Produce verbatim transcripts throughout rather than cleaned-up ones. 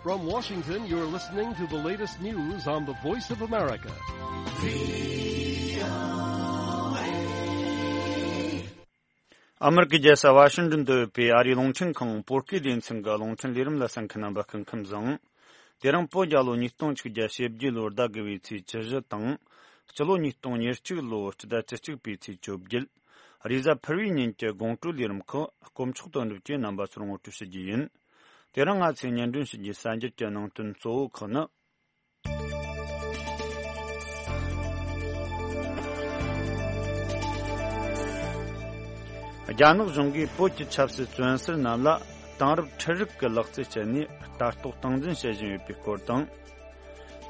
From Washington, you're listening to the latest news on the Voice of America. ཨ་མེ་རི་ཀའི་རྒྱལ་ས་ཝ་ཤིང་ཏོན་དུ་ཡོད་པའི་ཨ་རིའི་རླུང་འཕྲིན་ཁང་བོད་སྐད་སྡེ་ཚན་གྱི་རླུང་འཕྲིན་ལས་རིམ་ལ་གསན་མཁན་རྣམ་པ་སྐུ་ཁམས་བཟང་། དེ་རིང་བོད་རྒྱལ་ལོ་ཉིས་སྟོང་ཆིག་བརྒྱ་ཞེ་བརྒྱད་ལོར་ཟླ་དགུ་བའི་ཚེས་བཅུ་བཞི་དང་། སྤྱི་ལོ་ཉིས་སྟོང་ཉེར་གཅིག་ལོ་སྤྱི་ཟླ་བཅུ་གཅིག་པའི་ཚེས་བཅོ་བརྒྱད། རེས་གཟའ་ཕུར་བུའི་ཉིན་གྱི་དགོང་དྲོའི་ལས་རིམ་ཁག་དཀོན་མཆོག་དོན་གྲུབ་ཀྱིས་རྣམ་པ་ཚོར་ངོ་སྤྲོད་ཞུ་རྒྱུ་ཡིན། དེ་རིང་ང་ཚོས་སྙན་སྒྲོན་ཞུ་རྒྱུའི་གསར་འགྱུར་གྱི་ནང་དོན་གཙོ་བོ་ཁག་ནི། རྒྱ་ནག་གཞུང་གིས་བོད་ཀྱི་ཆབ་སྲིད་བཙོན་ཟུར་རྣམས་ལ་དེང་རབས་འཕྲུལ་རིག་གི་ལག་རྩལ་སྤྱད་ནས་ལྟ་རྟོག་སྟངས་འཛིན་བྱེད་བཞིན་ཡོད་པའི་སྐོར་དང་།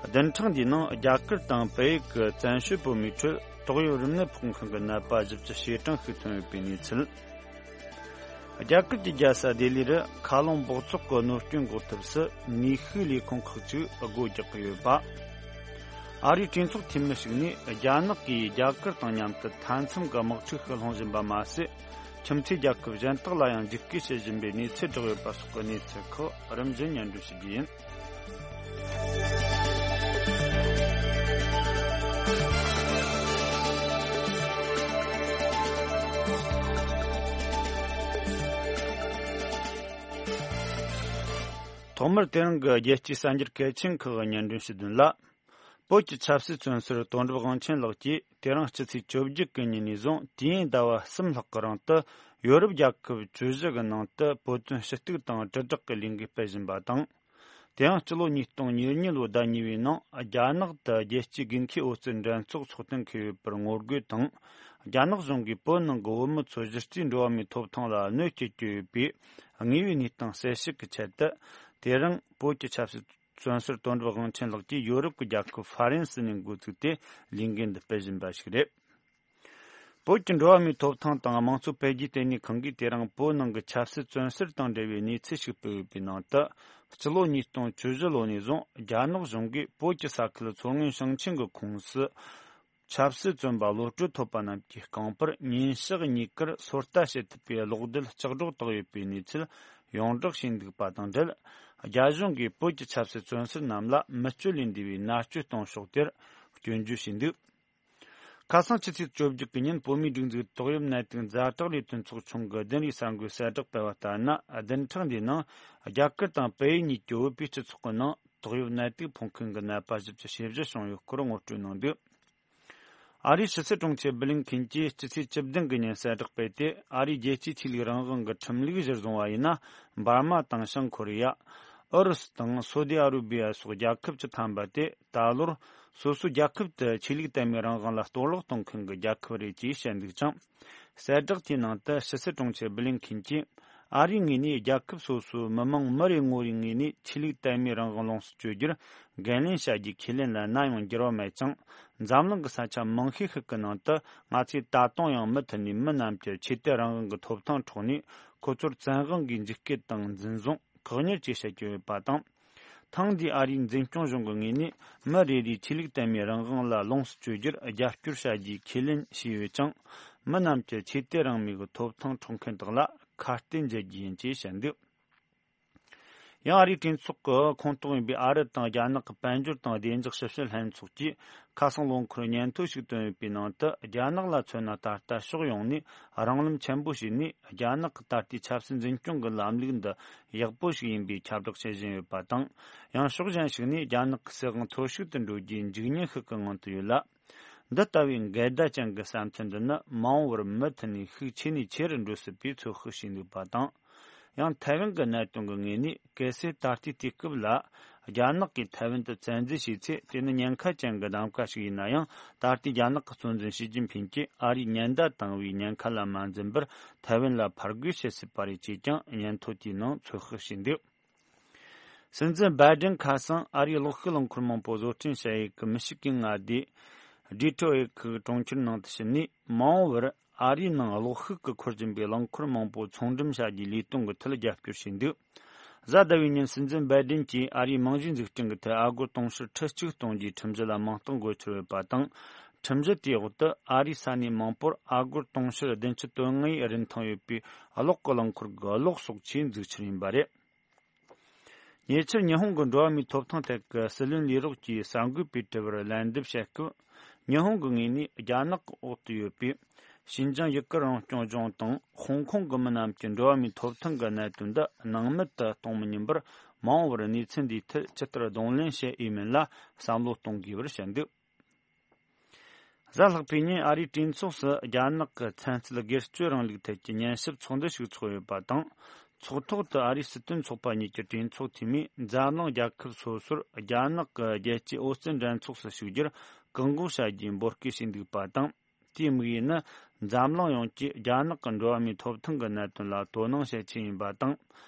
བདུན་ཕྲག་འདིའི་ནང་རྒྱ་གར་དང་བལ་ཡུལ་གྱི་བཙན་བྱོལ་བོད་མིའི་ཁྲོད་ཏོག་དབྱིབས་རིམས་ནད་ཕོག་མཁན་གྱི་ནད་པ་བཞི་བཅུ་ཞེ་གྲངས་ཤིག་ཐོན་ཡོད་པའི་གནས་ཚུལ། རྒྱ་གར་གྱི་རྒྱལ་ས་ལྡི་ལི་རུ་མཁའ་རླུང་སྦགས་བཙོག་གི་གནོད་སྐྱོན་འགོག་ཐབས་སུ་ནུས་ཤུགས་ལས་ཁུངས་ཁག་ཅིག་སྒོ་རྒྱག་གི་ཡོད་པ། ཨ་རིའི་གྲོས་ཚོགས་འཐུས་མི་ཞིག་ནས་རྒྱ་ནག་གིས་རྒྱ་གར་དང་མཉམ་དུ་མཐའ་མཚམས་ཀྱི་དམག་འཁྲུག་ཤུགས་སློང་བཞིན་པ་མ་ཟད། ཁྱིམ་མཚེས་རྒྱལ་ཁབ་གཞན་དག་ལ་ཡང་འཇིགས་སྐུལ་བྱེད་བཞིན་པའི་གནས་ཚུལ་བསྒྲགས་ཡོད་པ་སོགས་ཀྱི་གནས་ཚུལ་ཁག་རིམ་བཞིན་སྙན་སྒྲོན་ཞུ་རྒྱུ་ཡིན། ཐོག་མར་དེ་རིང་གི་རྒྱལ་སྤྱིའི་གསར་འགྱུར་གལ་ཆེན་ཁག་གི་སྙན་སྒྲོན་ཞུ་དོན་ལ། བོད་ཀྱི་ཆབ་སྲིད་བཙོན་ཟུར་དོན་གྲུབ་དབང་ཆེན་ལགས་ཀྱིས་དེ་རིང་སྤྱི་ཚེས་བཅོ་བརྒྱད་གི་ཉིན་ནས་བཟུང་དུས་ཡུན་ཟླ་བ་གསུམ་ལྷག་གི་རིང་དུ་ཡོ་རོབ་རྒྱལ་ཁབ་བཅུ་བཞི་གི་ནང་དུ་བོད་དོན་ཞུ་གཏུག་དང་དྲིལ་བསྒྲགས་ཀྱི་ལས་འགུལ་སྤེལ་བཞིན་པ་དང་། དེ་ཡང་སྤྱི་ལོ་ཉིས་སྟོང་ཉེར་གཉིས་ལོའི་ཟླ་གཉིས་པའི་ནང་རྒྱ་ནག་ཏུ་རྒྱལ་སྤྱིའི་དགུན་ཁའི་ཨོ་རྩལ་འགྲན་ཚོགས་ཚོགས་གཏན་འཁེལ་ཡོད་པར་ངོ་རྒོལ་དང་། རྒྱ་ནག་གཞུང་གིས་བོད་ནང་གི་བོད་མི་ཚོ་གཞི་རྩའི་འགྲོ་བ་མིའི་ཐོབ་ཐང་ལ་གནོད་སྐྱེལ་གྱི་ཡོད་པའི་དངོས་ཡོད་གནས་སྟངས་གསལ་བཤད་ཀྱི་ཆེད་དུ། དེ་རིང་བོད་ཀྱི་ཆབ་སྲིད་བཙོན་ཟུར་དོན་གྲུབ་དབང་ཆེན་ལགས་ཀྱིས་ཡོ་རོབ་ཀྱི་རྒྱལ་ཁབ་ཧྥ་རན་སི་ནས་འགོ་བཙུགས་ཏེ་ལས་འགུལ་འདི་སྤེལ་བཞིན་པ་ཞིག་རེད། བོད་ཀྱི་འགྲོ་བ་མིའི་ཐོབ་ཐང་དང་དམངས་གཙོ་འཕེལ་རྒྱས་ལྟེ་གནས་ཁང་གིས་དེ་རིང་བོད་ནང་གི་ཆབ་སྲིད་བཙོན་ཟུར་དང་འབྲེལ་བའི་གནས་ཚུལ་ཞིག་སྤེལ་ཡོད་པའི་ནང་དུ། སྤྱི་ལོ་ཉིས་སྟོང་བཅུ་བཞི་ལོ་ནས་བཟུང་རྒྱ་ནག་གཞུང་གིས་བོད་ཀྱི་ས་ཁུལ་མཚོ་སྔོན་ཞིང་ཆེན་གྱི་ཁོངས་སུ། ཆབ་སྲིད་བཙོན་པ་གློད་གྲོལ་ཐོབ་པ་རྣམས་ཀྱི་རྐང་པར་ཉིན་ཞག་གཉིས་ཀར་སོ་ལྟ་བྱེད་ཐུབ་པའི་གློག་རྡུལ་ལྕགས་སྒྲོག་བཏགས་ཡོད་པའི་གནས་ཚུལ་ཡོངས་བསྒྲགས་བྱས་འདུག་པ་དང་འབྲེལ། རྒྱ་གཞུང་གིས་བོད་ཀྱི་ཆབ་སྲིད་བཙོན་ཟུར་རྣམས་ལ་མི་སྤྱོད་ལས་འདས་པའི་མནར་གཅོད་གཏོང་ཕྱོགས་དེར་སྐྱོན་བརྗོད་བྱས་འདུག་ཁ་སང་ཕྱི་ཚེས་བཅོ་བརྒྱད་ཀྱི་ཉིན་བོད་མིའི་སྒྲིག་འཛུགས་ཏོག་དབྱིབས་ནད་དུག་ཛ་དྲག་ལས་དོན་ཚོགས་ཆུང་གི་བདུན་རེའི་གསར་འགོད་གསལ་བསྒྲགས་སྤེལ་བ་ལྟར་ན། བདུན་ཕྲག་འདིའི་ནང་རྒྱ་གར་དང་བལ་ཡུལ་གཉིས་ཀྱི་བོད་པའི་སྤྱི་ཚོགས་ཀྱི་ནང་ཏོག་དབྱིབས་ནད་དུག་ཕོག་མཁན་གྱི་ནད་པ་བཞི་བཅུ་ཞེ་བཞི་བྱུང་ཡོད་སྐོར་ངོ་སྤྲོད་གནང་འདུག་ཨ་རིའི་ཕྱི་སྲིད་དྲུང་ཆེ་བྷི་ལིན་ཁིན་གྱིས་སྤྱི་ཚེས་བཅུ་བདུན་གི་ཉིན་གསལ་བསྒྲགས་སྤེལ་ཏེ། ཨ་རིའི་རྒྱལ་སྤྱིའི་ཆོས་ལུགས་རང་དབང་གི་ཁྲིམས་ལུགས་གཞིར་བཟུང་བ་ཡིན་ན། འབར་མ་དང་བྱང་ཁོ་རེ་ཡ། ཨུ་རུ་སུ་དང་སོ་ཏི་ཨ་རུ་བི་ཡ་སོགས་རྒྱལ་ཁབ་བཅུ་ཐམ་པ་དེ་ད་ལོར་སོ་སོའི་རྒྱལ་ཁབ་ཏུ་ཆོས་ལུགས་དད་མོས་རང་དབང་ལ་གཏོར་བརླག་གཏོང་མཁན་གྱི་རྒྱལ་ཁབ་རེད་ཅེས་བཤད་འདུག་ཅིང་། གསལ་བསྒྲགས་དེའི་ནང་དུ་ཕྱི་སྲིད་དྲུང་ཆེ་བྷི་ལིན་ཁིན་གྱིས། ཨ་རིའི་ངོས་ནས་རྒྱལ་ཁབ་སོ་སོའི་མི་དམངས་མི་རེ་ངོ་རེའི་ངོས་ནས་ཆོས་ལུགས་དད་མོས་རང་དབང་ལོངས་སུ་སྤྱོད་རྒྱུར་འགན་ལེན་བྱ་རྒྱུའི་ཁས་ལེན་ལ་ནམ་ཡང་འགྱུར་བ་མེད་ཅིང་། འཛམ་གླིང་གི་ས་ཆ་མང་ཤོས་ཤིག་གི་ནང་དུ་ང་ཚོས་ད་དུང་ཡང་མུ་མཐུད་ནས་མི་རྣམས་ཀྱི་ཆོས་དད་རང་དབང་གི་ཐོབ་ཐང་འཕྲོག་ནས། ཁོ་ཚོར་བཙན་དབང་གིས་འཇིགས་སྐུལ་དང་འཛིན་བཟུང་། བཀག་ཉར་བཅས་བྱེད་ཀྱི་ཡོད་པ་དང་། ཐེངས་འདིའི་ཨ་རིའི་འཛིན་སྐྱོང་གཞུང་གི་ངོས་ནས་མི་རེ་རེའི་ཆོས་ལུགས་དད་མོས་རང་དབང་ལ་ལོངས་སུ་སྤྱོད་རྒྱུར་རྒྱབ་སྐྱོར་བྱ་རྒྱུའི་ཁས་ལེན་བྱས་ཡོད་ཅིང་། མི་རྣམས་ཀྱི་ཆོས་དད་རང་མོས་ཀྱི་ཐོབ་ཐང་འཕྲོག་མཁན་དག་ལ་ཁ་གཏད་འཇལ་རྒྱུ་ཡིན་ཅེས་བཤད་འདུག་ཡང་ཨ་རིའི་གྲོས་ཚོགས་ཀྱི་ཁོངས་གཏོགས་ཡིན་པའི་ཨ་རི་དང་རྒྱ་ནག་གི་དཔལ་འབྱོར་དང་བདེ་འཇགས་ཞིབ་བཤེར་ལྷན་ཚོགས་ཀྱིས་ཁ་སང་ལོ་འཁོར་སྙན་ཐོ་ཞིག་བཏོན་ཡོད་པའི་ནང་དུ། རྒྱ་ནག་ལ་མཚོན་ན། ད་ལྟ་ཕྱོགས་ཡོངས་ནས་རང་ལམ་ཆེན་པོ་ཞིག་ནས་རྒྱ་ནག་གི་ད་ལྟའི་ཆབ་སྲིད་འཛིན་སྐྱོང་གི་ལམ་ལུགས་འདི་ཡག་པོ་ཞིག་ཡིན་པའི་ཁྱབ་བསྒྲགས་བྱེད་བཞིན་ཡོད་པ་དང་། ཡང་ཕྱོགས་གཞན་ཞིག་ནས་རྒྱ་ནག་གི་སྲིད་དབང་འཐོར་ཞིག་ཏུ་འགྲོ་རྒྱུའི་འཇིགས་ཉེན་ཤིག་གི་ངང་དུ་ཡོད་ལ། འདི་ལྟ་བུའི་འགལ་ཟླ་ཅན་གྱི་བསམ་ཚུལ་འདི་ནི་མ་འོངས་པར་མུ་མཐུད་ནས་ཤུགས་ཆེ་ནས་ཆེ་རུ་འགྲོ་སྲིད་པའི་ཚོད་དཔག་བྱས་འདུག་པ་དང་། ཡང་ཐའེ་ཝན་གྱི་གནད་དོན་གྱི་ངོས་ནས། གལ་སྲིད་ད་ལྟའི་དུས་སྐབས་ལ་རྒྱ་ནག་གིས་ཐའེ་ཝན་དུ་བཙན་འཛུལ་བྱས་ཚེ། དེ་ནི་ཉེན་ཁ་ཅན་གྱི་གདམ་ག་ཞིག་ཡིན་ན་ཡང་། ད་ལྟའི་རྒྱ་ནག་གི་གཙོ་འཛིན་ཞི་ཅིན་ཕིང་གིས་ཨ་རིའི་ཉེན་བརྡ་བཏང་བའི་ཉེན་ཁ་ལ་མ་འཛེམས་པར་ཐའེ་ཝན་ལ་ཕར་རྒོལ་བྱེད་སྲིད་པ་རེད་ཅེས་ཀྱང་སྙན་ཐོ་དེའི་ནང་ཚོད་དཔག་བྱས་འདུག་སྲིད་འཛིན་བའི་ཌེན་ཁ་སང་ཨ་རིའི་གློག་ཤུགས་རླངས་འཁོར་མང་པོ་བཟོ་སྐྲུན་བྱ་ཡུལ་གྱི་མི་ཤི་གན་མངའ་སྡེ་ཌི་ཐྲོ་ཨེ་ཁུལ་གྱི་གྲོང་ཁྱེར་ནང་དུ་ཕྱིན་ནས། མ་འོངས་པར་ཨ་རིའི་ནང་གློག་ཤུགས་ཀྱིས་འཁོར་བཞིན་པའི་རླངས་འཁོར་མང་པོ་ཚོང་འགྲེམས་བྱ་རྒྱུའི་ལས་དོན་གྱི་ཐད་རྒྱབ་སྐྱོར་བྱས་འདུག་གཟའ་ཟླ་བའི་ཉིན་སྲིད་འཛིན་བའི་ཌེན་གྱིས་ཨ་རིའི་རྨང་གཞིའི་འཛུགས་སྐྲུན་གྱི་ཐད་ཨ་སྒོར་དུང་ཕྱུར་ཁྲི་གཅིག་གཏོང་རྒྱུའི་ཁྲིམས་གཞི་ལ་མིང་རྟགས་འགོད་འཆར་ཡོད་པ་དང་། ཁྲིམས་གཞི་དེའི་འོག་ཏུ་ཨ་རིའི་ས་གནས་མང་པོར་ཨ་སྒོར་དུང་ཕྱུར་བདུན་ཅུ་དོན་ལྔའི་རིན་ཐང་ཡོད་པའི་གློག་གི་རླངས་འཁོར་གྱི་གློག་གསོག་ཆས་འཛུགས་འཆར་ཡིན་པ་རེད། ཉེ་ཆར་ཉི་ཧོང་གི་འགྲོ་བ་མིའི་ཐོབ་ཐང་ཐད་ཀྱི་སྲིད་བློན་ལས་རོགས་ཀྱིས་གསར་འགོད་པའི་དྲི་བར་ལན་འདེབས་བྱེད་སྐབས། ཉི་ཧོང་གི་ངོས་ནས་རྒྱ་ནག་གི་འོག་ཏུ་ཡོད་པའི་ཤིན་ཅང་ཡུ་ཀེ་རང་སྐྱོང་ལྗོངས་དང་ཧོང་ཀོང་གི་མི་རྣམས་ཀྱི་འགྲོ་བ་མིའི་ཐོབ་ཐང་གི་གནད་དོན་འདི་སྣང་མེད་དུ་གཏོང་མི་ཉན་པར། མ་འོངས་པར་གནས་ཚུལ་འདིའི་ཐད་ཇི་ལྟར་གདོང་ལེན་བྱེད་འོས་མིན་ལ་བསམ་བློ་གཏོང་དགོས་པར་བཤད་འདུག་གཟའ་ལྷག་པའི་ཉིན་ཨ་རིའི་གྲོས་ཚོགས་སུ་རྒྱ་ནག་གི་ཚན་རྩལ་སྒེར་གཅོད་རིང་ལུགས་ཐད་ཀྱི་ཉན་ཞིབ་ཚོགས་འདུ་ཞིག་འཚོགས་ཡོད་པ་དང་། ཚོགས་ཐོག་ཏུ་ཨ་རིའི་སྲིད་དོན་ཚོགས་པ་གཉིས་ཀྱི་གྲོས་ཚོགས་འཐུས་མིས་འཛམ་གླིང་རྒྱལ་ཁབ་སོ་སོར་རྒྱ་ནག་གི་རྒྱལ་སྤྱིའི་ཨོ་རྩལ་འགྲན་ཚོགས་སུ་ཞུགས་རྒྱུར་བཀག་འགོག་བྱ་རྒྱུའི་འབོད་སྐུལ་བྱས་འདུག་པ་དང་། དེའི་དམིགས་ཡུལ་ནི་འཛམ་གླིང་ཡོངས་ཀྱིས་རྒྱ་ནག་གི་འགྲོ་བ་མིའི་ཐོབ་ཐང་གི་གནད་དོན་ལ་དོ་སྣང་བྱེད་ཆེད་ཡིན་པ་དང་།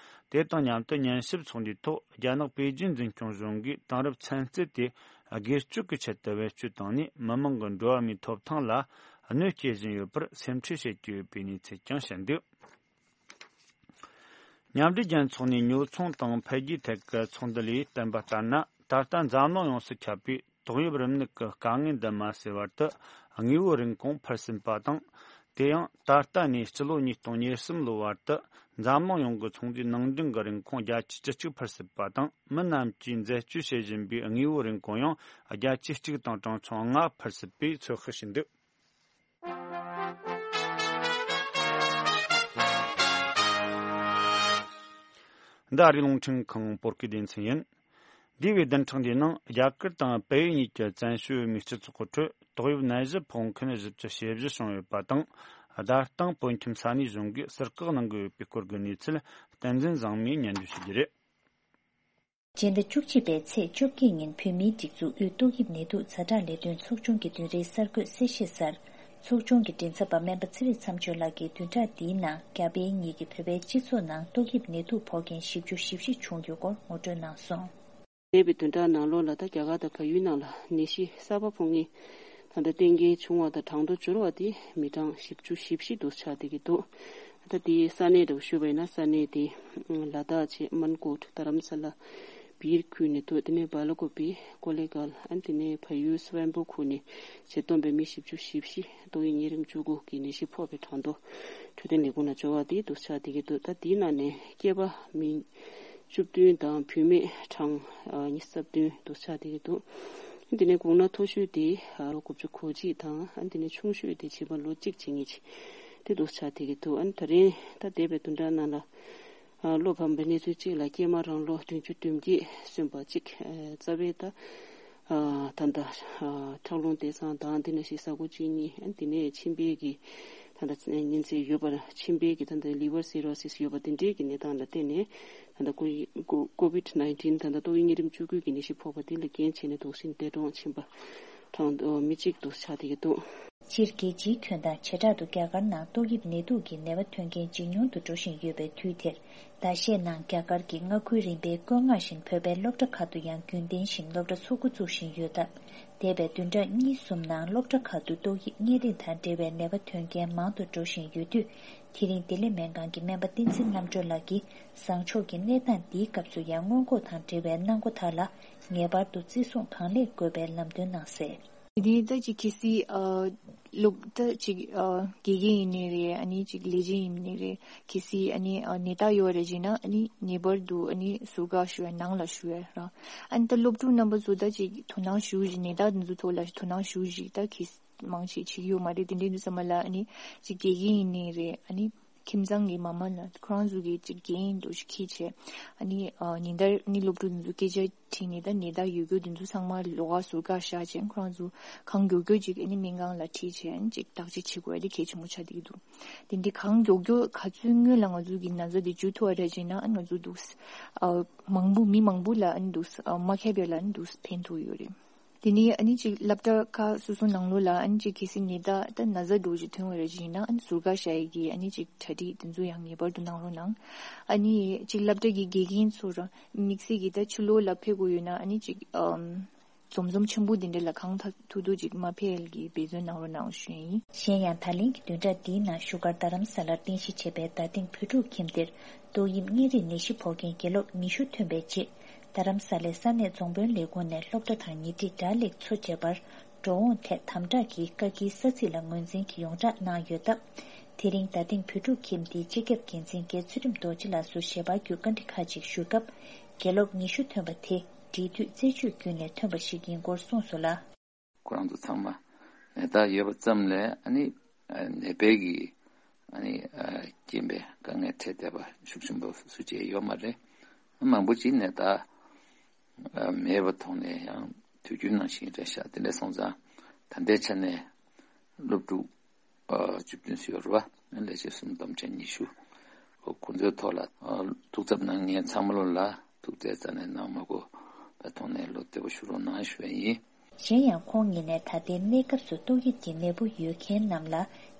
དེ་དང་མཉམ་དུ་ཉན་ཞིབ་ཚོགས་འདུའི་ཐོག་རྒྱ་ནག་པེ་ཅིན་འཛིན་སྐྱོང་གཞུང་གིས་དེང་རབས་ཚན་རྩལ་དེ་སྒེར་གཅོད་ཀྱི་ཆེད་དུ་བེད་སྤྱོད་བཏང་ནས་མི་མང་གི་འགྲོ་བ་མིའི་ཐོབ་ཐང་ལ་གནོད་སྐྱེལ་བཞིན་ཡོད་པར་སེམས་ཁྲལ་བྱེད་ཀྱི་ཡོད་པའི་གནས་ཚུལ་ཀྱང་བཤད་འདུག་མཉམ་འབྲེལ་རྒྱལ་ཚོགས་ནས་ཉོ་ཚོང་དང་འཕེལ་རྒྱས་ཐད་ཀྱི་ཚོགས་འདུ་ལས་བསྟན་པ་ལྟར་ན། ད་ལྟ་འཛམ་གླིང་ཡོངས་སུ་ཁྱབ་པའི་ཏོག་དབྱིབས་རིམས་ནད་ཀྱི་དཀའ་ངལ་འདི་མ་སེལ་བར་དུ་དངོས་པོའི་རིན་གོང་འཕར་སྲིད་པ་དང་། དེ་ཡང་ད་ལྟ་ནས་སྤྱི་ལོ་ཉིས་སྟོང་ཉེར་གསུམ་ལོའི་བར་དུ་འཛམ་གླིང་ཡོངས་ཀྱི་ཚོང་འདུས་ནང་འདྲེན་གྱི་རིན་གོང་བརྒྱ་ཆ་བཅུ་གཅིག་འཕར་སྲིད་པ་དང་། མི་རྣམས་ཀྱིས་འཛད་སྤྱོད་བྱེད་བཞིན་པའི་དངོས་པོའི་རིན་གོང་ཡང་བརྒྱ་ཆ་གཅིག་དང་གྲངས་ཆུང་ལྔ་འཕར་སྲིད་པའི་ཚོད་དཔག་བྱས་འདུག་འདི་ཨ་རིའི་རླུང་འཕྲིན་ཁང་བོད་སྐད་སྡེ་ཚན་ཡིན། འདས་པའི་བདུན་ཕྲག་འདིའི་ནང་རྒྱ་གར་དང་བལ་ཡུལ་གཉིས་ཀྱི་བཙན་བྱོལ་བོད་མིའི་སྤྱི་ཚོགས་ཁྲོད་ཏོག་དབྱིབས་ནད་གཞི་ཕོག་མཁན་བཞི་བཅུ་ཞེ་བཞི་བྱུང་ཡོད་པ་དང་། བརྡ་སྟངས་བོད་ཁྱིམ་ས་གནས་གཞུང་གིས་ཟུར་བཀག་གནང་གི་ཡོད་པའི་སྐོར་གྱི་གནས་ཚུལ། བསྟན་འཛིན་བཟང་མོས་སྙན་སྒྲོན་ཞུ་རྒྱུ་རེད། སྤྱི་ཟླ་བཅུ་གཅིག་པའི་ཚེས་བཅོ་བརྒྱད་ཉིན་བོད་མིའི་སྒྲིག་འཛུགས་དབུས་ཏོག་དབྱིབས་ནད་དུག་ཛ་དྲག་ལས་དོན་ཚོགས་ཆུང་གི་མདུན་རིའི་གསར་འགོད་གསལ་བཤད་གསར། ཚོགས་ཆུང་གི་མགྲིན་ཚབ་པ་སྨན་པ་ཚེ་རིང་མཚམས་གཅོད་ལགས་ཀྱིས་བདུན་ཕྲག་འདིའི་ནང་རྒྱ་བལ་གཉིས་ཀྱི་བོད་པའི་སྤྱི་ཚོགས་ནང་ཏོག་དབྱིབས་ནད་དུག་ཕོག་མཁན་བཞི་བཅུ་ཞེ་བཞི་བྱུང་ཡོད་སྐོར་ངོ་སྤྲོད་གནང་སོང་། འདས་པའི་བདུན་ཕྲག་ནང་ལོགས་ལ་ད་རྒྱ་གར་དང་བལ་ཡུལ་ནང་ལ་ནད་གཞི་གསར་པ་ཕོག་མཁན་ད་ལྟ་གཏན་འཁེལ་བྱུང་བ་དང་གྲངས་ཐོ་འབྱོར་བ་དེ་མི་གྲངས་བཞི་བཅུ་ཞེ་བཞི་འདུག་ཆགས་བསྡད་ཀྱི་འདུག་ད་དེའི་ས་གནས་འདྲ་བོ་ཞུས་པ་ཡིན་ན། ས་གནས་དེ་ལ་དྭགས་བྱས་མན་ཀོཊ། རྡ་རམ་ས་ལ། སྦིར་ཁུལ་ནས་ཐོན། དེ་ནས་སྦ་ལ་ཀོ་པི། ཀོ་ལེ་གལ། ཨ་ནི་དེ་ནས་ཕ་ཡུལ་སི་ཝན་པོ་ཁུལ་ནས་བྱས་སྟོན་པའི་མི་བཞི་བཅུ་ཞེ་བཞི་ཏོག་དབྱིབས་གཉན་རིམས་བཅུ་དགུ་གི་ནད་གཞི་ཕོག་པའི་གྲངས་ཐོ་འཕྲོད་བསྟེན་ལས་ཁུངས་ནང་འབྱོར་བ་དེ་འདུག་ཆགས་བསྡད་ཀྱི་འདུག་ད་དེའི་ནང་ནས་སྐྱེས་པ་མི་བཅུ་བདུན་དང་བུད་མེད་གྲངས་ཉི་ཤུ་རྩ་བདུན་འདུག་ཆགས་བསྡད་ཀྱི་འདུག་དེ་ནས་གོང་ན་མཐོ་ཤོས་དེ་ལོ་དགུ་བཅུ་གོ་གཅིག་དང་། ཨ་ནི་དེ་ནས་ཆུང་ཤོས་དེ་བྱིས་པ་ལོ་གཅིག་བྱེད་མཁན་ཅིག་དེ་འདུག་ཆགས་བསྡད་ཀྱི་འདུག་ཨ་ནི་ད་རིང་ད་འདས་པའི་བདུན་ཕྲག་ནང་ལ། ཨ། བློ་ཕམ་པའི་གནས་ཚུལ་གཅིག་ལ་སྐྱེས་མ་རང་ལོ་བདུན་ཅུ་དོན་བརྒྱད་སོན་པ་གཅིག་ཨ། རྩ་བའི་ད། ཨ། ད་ལྟ། ཨ། ཁྲག་རླུང་བརྟན་གསང་དང་། དེ་ནང་བཞིན་ཟ་ཁུ་གཅིན་སྙི། ཨ། དེ་ནས་མཆིན་པའི་གི་ད་ལྟ་གཉན་ཚད་ཡོད་པ། མཆིན་པའི་གི་ད་ལྟ་ལི་ཝར་སི་རོ་སིས་ཡོད་པ་དེ་འདྲའི་གི་གནས་སྟངས་ལ་བརྟེན་ནས། ད་ལྟ་ཀོ་ཀོ་ཀོ་བིད་ནའིན་ཊིན་ད་ལྟ་ཏོག་དབྱིབས་གཉན་རིམས་བཅུ་དགུ་གི་ནད་གཞི་ཕོག་པ་དེ་ལ་རྐྱེན་བྱས་ནས་དུག་སྲིན་འདས་གྲོངས་ཕྱིན་པ་གྲངས་མི་གཅིག་འདུག་ཆགས་བསྡད་ཀྱི་འདུག་སྤྱིར་རྒྱལ་སྤྱིའི་ཁྱོན་དང་བྱེ་བྲག་ཏུ་རྒྱ་གར་ནང་ཏོག་དབྱིབས་ནད་དུག་གི་ནད་པ་ཐོན་མཁན་ཇེ་ཉུང་དུ་འགྲོ་བཞིན་ཡོད་པའི་དུས་དེར། ཟླ་ཤས་ནང་རྒྱ་གར་གྱི་མངའ་ཁུལ་རིམ་པའི་བཀོད་མངགས་བཞིན་བོད་པའི་སློབ་གྲྭ་ཁག་ཏུ་ཡང་རྒྱུན་ལྡན་བཞིན་སློབ་གྲྭ་ཚུགས་འགོ་བཙུགས་བཞིན་ཡོད་སྟབས། འདས་པའི་བདུན་ཕྲག་གཉིས་གསུམ་ནང་སློབ་གྲྭ་ཁག་ཏུ་ཏོག་དབྱིབས་གཉན་རིམས་དང་འབྲེལ་བའི་ནད་པ་ཐོན་མཁན་མང་དུ་འགྲོ་བཞིན་ཡོད་དུས། དེ་རིང་བདེ་ལེགས་སྨན་ཁང་གི་སྨན་པ་བསྟན་འཛིན་རྣམ་གྲོལ་ལགས་ཀྱིས་བཟང་ཕྱོགས་ཀྱི་གནས་སྟངས་འདིའི་སྐབས་སུ་ཡང་སྔོན་འགོག་དང་འབྲེལ་བའི་གནང་སྒོ་དག་ལ་ངེས་པར་དུ་བརྩི་སྲུང་གང་ལེགས་དགོས་པའི་ལམ་སྟོན་གནང་གསལ། དེ་ནས་ད་ཅིག་གལ་སྲིད་ཨ་སློབ་ད་ཅིག་ཨ་དགེ་རྒན་ཡིན་ནའི་རེད། ཨ་ནི་ཅིག་ལས་བྱེད་ཡིན་ནའི་རེད། གལ་སྲིད་ཨ་ནི་ཨ་ནད་རྟགས་ཡོད་རེད་ཅེ་ན། ཨ་ནི་ངེས་པར་དུ་ཨ་ནི་ཟུར་བཀག་ཞུ་བའི་ནང་ལ་ཞུ་བའི་ར། ཨ་ནི་ད་སློབ་ཕྲུག་རྣམ་པ་ཚོ་ད་ཅིག་དོ་སྣང་ཞུ་བཞིན། ནད་རྟགས་འདི་ཚོ་ཐོག་ལ་དོ་སྣང་ཞུ་བཞིན། ད་གལ་སྲིད་མང་ཆེ་བྱེད་ཀྱི་ཡོད་མ་རེད། དེ་འདྲའི་དུས་ཙམ་པ་ལ་ཨ་ནི་ཅིག་དགེ་རྒན་ཡིན་ནའི་རེད། ཨ་ནི་ཁྱིམ་ཚང་གི་མ་མ་ལ་ཁོ་རང་ཚོ་གི་ཅིག་འགན་འདུག་ཅིག་འཁྱེར་བྱས། ཨ་ནི་ཨ་ཉིན་ལྟར་ཨ་ནི་སློབ་ཕྲུག་འདི་ཚོ་སྐད་ཆ་དྲིས་ནས། ད་ནད་རྟགས་ཡོད་རྒྱུ་འདི་ཚོ་ཚང་མ་ལོགས་ཀ་ཟུར་བཀག་བཞག་བྱས། ཁོ་རང་ཚོ་གང་མགྱོགས་མགྱོགས་ཅིག་ཨ་ནི་སྨན་ཁང་ལ་ཁྲིད་བྱས། ཨ་ནི་ཅིག་བརྟག་དཔྱད་བྱེད་དགོས་ཡ་དེ་གལ་ཆེན་པོ་ཆགས་བསྡད་ཀྱི་འདུག་དེ་འདྲའི་གང་མགྱོགས་མགྱོགས་ག་ཚོད་སྔོན་ལ་ང་ཚོ་གི་ན་ཚ་དེ་འཇུ་ཐུབ་པ་རེད་ཅེ་ན། ཨ་ནི་ང་ཚོ་འདུག་ཨ་མང་པོ་མི་མང་པོ་ལ་ཨ་ནི་འདུག་ཨ་མ་མཁས་པའི་ལ་ཨ་ནི་འདུག་ཕན་ཐོགས་ཡོད་རེད། དེ་ནས་ཨ་ནི་ཅིག་སློབ་གྲྭ་ཁག་སོ་སོ་ནང་ལོགས་ལ་ཨ་ནི་ཅིག་གལ་སྲིད་ནད་རྟགས་ད་ན་ཚ་འདྲ་བོ་ཅིག་ཐོན་པ་རེད་ཅེ་ན། ཨ་ནི་ཟུར་བཀག་བཞག་ཡས་ཀྱི་ཨ་ནི་ཅིག་གྲ་སྒྲིག་དེ་ཚོ་ཡང་ངེས་པར་དུ་གནང་རོགས་གནང་། ཨ་ནི་ཅིག་སློབ་གྲྭ་གི་དགེ་རྒན་ཚོ་རང་དམིགས་བསལ་གྱི་ད་ཕྱི་ལོགས་ལ་ཕེབས་དགོས་ཡོད་ན། ཨ་ནི་ཅིག་ཨམ་འཛོམས་འཛོམས་ཆེན་པོ་དེ་འདྲ་ལ་གང་ཐུབ་ཐུབ་ཅིག་མ་ཕེབས་ཡས་ཀྱི་འབད་བརྩོན་གནང་རོགས་གནང་ཞུ་ཡིན། གཞན་ཡང་ད་ལན་གྱི་བདུན་ཕྲག་འདིའི་ནང་བཞུགས་སྒར་རྡ་རམ་ས་ལར་རྟེན་གཞི་བྱས་པའི་རྡ་སྟེང་བོད་ཕྲུག་ཁྱིམ་སྡེར་ཏོག་དབྱིབས་གཉན་རིམས་ནད་གཞི་ཕོག་མཁན་དགེ་སློབ་ཉི་ཤུ་ཐོན་པའི་རྗེས། རྡ་རམ་ས་ལའི་ས་གནས་རྫོང་དཔོན་ལས་ཁུངས་ནས་སློབ་གྲྭ་དང་ཉེ་འཁྲིས་སྦྲག་ལས་ཚོ་བྱས་པར་འགྲོ་འོང་ཐད་དམ་དྲག་གིས་བཀག་སྐྱིལ་ས་ཚིགས་ལ་ངོས་འཛིན་གྱིས་ཡོངས་བསྒྲགས་གནང་ཡོད་སྟབས། དེ་རིང་རྡ་སྟེང་བོད་ཕྲུག་ཁྱིམ་སྡེའི་སྤྱི་ཁྱབ་འགན་འཛིན་རྒན་ཚུལ་ཁྲིམས་རྡོ་རྗེ་ལགས་སུ་ཞལ་པར་བརྒྱུད་བཀའ་འདྲི་ཁག་ཅིག་ཞུས་སྐབས། དགེ་སློབ་ཉི་ཤུ་ཐོན་པ་དེ་འབྲེལ་མཐུད་རྩད་གཅོད་བརྒྱུད་ནས་ཐོན་པ་ཞིག་ཡིན་སྐོར་གསུངས་སོང་ལ། ཁོ་རང་ཚོ་ཚང་མ་ནད་རྟགས་ཡོད་པ་ཙམ་ལས་ཨ་ནི་ནད་པའི་གི་ཨ་ནི་རྐྱེན་པས་དཀའ་ངལ་འཕྲད་བསྡད་པ་ཤུགས་ཆེན་པོ་སུ་གཅིག་ཡོད་མ་རེད། མང་པོ་ཅིག་ནད་རྟགས་མེད་པ་མཐོང་ནས་ཡང་དུས་རྒྱུན་ནང་བཞིན་རེད་ཤག་དེ་འདྲ་སོང་ཙང་ད་ལྟའི་ཆ་ནས་སློབ་ཕྲུག་བཅུ་བདུན་ཙམ་ཡོད་རེད་བ། ལས་བྱེད་གསུམ་སྡོམ་ཆེན་ཉི་ཤུ། ཁོ་ཚོའི་ཐོག་ལ་ཐུགས་འཚབ་གནང་མཁན་ཚང་མ་ལོ་ལ་ཐུགས་བརྩེ་རྩ་ནས་གནང་མ་དགོས་པ་ཐོག་ནས་བློ་བདེ་པོ་ཞུ་རོགས་གནང་ཞུ་བ་ཡིན། གཞན་ཡང་ཁོང་ཉིད་ནས་ད་ལྟའི་གནས་སྐབས་སུ་ཏོག་དབྱིབས་ཀྱི་ནད་འབུ་ཡོད་མཁན་རྣམས་ལ་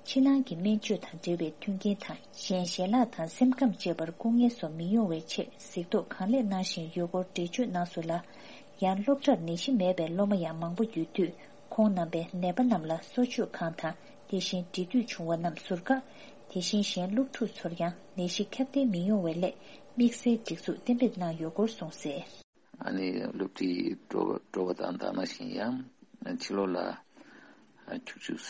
ཕྱི་ནང་གི་སྨན་བཅོས་དང་འབྲེལ་བའི་མཐུན་རྐྱེན་དང་གཞན་ཞལ་ལག་དང་སེམས་ཁམས་བཅས་པར་སྐུ་ངལ་སོགས་མི་ཡོང་བའི་ཆེད་གཟིགས་རྟོག་གང་ལེགས་གནང་བཞིན་ཡོད་སྐོར་འགྲེལ་བརྗོད་གནང་སོང་ལ། ཡང་སློབ་གྲྭར་ནད་གཞི་མེད་པའི་སློབ་མ་ཡང་མང་པོ་ཡོད་དུས། ཁོང་རྣམ་པས་ནད་པ་རྣམས་ལ་གསོ་བཅོས་ཁང་དང་དེ་བཞིན་འབྲེལ་མཐུད་བྱུང་བ་རྣམས་ཟུར་བཀག་དེ་བཞིན་གཞན་སློབ་ཕྲུག་ཚོར་ཡང་ནད་གཞི་ཁྱབ་གདལ་མི་ཡོང་བའི་སླད་དམིགས་བསལ་སྒྲིག་འཛུགས་གཏན་འབེབས་གནང་ཡོད་སྐོར་གསུངས་གསལ། ཨ་ནི་སློབ་ཁྲིད་འགྲོ་འགྲོ་བ་དང་ད་ནང་བཞིན་ཡང་ཕྱི་ལོགས་ལ་ཁྱུག་ཁྱུག་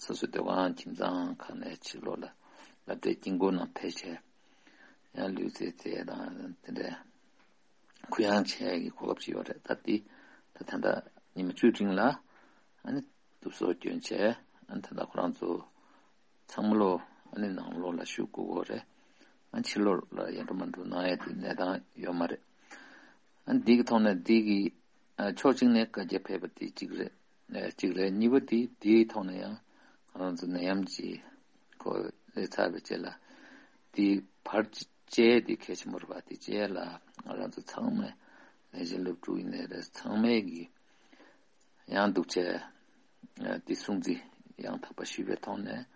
སོ་སོའི་སྡོད་ཁང་ཁྱིམ་ཚང་ཁག་ནས་ཕྱི་ལོགས་ལ་སློབ་གྲྭའི་དཀྱིལ་འཁོར་ནང་ཕེབས་བྱས་ཡང་ལུས་རྩལ་རྩེད་དང་དེ་འདྲའི་གུ་ཡངས་བྱས་ཀྱི་གོ་སྐབས་ཅིག་ཡོད་རེད། ད་འདི་ད་ད་ལྟ་ཉི་མ་བཅུ་རིང་ལ་ཨ་ནི་དུབ་སོ་སྐྱོན་བྱས་ཨ་ནི་ད་ལྟ་ཁོ་རང་ཚོ་ཚང་མ་ལོ་ཨ་ནི་ནང་ལོགས་ལ་བཞུགས་དགོས་ཀྱི་རེད། ཨ་ཕྱི་ལོགས་ལ་ཡར་འགྲོ་མར་འགྲོ་གནང་ཡ་དེ་གནས་སྟངས་ཡོད་མ་རེད། ཨ་འདི་གི་ཐོག་ནས་འདི་གི་ཕྱོགས་གཅིག་ནས་བཀའ་རྒྱ་ཕེབས་པ་དེ་གཅིག་རེད། གཅིག་རེད། གཉིས་པ་དེ་དེའི་ཐོག་ནས་ཡང་ང་རང་ཚོ་ནད་ཡམས་ཀྱི་ཁོ་སླེབས་ཚར་བའི་རྗེས་ལ་དེ་བར་བཅད་དེ་གལ་ཆེན་པོ་རེད་པ། དེ་རྗེས་ལ་ང་རང་ཚོ་ཚང་མས་ལས་བྱེད་སློབ་ཕྲུག་ཡིན་ནའི་རེད། ཚང་མས་ཀྱི་ཡང་འདུག་བྱས་དེ་སྲུང་བརྩི་ཡང་དག་པ་ཞུས་པའི་ཐོག་ནས་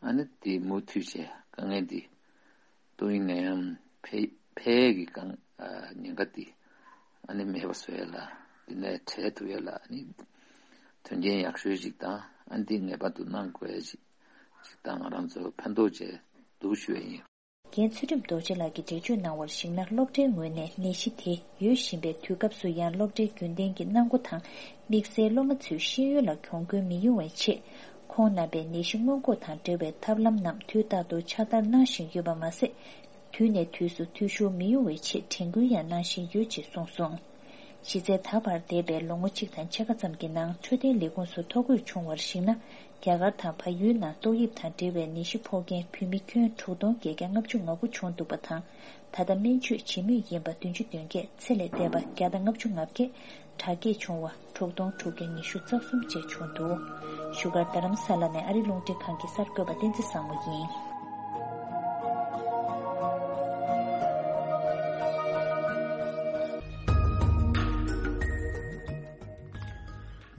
ཨ་ནི་དེ་མུ་མཐུད་བྱས་དཀའ་ངལ་འདི་ཏོག་དབྱིབས་ནད་ཡམས་འཕེལ་འཕེལ་གྱི་གང་ཉེན་ཁ་འདི་ཨ་ནི་མེད་པ་བཟོ་ཡ་ལ་འདི་ནས་བྲལ་ཐུབ་ཡ་ལ་ཨ་ནི་དོན་རྐྱེན་ཡག་ཤོས་ཅིག་དང་ཨ་ནི་འདི་ངེས་པར་དུ་གནང་དགོས་ཡ་ཅིག་ཅིག་དང་ང་རང་ཚོ་ཕན་ཐོགས་བྱས་འདུག་ཞུ་ཡ་ཡིན། རྒན་ཚུལ་ཁྲིམས་རྡོ་རྗེ་ལགས་ཀྱིས་འགྲེལ་བརྗོད་གནང་བར་གཞིགས་ན། སློབ་གྲྭའི་ངོས་ནས་ནད་གཞི་དེ་ཡོད་བཞིན་པའི་དུས་སྐབས་སུ་ཡང་སློབ་གྲྭའི་རྒྱུན་ལྡན་གྱི་གནང་སྒོ་དང་དམིགས་བསལ་སློབ་མ་ཚོའི་ཤེས་ཡོན་ལ་གྱོང་གུན་མི་ཡོང་བའི་ཆེད། ཁོང་རྣམ་པས་ནད་གཞི་སྔོན་འགོག་དང་འབྲེལ་བའི་ཐབས་ལམ་རྣམས་དུས་རྟག་ཏུ་ཕྱག་བསྟར་གནང་བཞིན་ཡོད་པ་མ་ཟད། དུས་ནས་དུས་སུ་འཐུས་ཤོར་མི་ཡོང་བའི་ཆེད་དྲན་སྐུལ་ཡང་གནང་བཞིན་ཡོད་ཅེས་གསུངས་སོང་། གཞི་རྩའི་ད་བར་འདས་པའི་ལོ་ངོ་གཅིག་དང་ཕྱེད་ཀ་ཙམ་གྱི་ནང་འཕྲོད་བསྟེན་ལས་ཁུངས་སུ་ཐོ་འགོད་བྱུང་བར་གཞིགས་ན། རྒྱ་གར་དང་བལ་ཡུལ་ནང་ཏོག་དབྱིབས་དང་འབྲེལ་བའི་ནད་གཞི་ཕོག་མཁན་བོད་མི་ཁྱོན་དྲུག་སྟོང་བརྒྱད་བརྒྱ་ལྔ་བཅུ་ང་དགུ་བྱུང་འདུག་པ་དང་། ད་ལྟ་སྨན་བཅོས་བྱེད་མུས་ཡིན་པ་བདུན་ཅུ་དོན་བརྒྱད། ཚེ་ལས་འདས་པ་བརྒྱ་དང་ལྔ་བཅུ་ང་བརྒྱད། དྲག་སྐྱེད་བྱུང་བ་དྲུག་སྟོང་དྲུག་བརྒྱ་ཉི་ཤུ་རྩ་གསུམ་བཅས་བྱུང་འདུག་བཞུགས་སྒར་རྡ་རམ་ས་ལ་ནས་ཨ་རི་རླུང་འཕྲིན་ཁང་གི་གསར་འགོད་པ་བསྟན་འཛིན་བཟང་མོ་ཡིན།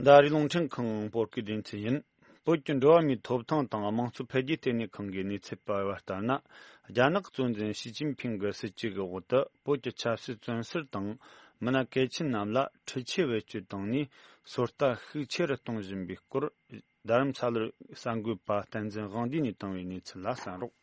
འདི་ཨ་རིའི་རླུང་འཕྲིན་ཁང་བོད་སྐད་སྡེ་ཚན་ཡིན། བོད་ཀྱི་འགྲོ་བ་མིའི་ཐོབ་ཐང་དང་དམངས་གཙོ་འཕེལ་རྒྱས་ལྟེ་གནས་ཁང་གིས་གནས་ཚུལ་སྤེལ་བ་ལྟར་ན། རྒྱ་ནག་གཙོ་འཛིན་ཞི་ཅིན་ཕིང་གི་སྲིད་ཇུས་འོག་ཏུ་བོད་ཀྱི་ཆབ་སྲིད་བཙོན་ཟུར་དང་མི་སྣ་གལ་ཆེན་རྣམས་ལ་འཕྲུལ་ཆས་བེད་སྤྱོད་བཏང་ནས་ཚོད་ལྟ་ཤུགས་ཆེ་རུ་གཏོང་བཞིན་པའི་སྐོར། རྡ་རམ་ས་ལར་གསར་འགོད་པ་བསྟན་འཛིན་དབང་འདུས་ནས་བཏང་བའི་གནས་ཚུལ་ལ་གསན་རོགས།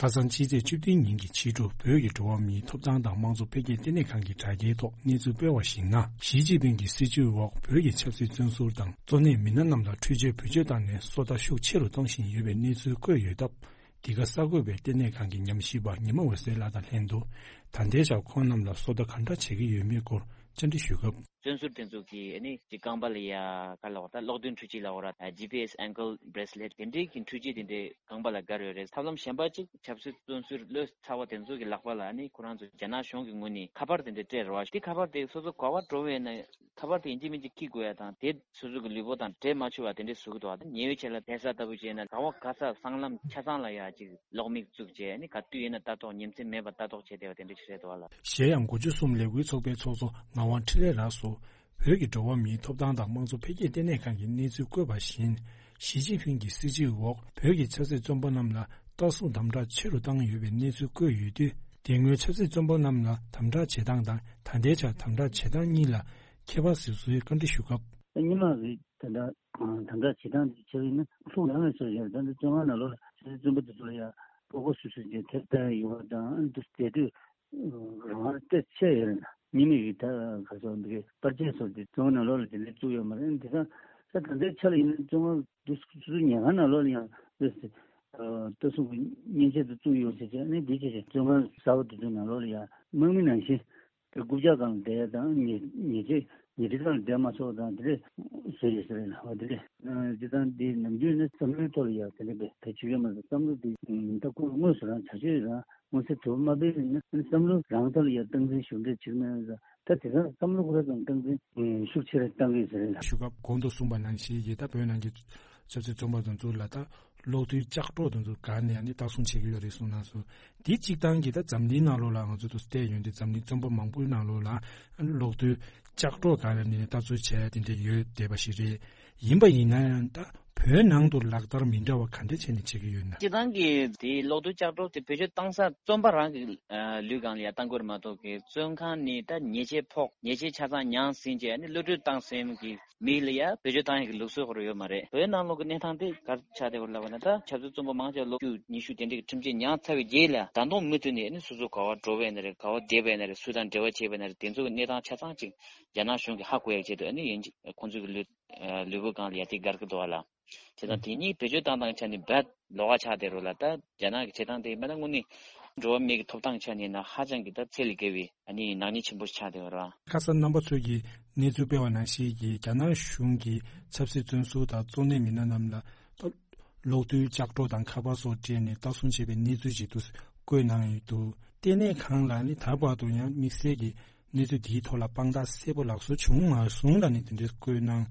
ཁ་སང་ཕྱི་ཚེས་བཅུ་བདུན་ཉིན་གྱི་ཕྱི་དྲོ་བོད་ཀྱི་འགྲོ་བ་མིའི་ཐོབ་ཐང་དང་དམངས་གཙོ་འཕེལ་རྒྱས་ལྟེ་གནས་ཁང་གི་དྲ་རྒྱའི་ཐོག་གནས་ཚུལ་སྤེལ་བར་གཞིགས་ན། ཞི་ཅིན་ཕིང་གི་སྲིད་བྱུས་འོག་བོད་ཀྱི་ཆབ་སྲིད་བཙོན་ཟུར་དང་གཙོ་གནད་མི་སྣ་རྣམས་ལ་འཕྲུལ་ཆས་བེད་སྤྱོད་བཏང་ནས་སོ་ལྟ་ཤུགས་ཆེ་རུ་གཏོང་བཞིན་ཡོད་པའི་གནས་ཚུལ་བཀོད་ཡོད་སྟབས། འདི་ག་གསར་འགོད་པས་ལྟེ་གནས་ཁང་གི་ཉམས་ཞིབ་པ་ཉི་མ་འོད་ཟེར་ལགས་དང་ལྷན་དུ། ད་ལྟའི་ཆར་ཁོང་རྣམས་ལ་སོ་ལྟ་གང་འདྲ་བྱེད་ཀྱི་ཡོད་མེད་སྐོར་བཅར་འདྲི་ཞུས་སྐབས། བཙོན་ཟུར་དེ་ཚོ་གིས་ཨ་ནི་ཅིག་རྐང་པ་ལ་ཡ་ག་ལབ་དགོས་རེད། ད་གློག་བརྙན་འཕྲུལ་ཆས་ལབ་དགོས་རེད། ད་ཇི་པི་ཨེས་ཨེང་ཀལ་བྷེ་རེ་སི་ལེཊ་དེ་འདྲའི་གི་འཕྲུལ་ཆས་དེ་འདྲའི་རྐང་པ་ལ་བསྒར་ཡོད་རེད། ཐབས་ལམ་གཞན་པ་ཅིག་ཆབ་སྲིད་བཙོན་ཟུར་བློ་ཚ་བ་དེ་ཚོ་གི་ལག་པ་ལ་ཨ་ནི་ཁོ་རང་ཚོ་རྒྱ་ནག་གཞུང་གི་ངོས་ནས་ཁ་པར་དེ་འདྲ་སྤྲད་རེད་བ། དེ་ཁ་པར་དེ་སོ་སོ་ག་པར་འགྲོ་བས་ན་ཁ་པར་དེ་ཡིན་གཅིག་མིན་གཅིག་འཁྱེར་དགོས་ཡ་དང་དེ། སོ་སོ་གི་ལུས་པོ་དང་འབྲེལ་མ་ཆོག་པ་དེ་འདྲས་བཟོ་གི་འདུག་བ། ཉེ་བའི་ཆར་ལ་བལ་ས་ལྟ་བུ་བྱས་ན་ག་བ་ག་ས་སྲང་ལམ་ཆ་ཚང་ལ་ཡ་ཅིག་གློག་མིག་བཙུགས་བྱས་ནི་ག་དུས་ཡིན་ན་ལྟ་རྟོག་ཉིན་མཚན་མེད་པར་ལྟ་རྟོག་བྱས་བསྡད་པ་དེ་འདྲས་ཞིག་རེད་འདུག་བ་ལ། གཞན་ཡང་། དགུ་བཅུ་གསུམ་ལས་འགུལ་ཚོགས་པའི་ཚོགས་གཙོ་ངག་དབང་འཕྲིན་ལས་ལགས་སུ། བོད་ཀྱི་འགྲོ་བ་མིའི་ཐོབ་ཐང་དང་དམངས་གཙོ་འཕེལ་རྒྱས་ལྟེ་གནས་ཁང་གིས་གནས་ཚུལ་བཀོད་པ་བཞིན། ཞི་ཅིན་ཕིང་གི་སྲིད་བྱུས་འོག་བོད་ཀྱི་ཆབ་སྲིད་བཙོན་པ་རྣམས་ལ་ལྟ་སྲུང་དམ་དྲག་ཆེ་རུ་བཏང་ཡོད་པའི་གནས་ཚུལ་བཀོད་ཡོད་དུས། དེ་སྔོན་ཆབ་སྲིད་བཙོན་པ་རྣམས་ལ་དམ་དྲག་བྱེད་སྟངས་དང་ད་ལྟའི་ཆར་དམ་དྲག་བྱེད་སྟངས་གཉིས་ལ་ཁྱད་པར་གཟིགས་སྲོལ་བཀའ་འདྲི་ཞུ་སྐབས། སྔོན་མ་གི་དེ་འདྲ་དམ་དྲག་བྱེད་སྟངས་དེ་ཆགས་ཡིན་ན་ལྷུག་ལྷང་ངེ་ཆགས་ཡོད་རེད། ད་ནི་བཙོན་ཁང་ནང་ལོགས་ལ་ཆབ་སྲིད་བཙོན་པ་དེ་ཚོ་ལ་ཡང་ཕོགས་པ་སུ་སུ་ཅིག་ཐེབས་བསྡད་ཡོད་པ་དང་། ཨ་ནི་དེ་དུས་རང་དབང་དཔེ་ཆེ་ཡོད་རེད། ཉི་མ་གི་ད་ག་ཚོད་འདི་གི་པར་ཆས་སོགས་དེ་བཙོན་ཁང་ནང་ལོགས་ལ་དེ་འདྲ་བཙུགས་ཡོད་མ་རེད། དེ་ད་ད་ད་ལྟའི་ཆ་ལ་ཡིན་ན་བཙོན་ཁང་དུ་སུ་སུ་ཉལ་ཁང་ནང་ལོགས་ལ་ཡང་དེ་ ལྟ་སྲུང་གི་མཉེན་ཆས་དེ་བཙུགས་ཡོད་ཟེར་བྱས་ནས། འདི་བྱས་བྱས་བཙོན་ཁང་གསར་པ་དེ་ཚོའི་ནང་ལོགས་ལ་ཡ་དམག་མི་ནང་བཞིན། དེ་རྐུབ་བཀྱག་སྒང་ལ་བསྡད་ཡ་དང་། ཉལ་ཉལ་ཆས་ཉལ་ཁྲི་སྒང་ལ་བསྡད་མ་ཆོག་དང་། དེ་འདྲས་བཟོས་ཡོད་ས་རེད་ལ། འོ་དེ་འདྲས། སྤྱིར་བཏང་འདི་ནམ་རྒྱུན་ནི་བསམ་བློའི་ཐོག་ལ་ཡ་དེ་འདྲས་དཔེ་ད་བྱེད་ཀྱི་མ་རེད། བསམ་བློ་འདི་ད་ཁོ་དངོས་སུ་རང་བྱ་སྤྱོད་རང་མངོན་གསལ་དོད་པོ་མ་སྤེལ་ན། བསམ་བློ་རང་ཐོག་ལ་ཡ་སྟངས་འཛིན་ཤུགས་ཆེ་བྱེད་ཀྱི་མ་རེད། ད་དེང་སང་བསམ་བློ་ཁོ་རང་ཚོ་སྟངས་འཛིན་ཤུགས་ཆེ་རུ་བཏང་གི་ཡོད་ས་རེད་ལ། ཞུ་སྐབས་གོང་དུ་གསུངས་པ་ནང་བཞིན་གྱི་ད་བོད་ནང་གི་ཆབ་སྲིད་བཙོན་པ་དེ་ཚོ་ལ་ད་གློག་རྡུལ་ལྕགས་སྒྲོག་དེ་ཚོ་སྒང་ནས་ཨ་ནི་ལྟ་སྲུང་བྱེད་ཀྱི་ཡོད་རེད་གསུངས་གནང་སོང་། དེ་གཅིག་ཐང་གི་ད་འཛམ་གླིང་ནང་ལོགས་ལ་ང་ཚོ་དུ་བལྟས་ཡོང་དུས། འཛམ་གླིང་བཙོན་པ་མང་པོའི་ནང་ལོགས་ལ་ཨ་ནི་གློག་རྡུལ་ལྕགས་སྒྲོག་སྒང་ལ་ནས་ལྟ་ཚུལ་བྱས་དེ་འདྲ་ཡོད་བསྡད་པ་ཞིག་རེད། ཡིན་པ་ཡིན་ན་ཡང་ད་བོད་ནང་དུ་ལག་བསྟར་མི་འདྲ་བ་ག་འདྲ་བྱས་ནས་བྱེད་ཀྱི་ཡོད་ན། སྤྱིར་བཏང་གི་དེ་གློག་རྡུལ་ལྕགས་སྒྲོག་དེ་བེད་སྤྱོད་བཏང་ས་བཙོན་པ་རང་གི་ཨ་ལུས་སྒང་ལ་ཡ་བཏང་དགོས་རེད་མ་གཏོགས་གི། བཙོན་ཁང་ནས་ད་ཉེས་ཆད་ཕོག་ཉེས་ཆད་ཆ་ཚང་མྱངས་ཟིན་བྱས་ཨ་ནི་གློད་གྲོལ་བཏང་ཟིན་གྱི་མི་ལ་ཡ་བེད་སྤྱོད་བཏང་ཡག་གི་ལུགས་སྲོལ་ཁོ་རང་ཡོད་མ་རེད། བོད་ནང་ལོགས་ཀྱི་གནས་སྟངས་དེ་ག་རེ་ཆགས་བསྡད་ཡོད་ལབ་པ་ན། ད་ཆབ་སྲིད་བཙོན་པ་མང་ཆེ་བ་ལོ་བཅུ་ཉི་ཤུ་དེ་འདྲའི་ཁྲིམས་ཆད་མྱངས་ཚར་བའི་རྗེས་ལ་ད་དུང་མུ་མཐུད་ནས་ཨ་ནི་སོ་སོ་ག་པར་འགྲོ་བ་ཡིན་ན་རེད། ག་པར་བསྡད་པ་ཡིན་ན་རེད། སུ་དང་འབྲེལ་བ་བྱས་པ་ཡིན་ན་རེད། དེ་ཚོ་གི་གནས་སྟངས་ཆ་ཚང་ཅིག་རྒྱ་ནག་གཞུང་གིས་ཧ་གོ་ཡག་ཆེད་དུ་ཨ་ནི་ཡིན་གཅིག་ཁོང་ཚོ་གི་ལུས་ལུས་པོ་སྒང་ལ་ཡ་དེ་བཀར་གི་འདུག་བ་ལ། བྱས་ཙང་དེ་གཉིས་བེད་སྤྱོད་བཏང་སྟངས་ཆ་ནས་རྦད་ལོགས་ཀ་ཆགས་བསྡད་རེད་ལ། ད་རྒྱ་ནག་གི་བྱེད་སྟངས་དེ་མེད་ན་དངོས་གནས་འགྲོ་བ་མི་གི་ཐོབ་ཐང་ཆ་ནས་ན་ཧ་ཅང་གི་ད་ཚད་ལས་བརྒལ་བའི་ཨ་ནི་ནག་ཉེས་ཆེན་པོ་ཆགས་བསྡད་ཡོད་རེད་བ། ཁ་སང་རྣམ་པ་ཚོས་ཀྱིས་གནས་ཚུལ་སྤེལ་བ་ནང་བཞིན་གྱི་རྒྱ་ནག་གཞུང་གིས་ཆབ་སྲིད་བཙོན་ཟུར་དང་གཙོ་གནད་མི་སྣ་རྣམས་ལ་ད་གློག་རྡུལ་ལྕགས་སྒྲོག་དང་ཁ་པར་སོགས་སྤྲད་ནས་ལྟ་སྲུང་བྱས་པའི་གནས་ཚུལ་ཞིག་ཏུ་བཀོད་གནང་ཡོད་འདུག། ལྟེ་གནས་ཁང་ལ་ནི་ད་བར་དུ་ཡང་དམིགས་བསལ་གྱི་གནས་ཚུལ་འདིའི་ཐོག་ལ་དཔང་རྟགས་གསལ་པོ་ལགས་སོ་བྱུང་མ་སོང་ལ་ནི་དེ་འདྲའི་བཀོད་གནང་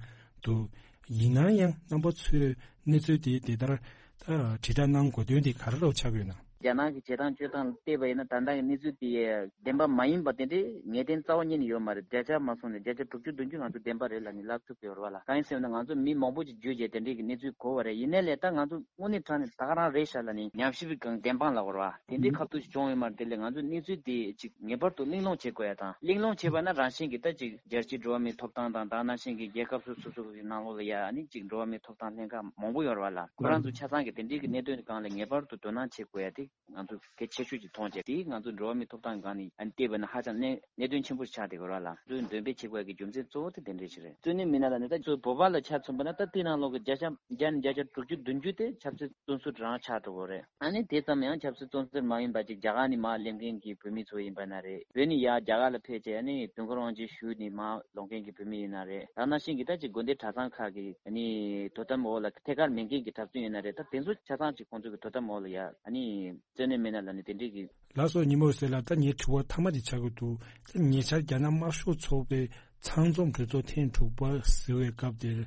འདུག། ཡིན་ན་ཡང་རྣམ་པ་ཚོས་གནས་ཚུལ་དེ་དེ་ལྟར་ད་དྲིལ་བསྒྲགས་གནང་དགོས་དོན་དེ་ག་རེ་ལ་ཆགས་ཡོད་ན། རྒྱ་ནག་གི་བྱེད་སྟངས་སྤྱོད་སྟངས་ལ་བལྟས་པ་ཡིན་ན། ད་ལྟ་གི་གནས་ཚུལ་དེ་བདེན་པ་མ་ཡིན་པ་དེ་འདྲའི་ངེས་གཏན་རྩ་བ་ཉིད་ནས་ཡོད་མ་རེད། བརྒྱ་ཆ་མ་སོང་ནས་བརྒྱ་ཆ་དྲུག་ཅུ་བདུན་ཅུ་ང་ཚོ་བདེན་པ་རེད་ལབ་ནས་ལབ་ཐུབ་ཀྱི་ཡོད་རེད་བ་ལ། གང་ཡིན་ཟེར་ན་ང་ཚོ་མི་མང་པོ་ཅིག་བརྒྱུད་བྱས་དེ་འདྲའི་གི་གནས་ཚུལ་གོ་བ་རེད། ཡིན་ནའི་ལས་ད་ང་ཚོ་དངོས་གནས་དྲང་གནས་ད་ག་རང་རེད་ཤག་ལབ་ནས་ཉམས་ཞིབ་གི་སྒང་བདེན་དཔང་ལབ་དགོས་རེད་བ། དེ་འདྲའི་ཁ་ཐུག་ཅིག་བྱུང་ཡོད་མ་རེད། དེ་ལས་ང་ཚོས་གནས་ཚུལ་དེ་ཅིག་ངེས་པར་དུ་གླེང་སློང་བྱེད་དགོས་ཡ་དང་། གླེང་སློང་བྱས་པ་ན་རང་བཞིན་གྱིས་ད་ཅིག་རྒྱལ་སྤྱིའི་འགྲོ་བ་མིའི་ཐོབ་ཐང་དང་། ད་ནང་བཞིན་གྱི་རྒྱལ་ཁབ་སོ་སོ་སོ་སོ་གི་ནང་ལོགས་ལ་ཡ་ཨ་ནི་ཅིག་འགྲོ་བ་མིའི་ཐོབ་ཐང་ལྷན་ཁང་མང་པོ་ཡོད་རེད་བ་ལ། ཁོ་རང་ཚོ་ཆ་ཚང་གི་དེ་འདྲའི་གི་གནད་དོན་སྒང་ལ་ངེས་པར་དུ་དོ་སྣང་བྱེད་དགོས་ཡ་དེ་ང་ཚོ་གལ་ཆེ་ཤོས་ཅིག་མཐོང་བྱས། དེ་ང་ཚོ་འགྲོ་བ་མིའི་ཐོབ་ཐང་སྒང་ནས་ཨ་ནི་བལྟས་པ་ན་ཧ་ཅང་གནད་གནད་དོན་ཆེན་པོ་ཆགས་བསྡད་ཡོད་རེད་ལ། ཚོས་འདོན་སྤེལ་བྱེད་དགོས་ཀྱི་རྒྱུ་མཚན་གཙོ་བོ་དེ་དེ་འདྲས་ཞིག་རེད། གཙོ་གནད་མི་སྣ་ལ་ནི་ད་གཙོ་བོད་པ་ལ་ཆ་མཚོན་པ་ན། ད་དེ་ནང་ལོགས་ཀྱི་བརྒྱ་ཆ་བརྒྱ་ནས་བརྒྱ་ཆ་དྲུག་ཅུ་བདུན་ཅུ་དེ་ཆབ་སྲིད་བཙོན་ཟུར་རང་ཆགས་འགྲོ་གི་རེད། ཨ་ནི་དེ་ཙམ་ཡང་ཆབ་སྲིད་བཙོན་ཟུར་མ་ཡིན་པ་ཅིག་རྒྱ་གར་ནས་མར་སླེབས་མཁན་གྱི་བོད་མི་ཚོ་ཡིན་པ་ན་རེད། བོད་ནས་ཡར་རྒྱ་གར་ལ་ཕེབས་བྱས་ཨ་ནི་དུས་འཁོར་དབང་ཆེན་ཞུས་ནས་མར་ལོག་མཁན་གྱི་བོད་མི་ཡིན་ན་རེད། ད་ནང་བཞིན་གྱི་ད་ཅིག་དགོན་སྡེ་གྲྭ་ཚང་ཁག་གི་ཨ་ནི་དོ་དམ་འོག་ལ་ཐད་ཀར་མེད་མཁན་གྱི་གྲྭ་བཙུན་ཡིན་ན་རེད། ད་དེ་ཚོ་ཆ་ཚང་ཅིག་ཁོང་ཚོ་གི་དོ་དམ་འོག་ལ་ཡ་ཨ་ནི་གཙོ་གནད་མི་སྣ་ལ་ནི་དེ་འདྲས་ཀྱི། ལགས་སོ། ཉི་མ་འོད་ཟེར་ལགས། ད་ངའི་དྲི་བ་མཐའ་མ་དེ་ཆགས་ཀྱི་འདུག། ད་ཉེ་ཆར་རྒྱ་ནག་དམར་ཤོག་ཚོགས་པའི་ཚང་འཛོམས་གྲོས་ཚོགས་ཐེངས་དྲུག་པ་ཟེར་བའི་སྐབས་དེར།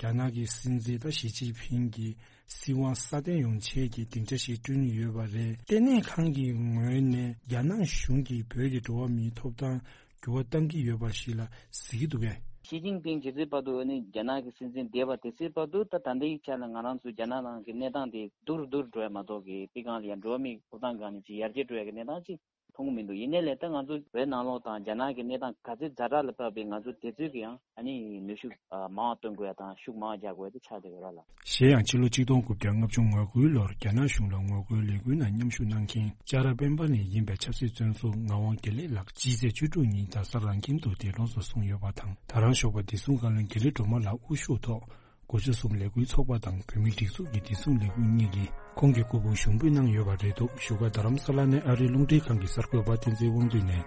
རྒྱ་ནག་གི་སྲིད་འཛིན་ད་ཞི་ཅིན་ཕིང་གིས་སྲིད་དབང་སྲ་བརྟན་ཡོང་ཆེད་ཀྱི་སྡིངས་ཆ་ཞིག་བསྐྲུན་ཡོད་པ་རེད། ལྟེ་གནས་ཁང་གི་ངོས་ནས་རྒྱ་ནག་གཞུང་གིས་བོད་ཀྱི་འགྲོ་བ་མིའི་ཐོབ་ཐང་འགྱུར་བ་གཏང་གི་ཡོད་པ་ཞིག་ལ་གཟིགས་ཀྱི་འདུག་གས། ཞི་ཅིན་ཕིང་ཇི་སྲིད་བར་དུ་ནི་རྒྱ་ནག་གི་སྲིད་འཛིན་བསྡད་པ་དེ་སྲིད་བར་དུ། ད་ད་ལྟའི་ཆ་ལ་ང་རང་ཚོ་རྒྱ་ནག་ནང་གི་གནས་སྟངས་དེ་སྡུག་རུ་སྡུག་རུ་འགྲོ་ཡ་མ་གཏོགས་ཀྱི་དེ་སྒང་ལ་ཡང་འགྲོ་བ་མིའི་ཐོབ་ཐང་སྒང་ནས་ཅིག་ཡར་རྒྱས་འགྲོ་ཡ་གི་གནས་སྟངས་ཅིག་མཐོང་གི་མི་འདུག། ཡིན་ནའི་ལས་ད་ང་ཚོ་བོད་ནང་ལོགས་དང་རྒྱ་ནག་གི་གནས་སྟངས་ག་ཚོད་ཛ་དྲག་ལ་བབས་པའི་ང་ཚོ་དེ་ཚོད་ཀྱི་ཡང་ཨ་ནི་ནུས་ཤུགས་མང་བ་བཏོན་དགོས་ཡ་དང་ཤུགས་མང་བ་རྒྱག་དགོས་ཡ་དེ་ཆགས་བསྡད་ཡོད་ར་ལ། གཞན་ཡང་ཕྱི་ལོ་ཆིག་སྟོང་དགུ་བརྒྱ་ལྔ་བཅུ་ང་དགུའི་ལོར་རྒྱ་ནག་གཞུང་ལ་ངོ་རྒོལ་ལས་འགུལ་ནང་མཉམ་ཞུགས་གནང་མཁན་ལྕགས་ར་སྤེན་པ་ནས་ཡིན་པའི་ཆབ་སྲིད་བཙོན་ཟུར་ངག་དབང་དགེ་ལེགས་ལགས་སྤྱི་ཚེས་བཅུ་དྲུག་ཉིན་རྡ་ས་རང་ཁྱིམ་དུ་འདས་གྲོངས་སུ་སོང་ཡོད་པ་དང་། ད་རང་ཞོགས་པ་བདེ་སྲུང་བཀའ་བློན་དགེ་ལེགས་སྒྲོལ་མ་ལགས་དབུ་བཞུགས་ཐོག་སྒོ་ཕྱུགས་གསུམ་ལས་འགུལ་ཚོགས་པ་དང་བོད་མིའི་སྒྲིག་འཛུགས་ཀྱི་བདེ་སྲུང་ལས་འགུལ་གཉིས་ཀྱིས་ཁོང་གི་སྐུ་ཕུང་ཞུགས་འབུལ་གནང་ཡོད་པ་རེད་འདུག། བཞུགས་སྒར་རྡ་རམ་ས་ལ་ནས་ཨ་རིའི་རླུང་འཕྲིན་ཁང་གི་གསར་འགོད་པ་བསྟན་འཛིན་དབང་འདུས་ནས།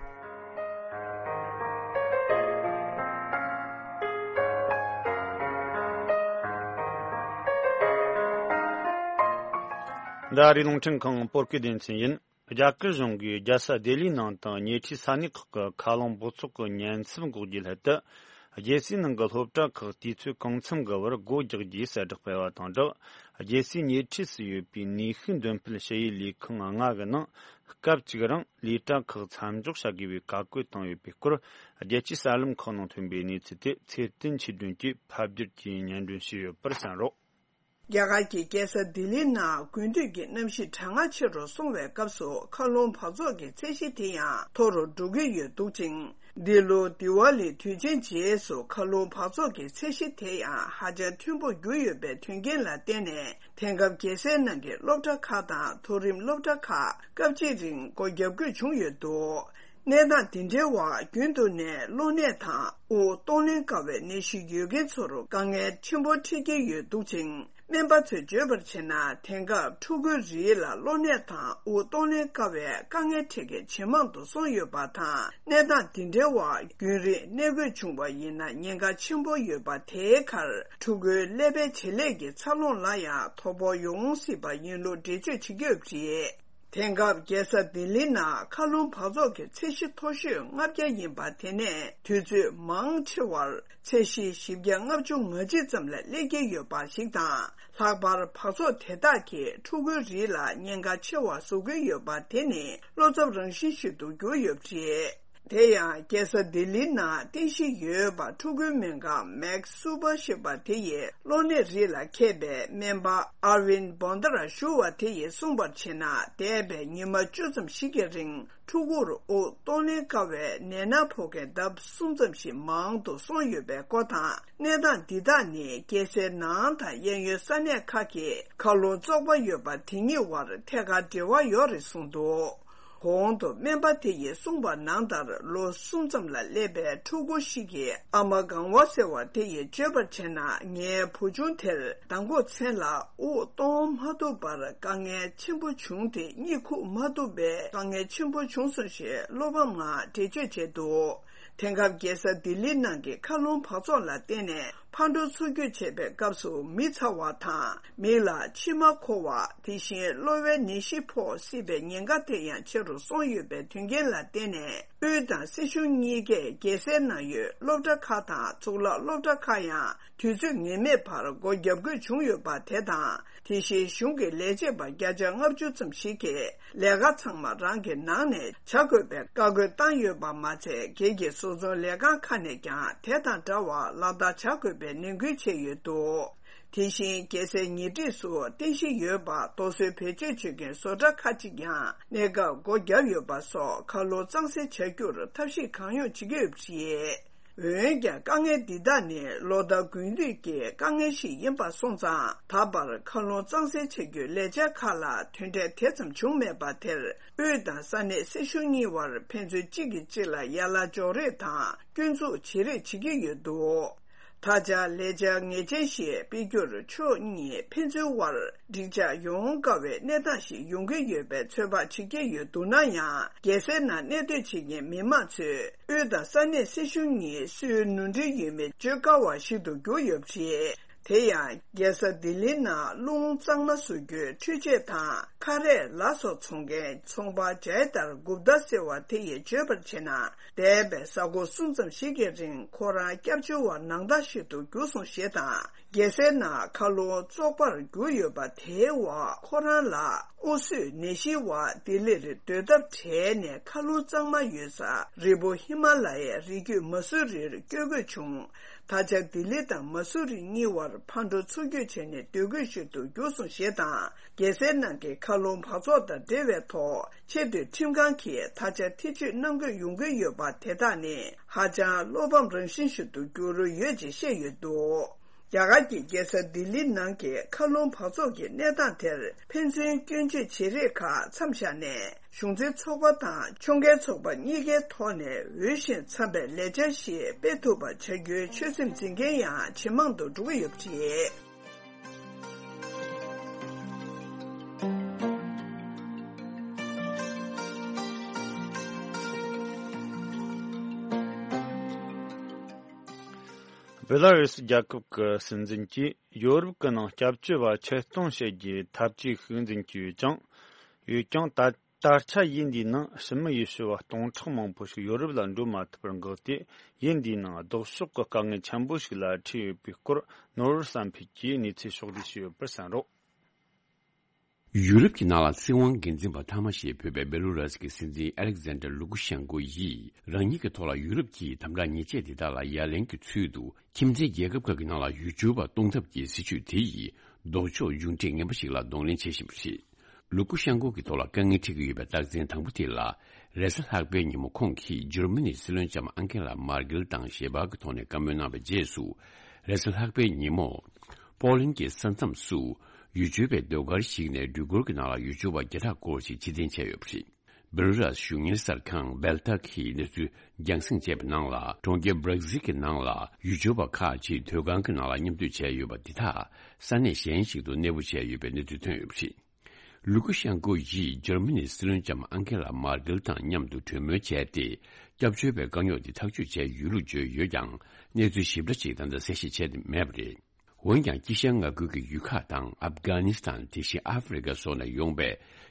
འདི་ཨ་རིའི་རླུང་འཕྲིན་ཁང་བོད་སྐད་སྡེ་ཚན་ཡིན། རྒྱ་གར་གཞུང་གིས་རྒྱལ་ས་ལྡི་ལིའི་ནང་དང་ཉེ་འཁྲིས་ས་གནས་ཁག་གི་མཁའ་རླུང་འབོར་ཚོགས་ཀྱི་ཉེན་ཚབས་འགོག་རྒྱུའི་སླད་དུ། རྒྱལ་སའི་ནང་གི་སློབ་གྲྭ་ཁག་དུས་ཚོད་གང་འཚམ་གྱི་བར་སྒོ་རྒྱག་རྒྱུའི་གསལ་བསྒྲགས་སྤེལ་བ་དང་སྦྲགས། རྒྱལ་སའི་ཉེ་འཁྲིས་སུ་ཡོད་པའི་ནུས་ཤུགས་འདོན་སྤེལ་ཞུ་ཡུལ་ལས་ཁུངས་ལྔ་གི་ནང་སྐབས་གཅིག་རིང་ལས་གྲྭ་ཁག་མཚམས་འཇོག་བྱ་དགོས་པའི་བཀའ་བཀོད་བཏང་ཡོད་པའི་སྐོར། རྒྱལ་སྤྱིའི་གསར་ལམ་ཁག་ནང་ཐོན་པའི་གནས་ཚུལ་དེ་ཚེ་བརྟན་ཆོས་སྒྲོན་གྱིས་ཕབ་བསྒྱུར་གྱིས་སྙན་སྒྲོན་ཞུས་ཡོད་པར་གསན་རོགས། རྒྱ་གར་གྱི་རྒྱལ་ས་ལྡི་ལིའི་ནང་དགུན་དུས་ཀྱི་གནམ་གཤིས་གྲང་ངར་ཆེ་རུ་སོང་བའི་སྐབས་སུ་མཁའ་རླུང་འབག་བཙོག་གི་ཚད་གཞི་དེ་ཡང་མཐོ་རུ་འགྲོ་གི་ཡོད་འདུག་ཅིང་། འདི་ལོ་དི་ཝཱ་ལི་དུས་ཆེན་རྗེས་སུ་མཁའ་རླུང་འབག་བཙོག་གི་ཚད་གཞི་དེ་ཡང་ཧ་ཅང་མཐོན་པོར་གྱུར་ཡོད་པའི་དོན་རྐྱེན་ལ་བརྟེན་ནས། དེང་སྐབས་རྒྱལ་སའི་ནང་གི་སློབ་གྲྭ་ཁག་དང་མཐོ་རིམ་སློབ་གྲྭ་ཁག་སྐབས་གཅིག་རིང་སྒོ་བརྒྱབ་དགོས་བྱུང་ཡོད་འདུག། གནས་སྟངས་འདི་འདྲའི་འོག་རྒྱུན་དུ་ནས་གློ་ནད་དང་དབུགས་གཏོང་ལེན་དཀའ་བའི་ནད་གཞི་ཡོད་མཁན་ཚོར་དཀའ་ངལ་ཆེན་པོ་འཕྲད་ཀྱི་ཡོད་འདུག་ཅིང་། སྨན་པ་ཚོས་བརྗོད་པར་བྱས་ན། དེང་སྐབས་ཕྲུ་གུའི་རིགས་ལ་གློ་ནད་དང་དབུགས་གཏོང་ལེན་དཀའ་བའི་དཀའ་ངལ་འཕྲད་མཁན་ཇེ་མང་དུ་སོང་ཡོད་པ་དང་། གནས་སྟངས་འདི་འདྲའི་འོག་རྒྱུན་རིང་གནས་དགོས་བྱུང་བ་ཡིན་ན་ཉེན་ཁ་ཆེན་པོ་ཡོད་པ། དེའི་ཁར་ཕྲུ་གུའི་ཀླད་པའི་བྱེད་ལས་ཀྱི་འཚར་ལོངས་ལ་ཡང་དོ་ཕོག་ཡོང་སྲིད་པ་ཡིན་ལུགས་འགྲེལ་བརྗོད་བྱེད་ཀྱི་ཡོད་པ་རེད། དེང་སྐབས་རྒྱལ་ས་ལྡི་ལིའི་ནང་མཁའ་རླུང་འབག་བཙོག་གི་ཚད་གཞི་མཐོ་ཤོས་ལྔ་བརྒྱ་ཡིན་པ། དེ་ནས་དུས་ཚོད་མང་ཆེ་བར་ཚད་གཞི་བཞི་བརྒྱ་ལྔ་བཅུ་ང་གཅིག་ཙམ་ལ་སླེབས་ཀྱི་ཡོད་པ་ཞིག་དང་། ལྷག་པར་འབག་བཙོག་དེ་དག་གིས་ཕྲུ་གུའི་རིགས་ལ་ཉེན་ཁ་ཆེ་བ་བཟོ་གི་ཡོད་པ། དེ་ནི་བློ་འཚབ་རང་བཞིན་ཞིག་ཏུ་གྱུར་ཡོད་པ་རེད། དེ་ཡང་རྒྱལ་ས་ལྡི་ལིའི་ནང་རྟེན་གཞི་ཡོད་པ། ཕྲུ་གུའི་སྨན་ཁང་མེག་སུ་པ་ཞེས་པ་དེ་ཡི་གློ་ནད་རིགས་ལ་མཁས་པའི་སྨན་པ་ཨར་ཝིན་བོན་དར་ཞུ་བ་དེ་ཡིས་གསུངས་པར་བྱས་ན། འདས་པའི་ཉི་མ་བཅུ་ཙམ་ཞིག་གི་རིང་ཕྲུ་གུར་དབུགས་གཏོང་ལེན་དཀའ་བའི་ནད་མནར་ཕོག་མཁན་ལྡབ་གསུམ་ཙམ་ཞིག་མང་དུ་སོང་ཡོད་པའི་སྐོར་དང་། གནས་སྟངས་འདི་དག་ནི་རྒྱལ་སའི་ནང་དང་གཡས་གཡོན་ས་གནས་ཁག་གི་མཁའ་རླུང་བཙོག་པ་ཡོད་པ་དེ་གཉིས་དབར་ཐད་ཀར་འབྲེལ་བ་ཡོད་རེད་གསུངས་འདུག། གོང་དུ་སྨན་པ་དེ་ཡིས་གསུངས་པ་ནང་ལྟར། ལོ་གསུམ་ཙམ་ལ་སླེབས་པའི་ཕྲུ་གུ་ཞིག་གི་ཨ་མ་སྒང་པ་ཟེར་བ་དེ་ཡིས་བརྗོད་པར་བྱས་ན། ངའི་བུ་ཆུང་དེར་མདང་དགོང་མཚན་ལ་དབུགས་གཏོང་མ་ཐུབ་པར་དཀའ་ངལ་ཆེན་པོ་བྱུང་སྟེ། གཉིད་ཁུག་མ་ཐུབ་པའི་དཀའ་ངལ་ཆེན་པོ་བྱུང་སོང་ཞེས་བློ་ཕམ་ངང་འགྲེལ་བརྗོད་བྱས་འདུག། དེང་སྐབས་རྒྱལ་ས་ལྡི་ལི་ནང་གི་མཁའ་རླུང་འབག་བཙོག་ལ་བརྟེན་ནས་ཕར་འགྲོ་ཚུར་སྐྱོད་བྱེད་པའི་སྐབས་སུ་མི་ཚ་བ་དང་། མིག་ལ་མཆི་མ་འཁོར་བ། དེ་བཞིན་གློ་བའི་ནད་གཞི་ཕོག་སྲིད་པའི་ཉེན་ཁ་དེ་ཡང་ཆེ་རུ་སོང་ཡོད་པའི་དོན་རྐྱེན་ལ་བརྟེན་ནས། དབུས་དང་སྲིད་གཞུང་གཉིས་ཀས་རྒྱལ་སའི་ནང་ཡོད་སློབ་གྲྭ་ཁག་དང་གཙུག་ལག་སློབ་གྲྭ་ཁག་ཡང་དུས་ཚོད་ངེས་མེད་བར་སྒོ་བརྒྱབ་དགོས་བྱུང་ཡོད་པ་དེ་དང་། དེ་བཞིན་གཞུང་གི་ལས་བྱེད་པ་བརྒྱ་ཆ་ལྔ་བཅུ་ཙམ་ཞིག་གིས་ལས་ཀ་ཚང་མ་རང་གི་ནང་ནས་བྱ་དགོས་པའི་བཀའ་བཀོད་བཏང་ཡོད་པ་མ་ཚད། སྒེར་གྱི་བཟོ་ཚོང་ལས་ཁང་ཁག་ནས་ཀྱང་དེ་དང་འདྲ་བར་ལག་བསྟར་བྱ་དགོས་པའི་ནན་སྐུལ་བྱས་ཡོད་འདུག། དེ་བཞིན་རྒྱལ་སའི་ཉེ་འཁྲིས་སུ་རྟེན་གཞི་ཡོད་པ་རྡོ་སོལ་བེད་སྤྱོད་བྱེད་མཁན་བཟོ་གྲྭ་ཁག་ཅིག་ཀྱང་གནས་སྐབས་སྒོ་བརྒྱབ་ཡོད་པ་སོགས། མཁའ་རླུང་གཙང་སེལ་བྱ་རྒྱུར་ཐབས་ཤེས་གང་ཡོང་བྱེད་ཀྱི་ཡོད་པ་རེད། འོན་ཀྱང་། དཀའ་ངལ་འདི་དག་ནི་ལོ་ལྟར་དགུན་དུས་ཀྱི་དཀའ་ངལ་ཞིག་ཡིན་པ་སོང་ཙང་། ད་བར་མཁའ་རླུང་གཙང་སེལ་བྱ་རྒྱུའི་ལས་འཆར་ཁག་ལ་དོན་འབྲས་དེ་ཙམ་བྱུང་མེད་པ་དེར། དབུས་དང་ས་གནས་སྲིད་གཞུང་གཉིས་དབར་ཕན་ཚུན་གཅིག་གིས་གཅིག་ལ་ཡ་ལ་འཇོག་རེས་དང་སྐྱོན་འཛུགས་བྱེད་རེས་བྱེད་ཀྱི་ཡོད་འདུག། ད་ཆ་ལས་འཆར་ངེས་ཅན་ཞིག་སྤེལ་རྒྱུར་ཕྱོགས་གཉིས་ཕན་ཚུན་དབར་འགྲིག་འཇགས་ཡོང་དཀའ་བའི་གནས་སྟངས་ཤིག་ཡོང་གི་ཡོད་པའི་ཚོད་དཔག་བྱེད་ཀྱི་ཡོད་འདུག་ན་ཡང་། རྒྱལ་སའི་ནང་གནས་སྡོད་བྱེད་མཁན་མི་མང་ཚོས། དབུས་དང་ས་གནས་སྲིད་གཞུང་གཉིས་སུའི་ནོར་འཁྲུལ་ཡོད་མེད་བརྗོད་དཀའ་བ་ཞིག་ཏུ་གྱུར་ཡོད་པ་རེད། དེ་ཡང་། རྒྱལ་ས་ལྡི་ལིའི་ནང་རླུང་གཙང་མ་བཟོ་རྒྱུའི་འཕྲུལ་ཆས་དང་ཁ་རས། ལ་སོགས་འཚོང་མཁན་ཚོང་པ་ཇའི་དར་གུབ་ཏཱ་ཟེར་བ་དེ་ཡིས་བརྗོད་པར་བྱས་ན། འདས་པའི་གཟའ་འཁོར་གསུམ་ཙམ་ཞིག་གི་རིང་ཁོ་རང་སྐྱབས་བཅོལ་བ་ནང་ལྟར་ཞིག་ཏུ་གྱུར་སོང་ཞེས་དང་། རྒྱལ་སའི་ནང་མཁའ་རླུང་བཙོག་པར་གྱུར་ཡོད་པ་དེའི་འོག་ཁོ་རང་ལ་དབུགས་བཟོས་ནད་གཞིའི་འོག་ལྡི་ལིར་སྡོད་ཐབས་བྲལ་ནས། མཁའ་རླུང་གཙང་མ་ཡོད་ས་རི་བོ་ཧི་མ་ལ་ཡའི་རི་རྒྱུད་མ་སུ་རིར་བསྐྱོད་དགོས་བྱུང་། ད་ཆ་ལྡི་ལི་དང་མ་སུ་རི་གཉིས་བར་ཕར་འགྲོ་ཚུར་སྐྱོད་བྱས་ནས་སྡོད་དགོས་ཞིག་ཏུ་གྱུར་སོང་ཞེས་དང་། རྒྱལ་སའི་ནང་གི་མཁའ་རླུང་འབག་བཙོག་དང་འབྲེལ་བའི་ཐོག་ཆེས་མཐོའི་ཁྲིམས་ཁང་གིས་ད་ཆ་ཐེ་བྱུས་གནང་དགོས་ཡོང་གི་ཡོད་པ་དེ་དག་ནི་ཧ་ཅང་བློ་ཕམ་རང་བཞིན་ཞིག་ཏུ་གྱུར་ཡོད་ཅེས་བཤད་ཡོད་འདུག། རྒྱ་གར་གྱི་རྒྱལ་ས་ལྡི་ལི་ནང་གི་མཁའ་རླུང་འབག་བཙོག་གི་གནས་སྟངས་དེར་ཕན་ཚུན་སྐྱོན་བརྗོད་བྱེད་རེས་ཁག་མཚམས་བཞག་ནས། གཞུང་འཛིན་ཚོགས་པ་དང་ཕྱོགས་འགལ་ཚོགས་པ་གཉིས་ཀའི་ཐོག་ནས་འོས་ཤིང་འཚམ་པའི་ལས་འཆར་ཞིག་སྤེལ་ཐུབ་པ་བྱ་རྒྱུའི་ཆོད་སེམས་འཛིན་མཁན་ཡང་ཇེ་མང་དུ་འགྲོ་གི་ཡོད་པ་རེད། བེ་ལ་རུས་རྒྱལ་ཁབ་ཀྱི་སྲིད་འཛིན་གྱིས་ཡོ་རོབ་ཀྱི་ནང་སྐྱབས་བཅོལ་བ་ཆེད་གཏོང་བྱེད་རྒྱུའི་འཐབ་ཇུས་ཤིག་འཛིན་གྱི་ཡོད་ཀྱང་། ཡོད་ཀྱང་ད། ད་ཆ་ཡུལ་འདིའི་ནང་ཕྱི་མི་ཡུལ་ཤུལ་བ་སྟོང་ཕྲག་མང་པོ་ཞིག་ཡོ་རོབ་ལ་འགྲོ་མ་ཐུབ་པར་འགག་སྟེ། ཡུལ་འདིའི་ནང་ལྡོག་ཕྱོགས་ཀྱི་དཀའ་ངལ་ཆེན་པོ་ཞིག་ལ་འཕྲད་ཡོད་པའི་སྐོར། ནོར་བུ་བསམ་འཕེལ་གྱིས་གནས་ཚུལ་ཕྱོགས་བསྒྲིགས་བྱས་ཡོད་པར་གསན་རོགས། ཡུ་རོབ་ཀྱི་ནང་ལ་སྲིད་དབང་སྒེར་འཛིན་པ་མཐའ་མ་ཞེས་འབོད་པའི་བེ་ལོ་ར་སི་ཀྱི་སྲིད་འཛིན་ཨ་ལེག་ཛན་ཌར་ལུ་ཀུ་ཤན་ཀོ་ཡིས། རང་ཉིད་ཀྱི་ཐོག་ལ་ཡུ་རོབ་ཀྱི་དམ་དྲག་ཉེས་ཆད་དེ་དག་ལ་ཡ་ལན་གྱི་ཚུལ་དུ། ཁྱིམ་མཚེས་རྒྱལ་ཁབ་ཁག་གི་ནང་ལ་ཡུལ་སྐྱོར་བ་གཏོང་ཐབས་ཀྱི་སྲིད་ཇུས་དེ་ཡིས། ལྡོག་ཕྱོགས་མཇུག་འབྲས་ངན་པ་ཞིག་ལ་གདོང་ལེན་བྱེད་བཞིན་པ་རེད། ལུ་ཀུ་ཤན་ཀོ་གི་ཐོག་ལ་དཀའ་ངལ་འཕྲད་ཀྱི་ཡོད་པའི་རྟགས་མཚན་དང་པོ་དེ་ལ། རེས་གཟའ་ལྷག་པའི་ཉིན་མོ་ཁོང་གིས་འཇར་མ་ནིའི་སྲིད་བློན་ལྕམ་ཨང་ཀེ་ལ་མར་ཀེལ་དང་ཞལ་པར་གྱི་ཐོག་ནས་བཀའ་མོལ་གནང་བའི་རྗེས་སུ། རེས་གཟའ་ལྷག་པའི་ཉིན་མོ། པོ་ལན་གྱི་ས་མཚམས་སུ། ཡུལ་སྐྱོར་བའི་ཟློས་གར་ཞིག་ནས་འགྲུལ་འཁོར་གྱི་ནང་ལ་ཡུལ་སྐྱོར་བ་བརྒྱ་ཕྲག་སྐོར་ཞིག་ཕྱིར་འཐེན་བྱས་ཡོད་པ་རེད། སྦེ་ལུ་རཱས་གཞུང་གཉེར་གསར་ཁང་སྦེལ་ཏཱ་གིས་གནས་ཚུལ་རྒྱང་སྲིང་བྱས་པའི་ནང་ལ། གྲོང་ཁྱེར་སྦྲག་སིལ་གྱི་ནང་ལ་ཡུལ་སྐྱོར་བ་ཁག་ཅིག་མཐོ་སྒང་གི་ནང་ལ་མཉམ་སྡོད་བྱས་ཡོད་པ་འདི་དག་ས་གནས་གཞན་ཞིག་ཏུ་གནས་སྤོ་བྱས་ཡོད་པའི་གནས་ཚུལ་ཐོན་ཡོད་པ་རེད། ལུ་ཀུ་ཤན་ཀོ་ཡིས་འཇར་མ་ནིའི་སྲིད་བློན་ལྕམ་ཨང་ཀེ་ལ་མར་ཀེལ་དང་མཉམ་དུ་གྲོས་མོལ་བྱས་ཏེ། སྐྱབས་བཅོལ་བའི་དཀའ་རྙོག་དེ་ཐག་གཅོད་བྱས་ཡོད་ལུགས་བརྗོད་ཡོད་ཀྱང་། གནས་ཚུལ་ཞིབ་ཕྲ་ཅིག་ད་ལྟ་གསལ་བཤད་བྱས་ཏེ་མེད་པ་རེད། འོན་ཀྱང་། དཀྱིལ་ཤར་མངའ་ཁུལ་གྱི་ཡུལ་ཁག་དང་། ཨབ་གྷ་ནི་སི་ཐན། དེ་བཞིན་ཨ་ཧྥེ་རི་ཁ་སོགས་ནས་ཡོང་པའི་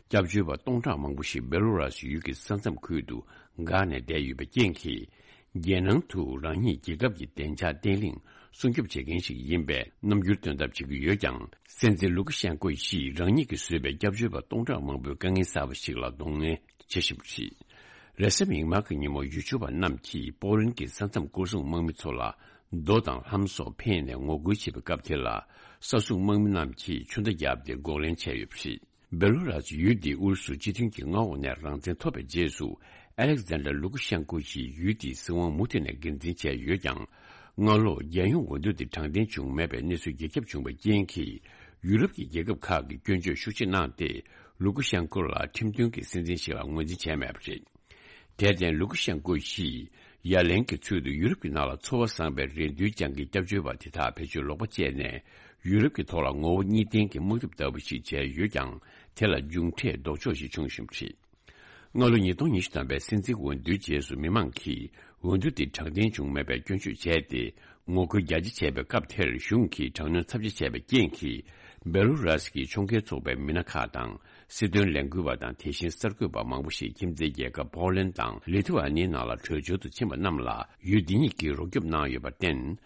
སྐྱབས་བཅོལ་བ་སྟོང་ཕྲག་མང་པོ་ཞིག་སྦེ་ལོ་རཱ་སི་ཡུལ་གྱི་ས་མཚམས་ཁུལ་དུ་འགག་ནས་བསྡད་ཡོད་པའི་རྐྱེན་གྱིས། རྒྱལ་ནང་དུ་རང་ཉིད་རྒྱལ་ཁབ་ཀྱི་བདེ་འཇགས་བརྟན་ལྷིང་སྲུང་སྐྱོབ་བྱེད་མཁན་ཞིག་ཡིན་པའི་རྣམ་འགྱུར་སྟོན་ཐབས་བྱེད་ཀྱི་ཡོད་ཀྱང་། སྲིད་འཛིན་ལུ་ཀ་ཤན་ཀོ་ཡིས་རང་ཉིད་ཀྱིས་བཟོས་པའི་སྐྱབས་བཅོལ་བ་སྟོང་ཕྲག་མང་པོའི་དཀའ་ངལ་གསར་པ་ཞིག་ལ་གདོང་ལེན་བྱེད་བཞིན་པ་རེད། རེས་གཟའ་མིག་དམར་གྱི་ཉིན་མོ་ཡུལ་སྐྱོར་བ་རྣམས་ཀྱིས་པོ་ལན་གྱི་ས་མཚམས་སྐོར་སྲུང་དམག་མི་ཚོ་ལ་རྡོ་དང་ལྷམ་སོགས་འཕེན་ནས་ངོ་རྒོལ་བྱེད་པའི་སྐབས་དེ་ལ། ས་སྲུང་དམག་མི་རྣམས་ཀྱིས་ཆུ་མདའ་བརྒྱབ་སྟེ་འགོག་ལན་བྱས་ཡོད་པ་རེད། སྦེ་ལུ་རཱས་ཡུལ་འདི་ཨུ་རུ་སུ་སྤྱི་མཐུན་གྱི་མངའ་འོག་ནས་རང་བཙན་ཐོབ་པའི་རྗེས་སུ། ཨ་ལེག་ཛན་ཌར་ལུ་ཀ་ཤན་ཀོ་ཡིས་ཡུལ་འདིའི་སྲིད་དབང་མུ་མཐུད་ནས་སྒེར་འཛིན་བྱས་ཡོད་ཀྱང་། སྔ་ལོ་རྒྱལ་ཡོངས་འོས་བསྡུ་དེ་དྲང་བདེན་བྱུང་མེད་པའི་གནས་ཚུལ་རྒྱ་ཁྱབ་བྱུང་བའི་རྐྱེན་གྱིས། ཡུ་རོབ་ཀྱི་རྒྱལ་ཁབ་ཁག་གིས་སྐྱོན་བརྗོད་ཤུགས་ཆེ་གནང་སྟེ། ལུ་ཀ་ཤན་ཀོ་ལ་ཁྲིམས་མཐུན་གྱི་སྲིད་འཛིན་ཞིག་ལ་ངོས་འཛིན་བྱས་མེད་པ་རེད། དེར་བརྟེན། ལུ་ཀ་ཤན་ཀོ་ཡིས་ཡ་ལན་གྱི་ཚུལ་དུ་ཡུ་རོབ་ཀྱི་ནང་ལ་འཚོ་བ་བཟང་བའི་རེ་འདུན་རྐྱང་གི་སྐྱབས་བཅོལ་བ་དེ་དག་བེད་སྤྱོད་ལོག་པ་སྤྱད་ནས། ཡུ་རོབ་ཀྱི་ཐོག་ལ་ངོ་བོ་གཉིས་ལྡན་གྱི་དམག་འཐབ་ལྟ་བུ་ཞིག་བྱས་ཡོད་ཀྱང་། དེ་ལ་མཇུག་འབྲས་ལྡོག་ཕྱོགས་ཤིག་བྱུང་བཞིན་པ་རེད། སྔ་ལོ་ཉིས་སྟོང་ཉི་ཤུ་ཐམ་པའི་སྲིད་འཛིན་འོས་བསྡུའི་རྗེས་སུ། མི་མང་གིས་འོས་བསྡུ་དེ་དྲང་བདེན་བྱུང་མེད་པའི་སྐྱོན་བརྗོད་བྱས་ཏེ། ངོ་རྒོལ་རྒྱ་ཆེ་བྱས་པའི་སྐབས་དེར། གཞུང་གིས་དྲག་གནོན་ཚབས་ཆེ་བྱས་པའི་རྐྱེན་གྱིས། སྦེ་ལུ་རཱས་ཀྱི་ཕྱོགས་འགལ་ཚོགས་པའི་མི་སྣ་ཁག་དང་། སྲིད་དོན་ལས་འགུལ་བ་དང་། དེ་བཞིན་གསར་འགོད་པ་མང་པོ་ཞིག་ཁྱིམ་མཚེས་རྒྱལ་ཁབ་པོ་ལན་དང་ལི་ཐུ་ཨ་ནིའི་ནང་ལ་བྲོས་བྱོལ་དུ་ཕྱིན་པ་རྣམས་ལ། ཡུལ་འདི་ཉིད་ཀྱིས་རོགས་སྐྱོབ་གནང་ཡོད་པར་བརྟེན།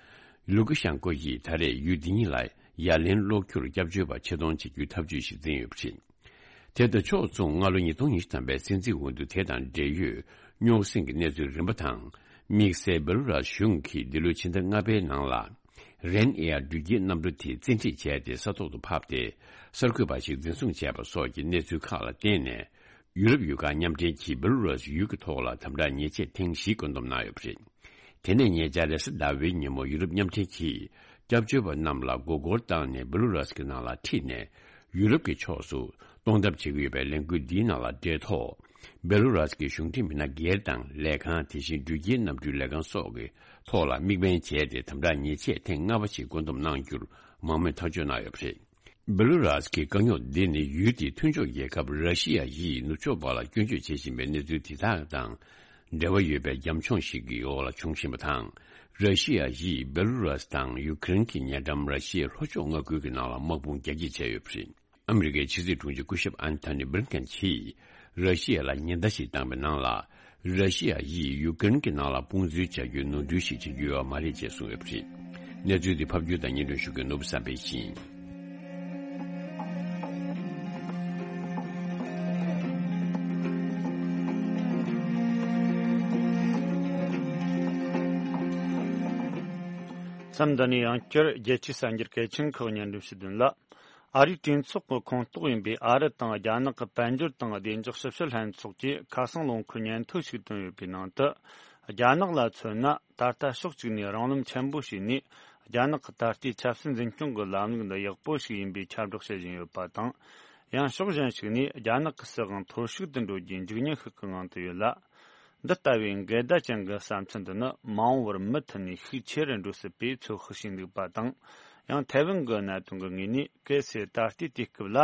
ལུ་ཀ་ཤན་ཀོ་ཡིས་ད་རེས་ཡུལ་འདི་ཉིད་ལ་ཡ་ལན་སློག་རྒྱུར་སྐྱབས་བཅོལ་བ་ཆེད་གཏོང་བྱེད་རྒྱུའི་ཐབས་ཇུས་ཤིག་འཛིན་ཡོད་པ་རེད། དེ་དང་ཕྱོགས་མཚུངས། སྔ་ལོ་ཉིས་སྟོང་ཉི་ཤུ་ཐམ་པའི་སྲིད་འཛིན་འོས་བསྡུ་དེ་དང་འབྲེལ་ཡོད་རྙོག་ཟིང་གི་གནས་ཚུལ་རིམ་པ་དང་། དམིགས་བསལ་སྦེ་ལུ་རཱས་གཞུང་གིས་འདི་ལོའི་ཕྱི་ཟླ་ལྔ་པའི་ནང་ལ། རེན་ཨེ་ཡར་འགྲུལ་སྐྱེལ་གནམ་གྲུ་དེ་བཙན་ཁྲིད་བྱས་ཏེ། ས་ཐོག་ཏུ་ཕབ་སྟེ། གསར་འགོད་པ་ཞིག་འཛིན་བཟུང་བྱས་པ་སོགས་ཀྱི་གནས་ཚུལ་ཁག་ལ་བརྟེན་ནས། ཡུ་རོབ་ཡུལ་ཁག་མཉམ་འབྲེལ་གྱིས་སྦེ་ལུ་རཱས་ཡུལ་གྱི་ཐོག་ལ་དམ་དྲག་ཉེས་ཆད་ཐེངས་བཞི་བཀོད་འདོམས་གནང་ཡོད་པ་རེད། དེ་ནས་ཉེ་ཆར་རེས་གཟའ་ཟླ་བའི་ཉིན་མོ་ཡུ་རོབ་མཉམ་འབྲེལ་གྱིས་སྐྱབས་བཅོལ་བ་རྣམས་ལ་མགོ་སྐོར་བཏང་ནས་སྦེ་ལུ་རཱས་ཀྱི་ནང་ལ་ཁྲིད་ནས། ཡུ་རོབ་ཀྱི་ཕྱོགས་སུ་གཏོང་ཐབས་བྱེད་ཀྱི་ཡོད་པའི་ལས་འགུལ་འདིའི་ནང་ལ་འབྲེལ་ཐོག་སྦེ་ལུ་རཱས་ཀྱི་གཞུང་འབྲེལ་མི་སྣ་སྒེར་དང་ལས་ཁང་། དེ་བཞིན་འགྲུལ་སྐྱེལ་གནམ་གྲུའི་ལས་ཁང་སོགས་ཀྱི་ཐོག་ལ་དམིགས་འབེན་བྱས་ཏེ། དམ་དྲག་ཉེས་ཆད་ཐེངས་ལྔ་པ་ཞིག་བཀོད་འདོམས་གནང་རྒྱུར་མང་མོས་ཐག་གཅོད་གནང་ཡོད་པ་རེད། སྦེ་ལུ་རཱས་ཀྱི་དཀའ་རྙོག་འདི་ནི། ཡུལ་དེའི་མཐུན་ཕྱོགས་རྒྱལ་ཁབ་ར་ཤི་ཡ་ཡིས་ནུབ་ཕྱོགས་པ་ལ་སྐྱོན་བརྗོད་བྱེད་བཞིན་པའི་གནས་ཚུལ་དེ་དག་དང་འབྲེལ་བ་ཡོད་པའི་རྒྱབ་ལྗོངས་ཤིག་གི་འོག་ལ་བྱུང་བཞིན་པ་དང་། ར་ཤི་ཡ་ཡིས་སྦེ་ལུ་རཱས་དང་ཡུ་ཀེ་རེན་གྱི་ཉེ་འགྲམ་ར་ཤི་ཡའི་ལྷོ་ཕྱོགས་མངའ་ཁུལ་གྱི་ནང་ལ་དམག་དཔུང་རྒྱ་སྐྱེད་བྱས་ཡོད་པ་རེད། ཨ་མི་རི་ཀའི་ཕྱི་སྲིད་དྲུང་ཆེ་སྐུ་ཞབས་ཨན་ཐོ་ནི་བྷི་ལིན་ཀེན་གྱིས། ར་ཤི་ཡ་ལ་ཉེན་བརྡ་ཞིག་བཏང་པའི་ནང་ལ། ར་ཤི་ཡ་ཡིས་ཡུ་ཀེ་རེན་གྱི་ནང་ལ་དཔུང་འཛུལ་བྱ་རྒྱུའི་ནོར་འཁྲུལ་ཞིག་བྱེད་རྒྱུ་ཡོད་པ་མ་རེད་ཅེས་གསུངས་ཡོད་པ་རེད། གནས་ཚུལ་འདི་ཕབ་སྒྱུར་དང་སྙན་སྒྲོན་ཞུ་མཁན་ནོར་བུ་བསམ་འཕེལ་ཡིན། མཚམས་འདི་ནས་ཡང་བསྐྱར་རྒྱལ་སྤྱིའི་གསར་འགྱུར་གལ་ཆེན་ཁག་སྙན་སྒྲོན་ཞུ་དོན་ལ། ཨ་རིའི་གྲོས་ཚོགས་ཀྱི་ཁོངས་གཏོགས་ཡིན་པའི་ཨ་རི་དང་རྒྱ་ནག་གི་དཔལ་འབྱོར་དང་བདེ་འཇགས་ཞིབ་བཤེར་ལྷན་ཚོགས་ཀྱིས་ཁ་སང་ལོ་འཁོར་སྙན་ཐོ་ཞིག་བཏོན་ཡོད་པའི་ནང་དུ། རྒྱ་ནག་ལ་མཚོན་ན། ད་ལྟ་ཕྱོགས་གཅིག་ནས་རང་རློམ་ཆེན་པོ་བྱས་ནས། རྒྱ་ནག་གི་ད་ལྟའི་ཆབ་སྲིད་འཛིན་སྐྱོང་གི་ལམ་ལུགས་འདི་ཡག་པོ་ཞིག་ཡིན་པའི་ཁྱབ་བསྒྲགས་བྱེད་བཞིན་ཡོད་པ་དང་། ཡང་ཕྱོགས་གཞན་ཞིག་ནས། རྒྱ་ནག་གི་སྲིད་དབང་འཐོར་ཞིག་ཏུ་འགྲོ་རྒྱུའི་འཇིགས་ཉེན་ཤུགས་ཀྱི་ངང་དུ་ཡོད་ལ། འདི་ལྟ་བུའི་འགལ་ཟླ་ཅན་གྱི་བསམ་ཚུལ་འདི་ནི་མ་འོངས་པར་མུ་མཐུད་ནས་ཤུགས་ཆེ་རུ་འགྲོ་སྲིད་པའི་ཚོད་དཔག་བྱས་འདུག་པ་དང་། ཡང་ཐའེ་ཝན་གྱི་གནད་དོན་གྱི་ངོས་ནས། གལ་སྲིད་ད་ལྟའི་དུས་སྐབས་ལ་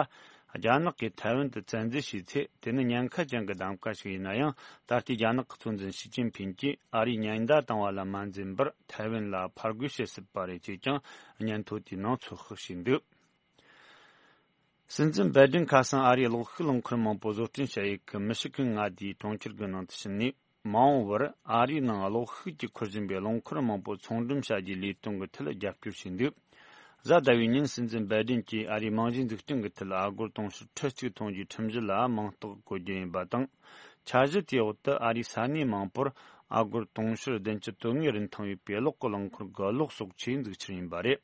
རྒྱ་ནག་གིས་ཐའེ་ཝན་དུ་བཙན་འཛུལ་བྱས་ཚེ། དེ་ནི་ཉེན་ཁ་ཅན་གྱི་གདམ་ག་ཞིག་ཡིན་ན་ཡང་། ད་ལྟའི་རྒྱ་ནག་གི་གཙོ་འཛིན་ཞི་ཅིན་ཕིན་གྱིས་ཨ་རིའི་ཉེན་བརྡ་བཏང་བ་ལ་མ་འཛེམས་པར་ཐའེ་ཝན་ལ་ཕར་རྒོལ་བྱེད་སྲིད་པ་རེད་ཅེས་ཀྱང་སྙན་ཐོ་དེའི་ནང་ཚོད་དཔག་བྱས་འདུག་སྲིད་འཛིན་བའི་ཌེན་ཁ་སང་ཨ་རིའི་གློག་ཤུགས་རླངས་འཁོར་མང་པོ་བཟོ་སྐྲུན་བྱ་ཡུལ་གྱི་མི་ཤི་གན་མངའ་སྡེའི་གྲོང་ཁྱེར་གྱི་ནང་དུ་ཕྱིན་ནས། མ་འོངས་པར་ཨ་རིའི་ནང་གློག་ཤུགས་ཀྱིས་འཁོར་བཞིན་པའི་རླངས་འཁོར་མང་པོ་ཚོང་འགྲེམས་བྱ་རྒྱུའི་ལས་དོན་གྱི་ཐད་རྒྱབ་སྐྱོར་བྱས་འདུག་གཟའ་ཟླ་བའི་ཉིན་སྲིད་འཛིན་བའི་ཌེན་གྱིས་ཨ་རིའི་རྨང་གཞིའི་འཛུགས་སྐྲུན་གྱི་ཐད་ཨ་སྒོར་དུང་ཕྱུར་ཁྲི་གཅིག་ཐོན་རྒྱུའི་ཁྲིམས་གཞི་ལ་མིང་རྟགས་བཀོད་རྒྱུ་ཡིན་པ་དང་། འཆར་གཞི་དེའི་འོག་ཏུ་ཨ་རིའི་ས་གནས་མང་པོར་ཨ་སྒོར་དུང་ཕྱུར་བདུན་ཅུ་དོན་ལྔའི་རིན་ཐང་ཡོད་པའི་གློག་གི་རླངས་འཁོར་གྱི་གློག་གསོག་ཆས་འཛུགས་འཆར་ཡིན་པ་རེད།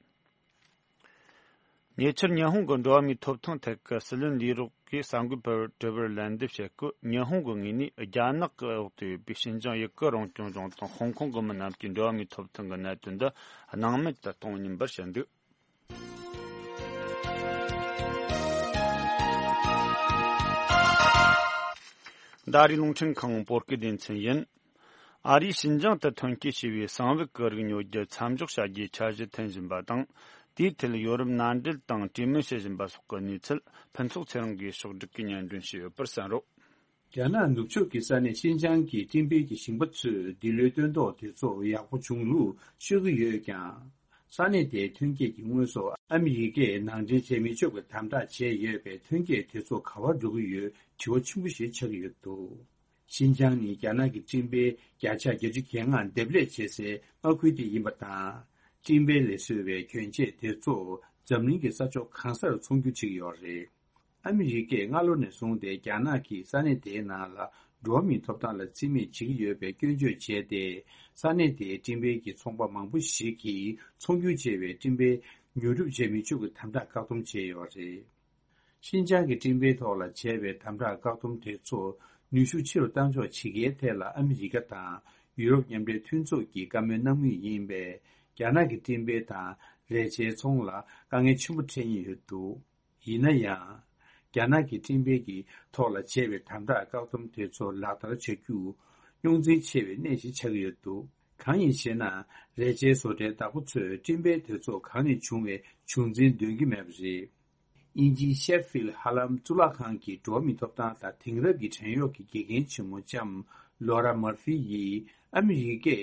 ཉེ་ཆར་ཉི་ཧོང་གི་འགྲོ་བ་མིའི་ཐོབ་ཐང་ཐད་ཀྱི་སྲིད་བློན་ལས་རོགས་ཀྱིས་གསར་འགོད་པར་དྲི་བར་ལན་འདེབས་བྱེད་སྐབས། ཉི་ཧོང་གི་ངོས་ནས་རྒྱ་ནག་གི་འོག་ཏུ་ཡོད་པའི་ཤིན་ཅང་ཡུ་གུར་རང་སྐྱོང་ལྗོངས་དང་ཧོང་ཀོང་གི་མི་རྣམས་ཀྱི་འགྲོ་བ་མིའི་ཐོབ་ཐང་གི་གནད་དོན་འདི་སྣང་མེད་དུ་གཏོང་མིན་པར་བཤད་འདུག་ཟླ་རེའི་རླུང་འཕྲིན་ཁང་བོད་སྐད་སྡེ་ཚན་ཡིན། ཨ་རིས་ཞིན་ཅང་དུ་ཐོན་སྐྱེད་བྱས་པའི་གསང་བའི་གི་རིགས་ཉོ་རྒྱུ་མཚམས་འཇོག་བྱ་རྒྱུའི་འཆར་གཞི་འཐེན་བཞིན་པ་དང་། དེའི་ཐད་ཡོ་རོབ་མནའ་འབྲེལ་དང་གྲོས་མོལ་བྱེད་བཞིན་པ་སོགས་ཀྱི་གནས་ཚུལ་ཕུན་ཚོགས་ཚེ་རིང་གིས་ཕྱོགས་བསྒྲིགས་ཀྱིས་སྙན་སྒྲོན་ཞུས་ཡོད་པར་གསན་རོགས། རྒྱ་ནག་ནུབ་ཕྱོགས་ཀྱི་ས་གནས་ཤིན་ཅང་གི་སྤྲིན་པའི་གི་ཞིང་པ་ཚོས་འདི་ལོའི་སྟོན་ཐོག་དེ་ཚོ་ཡག་པོ་བྱུང་ལུགས་ཤོད་ཀྱི་ཡོད་ཀྱང་། ས་གནས་དེའི་ཐོན་སྐྱེད་ཀྱི་དངོས་ཟོག་ཨ་མི་རི་ཀས་ནང་འདྲེན་བྱེད་མི་ཆོག་པའི་དམ་དྲག་བྱས་ཡོད་པས། ཐོན་སྐྱེད་དེ་ཚོ་ག་པར་འགྲོ་གི་ཡོད་དྲི་བ་ཆེན་པོ་ཞིག་ཆགས་ཀྱི་ཡོད་འདུག་ཤིན་ཅང་ནི་རྒྱ་ནག་གི་སྤྲིན་པའི་བརྒྱ་ཆ་བརྒྱད་ཅུ་གྱ་ལྔ་འདེབས་ལས་བྱེད་སའི་མངའ་ཁུལ་དེ་ཡིན་པ་དང་། སྤྲིན་པའི་ལས་བཟོས་པའི་གྱོན་ཆས་དེ་ཚོ་འཛམ་གླིང་གི་ས་ཕྱོགས་གང་སར་ཚོང་སྒྱུར་བྱེད་ཀྱི་ཡོད་རེད། ཨ་མི་རི་ཀས་སྔ་ལོ་ནས་བཟུང་སྟེ་རྒྱ་ནག་གིས་ས་གནས་དེའི་ནང་ལ་འགྲོ་བ་མིའི་ཐོབ་ཐང་ལ་བརྩི་མེད་བྱེད་ཀྱི་ཡོད་པའི་སྐྱོན་བརྗོད་བྱས་ཏེ། ས་གནས་དེའི་སྤྲིན་པའི་གི་ཚོང་པ་མང་པོ་ཞིག་གིས་ཚོང་སྒྱུར་བྱས་པའི་སྤྲིན་པའི་ཉོ་སྒྲུབ་བྱེད་མི་ཆོག་གི་དམ་དྲག་བཀག་སྡོམ་བྱས་ཡོད་རེད། ཤིན་ཅང་གི་སྤྲིན་པའི་ཐོག་ལ་བྱས་པའི་དམ་དྲག་བཀག་སྡོམ་དེ་ཚོ་ནུས་ཤུགས་ཆེ་རུ་གཏང་ཕྱོགས་བྱེད་ཀྱི་ཐད་ལ་ཨ་མི་རི་ཀ་དང་ཡུ་རོབ་མཉམ་འབྲེལ་མཐུན་ཚོགས་ཀྱིས་བཀའ་མོལ་གནང་མུས་ཡིན་པས། རྒྱ་ནག་གི་སྤྲིན་པའི་དང་རས་ཆའི་ཚོང་ལ་དཀའ་ངལ་ཆེན་པོ་འཕྲད་ཉེན་ཡོད་འདུག་ཡིན་ན་ཡང་། རྒྱ་ནག་གི་སྤྲིན་པའི་གི་ཐོག་ལ་བྱས་པའི་དམ་དྲག་བཀག་སྡོམ་དེ་ཚོ་ལག་བསྟར་བྱ་རྒྱུ་རྙོག་འཛིང་ཆེ་བའི་གནས་ཤིག་ཆགས་ཀྱི་ཡོད་འདུག་གང་ཡིན་ཞེ་ན། རས་ཆའི་བཟོ་གྲྭའི་བདག་པོ་ཚོས་སྤྲིན་པའི་དེ་ཚོ་གང་ནས་བྱུང་བའི་བྱུང་འཛིན་འདོན་གྱི་མེད་པ་རེད། དབྱིན་ཇིའི་ཤེ་ཕིལ་ཧ་ལམ་གཙུག་ལག་ཁང་གི་འགྲོ་བ་མིའི་ཐོབ་ཐང་དང་དེང་རབས་ཀྱི་བྲན་གཡོག་གི་དགེ་རྒན་ཆེན་མོ་ལྕམ་ལོ་ར་མར་ཧྥི་ཡིས། ཨ་མི་རི་ཀས་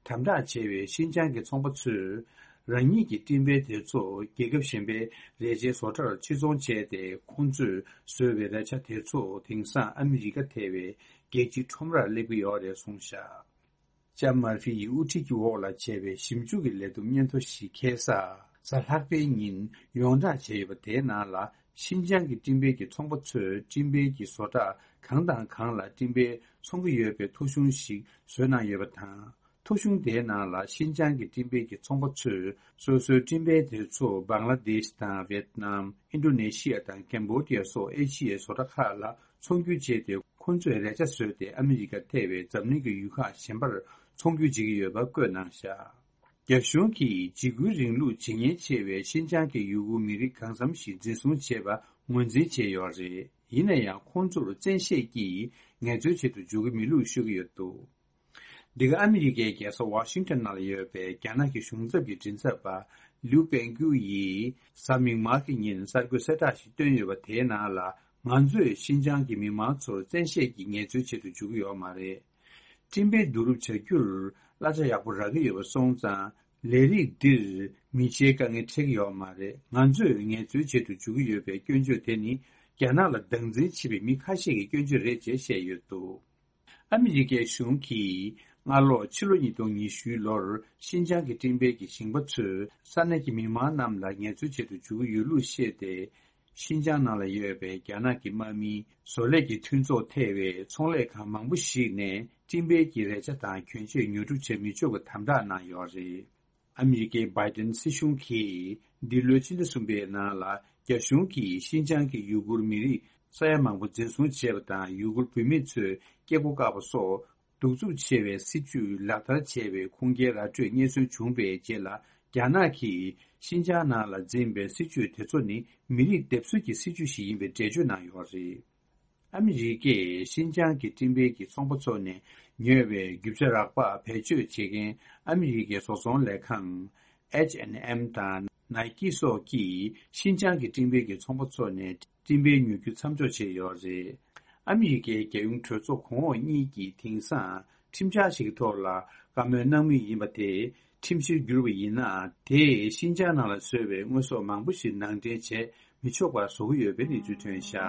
དམ་དྲག་བྱས་པའི་ཤིན་ཅང་གི་ཚོང་པ་ཚོས། རང་ཉིད་ཀྱི་སྤྲིན་པའི་དེ་ཚོ་རྒྱལ་ཁབ་གཞན་པའི་རས་ཆའི་བཟོ་གྲྭར་ཕྱིར་ཚོང་བྱས་ཏེ། ཁོང་ཚོས་བཟོས་པའི་རས་ཆ་དེ་ཚོ་དེང་སང་ཨ་མི་རི་ཀ་ཐེ་བའི་རྒྱལ་སྤྱིའི་ཁྲོམ་རར་སླེབས་ཀྱི་ཡོད་རེད་གསུངས་བཞག་ལྕམ་མར་ཧྥི་ཡི་དབུ་ཁྲིད་ཀྱི་འོག་ལ་བྱས་པའི་ཞིབ་འཇུག་གི་ལས་བསྡོམས་སྙན་ཐོ་ཞིག་ཁ་སང་གཟའ་ལྷག་པའི་ཉིན་ཡོངས་བསྒྲགས་བྱས་ཡོད་པ། དེའི་ནང་ལ་ཤིན་ཅང་གི་སྤྲིན་པའི་གི་ཚོང་པ་ཚོས་སྤྲིན་པའི་གི་བཟོ་གྲྭ་གང་དང་གང་ལ་སྤྲིན་པའི་ཚོང་གི་ཡོད་པའི་ཐོ་གཞུང་ཞིག་བཟོས་གནང་ཡོད་པ་དང་། ཐོ་གཞུང་དེའི་ནང་ལ་ཤིན་ཅང་གི་སྤྲིན་པའི་གི་ཚོང་པ་ཚོས་སོ་སོའི་སྤྲིན་པའི་དེ་ཚོ་བང་ལ་དེཤ་དང་ཝེད་ནམ། ཨིན་ཌོ་ནེ་ཤི་ཡ་དང་ཀེམ་བོ་ཌི་ཡ་སོགས་ཨེ་ཤི་ཡའི་བཟོ་གྲྭ་ཁག་ལ་ཚོང་སྒྱུར་བྱས་ཏེ། ཁོང་ཚོས་རས་ཆ་བཟོས་ཏེ་ཨ་མི་རི་ཀ་ཐེ་བའི་འཛམ་གླིང་གི་ཡུལ་ཁག་གཞན་པར་ཚོང་སྒྱུར་བྱེད་ཀྱི་ཡོད་པ་བཀོད་གནང་བཞག་རྒྱ་གཞུང་གིས་འཇིགས་སྐུལ་རིང་ལུགས་ཇི་སྙེད་ཆེ་བའི་ཤིན་ཅང་གི་ཡུ་གུར་མི་རིགས་གང་འཚམ་ཞིག་འཛིན་བཟུང་བྱས་པ་ངོས་འཛིན་བྱས་ཡོད་རེད། ཡིན་ན་ཡང་ཁོང་ཚོར་བཙན་ཤེད་ཀྱིས་ངལ་རྩོལ་བྱེད་དུ་འཇུག་གི་མེད་ལུགས་ཤོད་ཀྱི་ཡོད་འདུག་འདི་ག་ཨ་མི་རི་ཀའི་རྒྱལ་ས་ཝ་ཤིང་ཊོན་ནང་ལ་ཡོད་པའི་རྒྱ་ནག་གི་གཞུང་ཚབ་ཀྱི་མགྲིན་ཚབ་པ་ལིའུ་པེང་ཀུའུ་ཡིས་གཟའ་མིག་དམར་གྱི་ཉིན་གསར་འགོད་གསལ་བསྒྲགས་ཤིག་བཏོན་ཡོད་པ། དེའི་ནང་ལ། ང་ཚོས་ཤིན་ཅང་གི་མི་མང་ཚོར་བཙན་ཤེད་ཀྱིས་ངལ་རྩོལ་བྱེད་དུ་འཇུག་གི་ཡོད་མ་རེད། སྤྲིན་པའི་བསྡུ་རུབ་བྱ་རྒྱུར་གླ་ཆ་ཡག་པོ་རག་གི་ཡོད་པ་སོང་ཙང་། ལས་རིགས་འདིར་མི་ཆའི་དཀའ་ངལ་འཕྲད་ཀྱི་ཡོད་མ་རེད། ང་ཚོས་ངལ་རྩོལ་བྱེད་དུ་འཇུག་གི་ཡོད་པའི་སྐྱོན་བརྗོད་དེ་ནི། རྒྱ་ནག་ལ་སྡང་འཛིན་བྱེད་པའི་མི་ཁ་ཤས་ཀྱི་སྐྱོན་བརྗོད་རེད་ཅེས་བཤད་ཡོད་འདུག་ཨ་མི་རི་ཀའི་གཞུང་གིས་སྔ་ལོ་ཕྱི་ལོ་ཉིས་སྟོང་ཉི་ཤུའི་ལོར་ཤིན་ཅང་གི་སྤྲིན་པའི་གི་ཞིང་པ་ཚོས་ས་གནས་ཀྱི་མི་མང་རྣམས་ལ་ངལ་རྩོལ་བྱེད་དུ་འཇུག་གི་ཡོད་ལུགས་བཤད་དེ། ཤིན་ཅང་ནང་ལ་ཡོད་པའི་རྒྱ་ནག་གི་དམག་མིའི་བཟོ་ལས་ཀྱི་མཐུན་ཚོགས་ཐེ་བའི་ཚོང་ལས་ཁང་མང་པོ་ཞིག་ནས་སྤྲིན་པའི་གི་རས་ཆ་དང་གྱོན་ཆས་ཉོ་སྒྲུབ་བྱེད་མི་ཆོག་པའི་དམ་དྲག་གནང་ཡོད་རེད། ཨ་མི་རི་ཀའི་བྷའི་ཏིན་སྲིད་གཞུང་གིས་འདི་ལོའི་ཕྱི་ཟླ་གསུམ་པའི་ནང་ལ་རྒྱ་གཞུང་གིས་ཤིན་ཅང་གི་ཡུ་གུར་མི་རིགས་ས་ཡ་མང་པོ་འཛིན་བཟུང་བྱས་པ་དང་། ཡུ་གུར་བུད་མེད་ཚོའི་སྐྱེ་སྒོ་བཀག་པ་སོགས་གདུག་རྩུབ་ཆེ་བའི་སྲིད་བྱུས་ལག་བསྟར་བྱས་པའི་ཁུངས་སྐྱེལ་ར་སྤྲོད་རྙེད་སོན་བྱུང་བའི་རྗེས་ལ། རྒྱ་ནག་གིས་ཤིན་ཅང་ནང་ལ་འཛིན་པའི་སྲིད་བྱུས་དེ་ཚོ་ནི་མི་རིགས་སྡེབ་གསོད་ཀྱི་སྲིད་བྱུས་ཤིག་ཡིན་པའི་འགྲེལ་བརྗོད་གནང་ཡོད་རེད། ཨ་མི་རི་ཀས་ཤིན་ཅང་གི་སྤྲིན་པའི་གི་ཚོང་པ་ཚོ་ནས་ཉོས་པའི་རྒྱུ་ཆ་རག་པ་བེད་སྤྱོད་བྱེད་མཁན་ཨ་མི་རི་ཀའི་བཟོ་ཚོང་ལས་ཁང་ཨེཆ་ཨེན་ཨེམ་དང་ནའི་ཀི་སོགས་ཀྱིས་ཤིན་ཅང་གི་སྤྲིན་པའི་གི་ཚོང་པ་ཚོ་ནས་སྤྲིན་པའི་ཉོ་རྒྱུ་མཚམས་འཇོག་བྱས་ཡོད་རེད། ཨ་མི་རི་ཀའི་རྒྱལ་ཡོངས་གྲོས་ཚོགས་གོང་འོག་གཉིས་ཀྱིས་དེང་སང་ཁྲིམས་འཆར་ཞིག་གི་ཐོག་ལ་བཀའ་མོལ་གནང་མུས་ཡིན་པ་དེ། ཁྲིམས་གཞིར་གྱུར་པ་ཡིན་ན། དེས་ཤིན་ཅང་ནང་ལ་བཟོས་པའི་དངོས་ཟོག་མང་པོ་ཞིག་ནང་འདྲེན་བྱས་མི་ཆོག་པར་བཟོ་གི་ཡོད་པའི་གནས་ཚུལ་ཐོན་བཞག་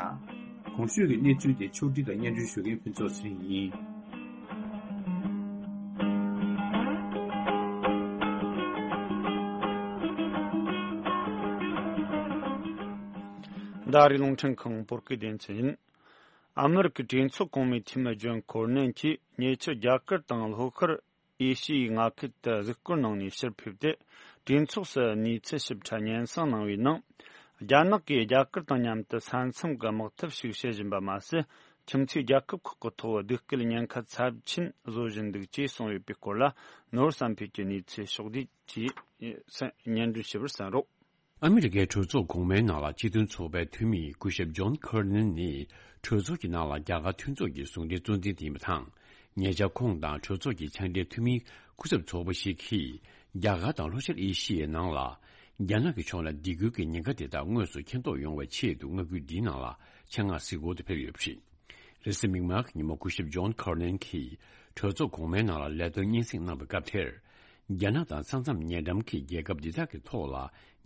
གོང་ཞུས་ཀྱི་གནས་ཚུལ་དེ་ཕྱོགས་སྒྲིག་དང་སྙན་སྒྲོན་ཞུ་མཁན་ཕུན་ཚོགས་ཚེ་རིང་ཡིན། ཟླ་རེའི་རླུང་འཕྲིན་ཁང་བོད་སྐད་སྡེ་ཚན་ཡིན། ཨ་མི་རི་ཀའི་གྲོས་ཚོགས་གོང་མའི་འཐུས་མི་ཇོན་ཁོར་ནན་གྱིས་ཉེ་ཆར་རྒྱ་གར་དང་ལྷོ་ཤར་ཨེ་ཤི་ཡའི་མངའ་ཁུལ་དུ་གཟིགས་སྐོར་གནང་ནས་ཕྱིར་ཕེབས་ཏེ། གྲོས་ཚོགས་སུ་གནས་ཚུལ་ཞིབ་ཕྲ་སྙན་སེང་གནང་བའི་ནང་། རྒྱ་ནག་གིས་རྒྱ་གར་དང་མཉམ་དུ་ས་མཚམས་ཀྱི་དམག་འཐབ་ཤིག་བྱེད་བཞིན་པ་མ་ཟད། ཁྱིམ་མཚེས་རྒྱལ་ཁབ་ཁག་གི་ཐོག་སྡུག་སྐུལ་ཉེན་ཁ་ཚབས་ཆེན་བཟོ་བཞིན་འདུག་ཅེས་གསུངས་ཡོད་པའི་སྐོར་ལ། ནོར་བསམ་འཕེལ་གྱིས་གནས་ཚུལ་ཕྱོགས་བསྒྲིགས་ཀྱིས་སྙན་སྒྲོན་ཞུ་བར་གསན་རོགས། ཨ་མི་རི་ཀའི་གྲོས་ཚོགས་གོང་མའི་ནང་ལ་སྤྱི་མཐུན་ཚོགས་པའི་འཐུས་མི་སྐུ་ཞབས་ཇོན་ཁར་ནན་ནི་གྲོས་ཚོགས་ཀྱི་ནང་ལ་རྒྱ་གར་མཐུན་ཚོགས་ཀྱི་ཟུང་འབྲེལ་གཙོ་འཛིན་དེ་ཡིན་པ་དང་། ཉེ་ཆར་ཁོང་དང་གྲོས་ཚོགས་ཀྱི་ཕྱག་སྦྲེལ་འཐུས་མི་སྐུ་ཚབ་ཚོགས་པ་ཞིག་གིས་རྒྱ་གར་དང་ལྷོ་ཤར་ཨེ་ཤི་ཡའི་ནང་ལ་རྒྱ་ནག་གི་ཕྱོགས་ནས་སྡིགས་སྐུལ་གྱི་ཉེན་ཁ་དེ་དག་དངོས་སུ་མཁྱེན་རྟོགས་ཡོང་བའི་ཆེད་དུ་མངའ་ཁུལ་འདིའི་ནང་ལ་ཆེད་མངགས་གཟིགས་སྐོར་དུ་ཕེབས་ཡོད་པ་རེད། རེས་གཟའ་མིག་དམར་གྱི་ཉིན་མོ་སྐུ་ཞབས་ཇོན་ཁར་ནན་གྱིས་གྲོས་ཚོགས་གོང་མའི་ནང་ལ་ལས་དོན་སྙན་སེང་གནང་བའི་སྐབས་དེར། རྒྱ་ནག་དང་ས་མཚམས་ཉེ་འགྲམ་གྱི་རྒྱལ་ཁབ་འདི་དག་གི་ཐོག་ལ་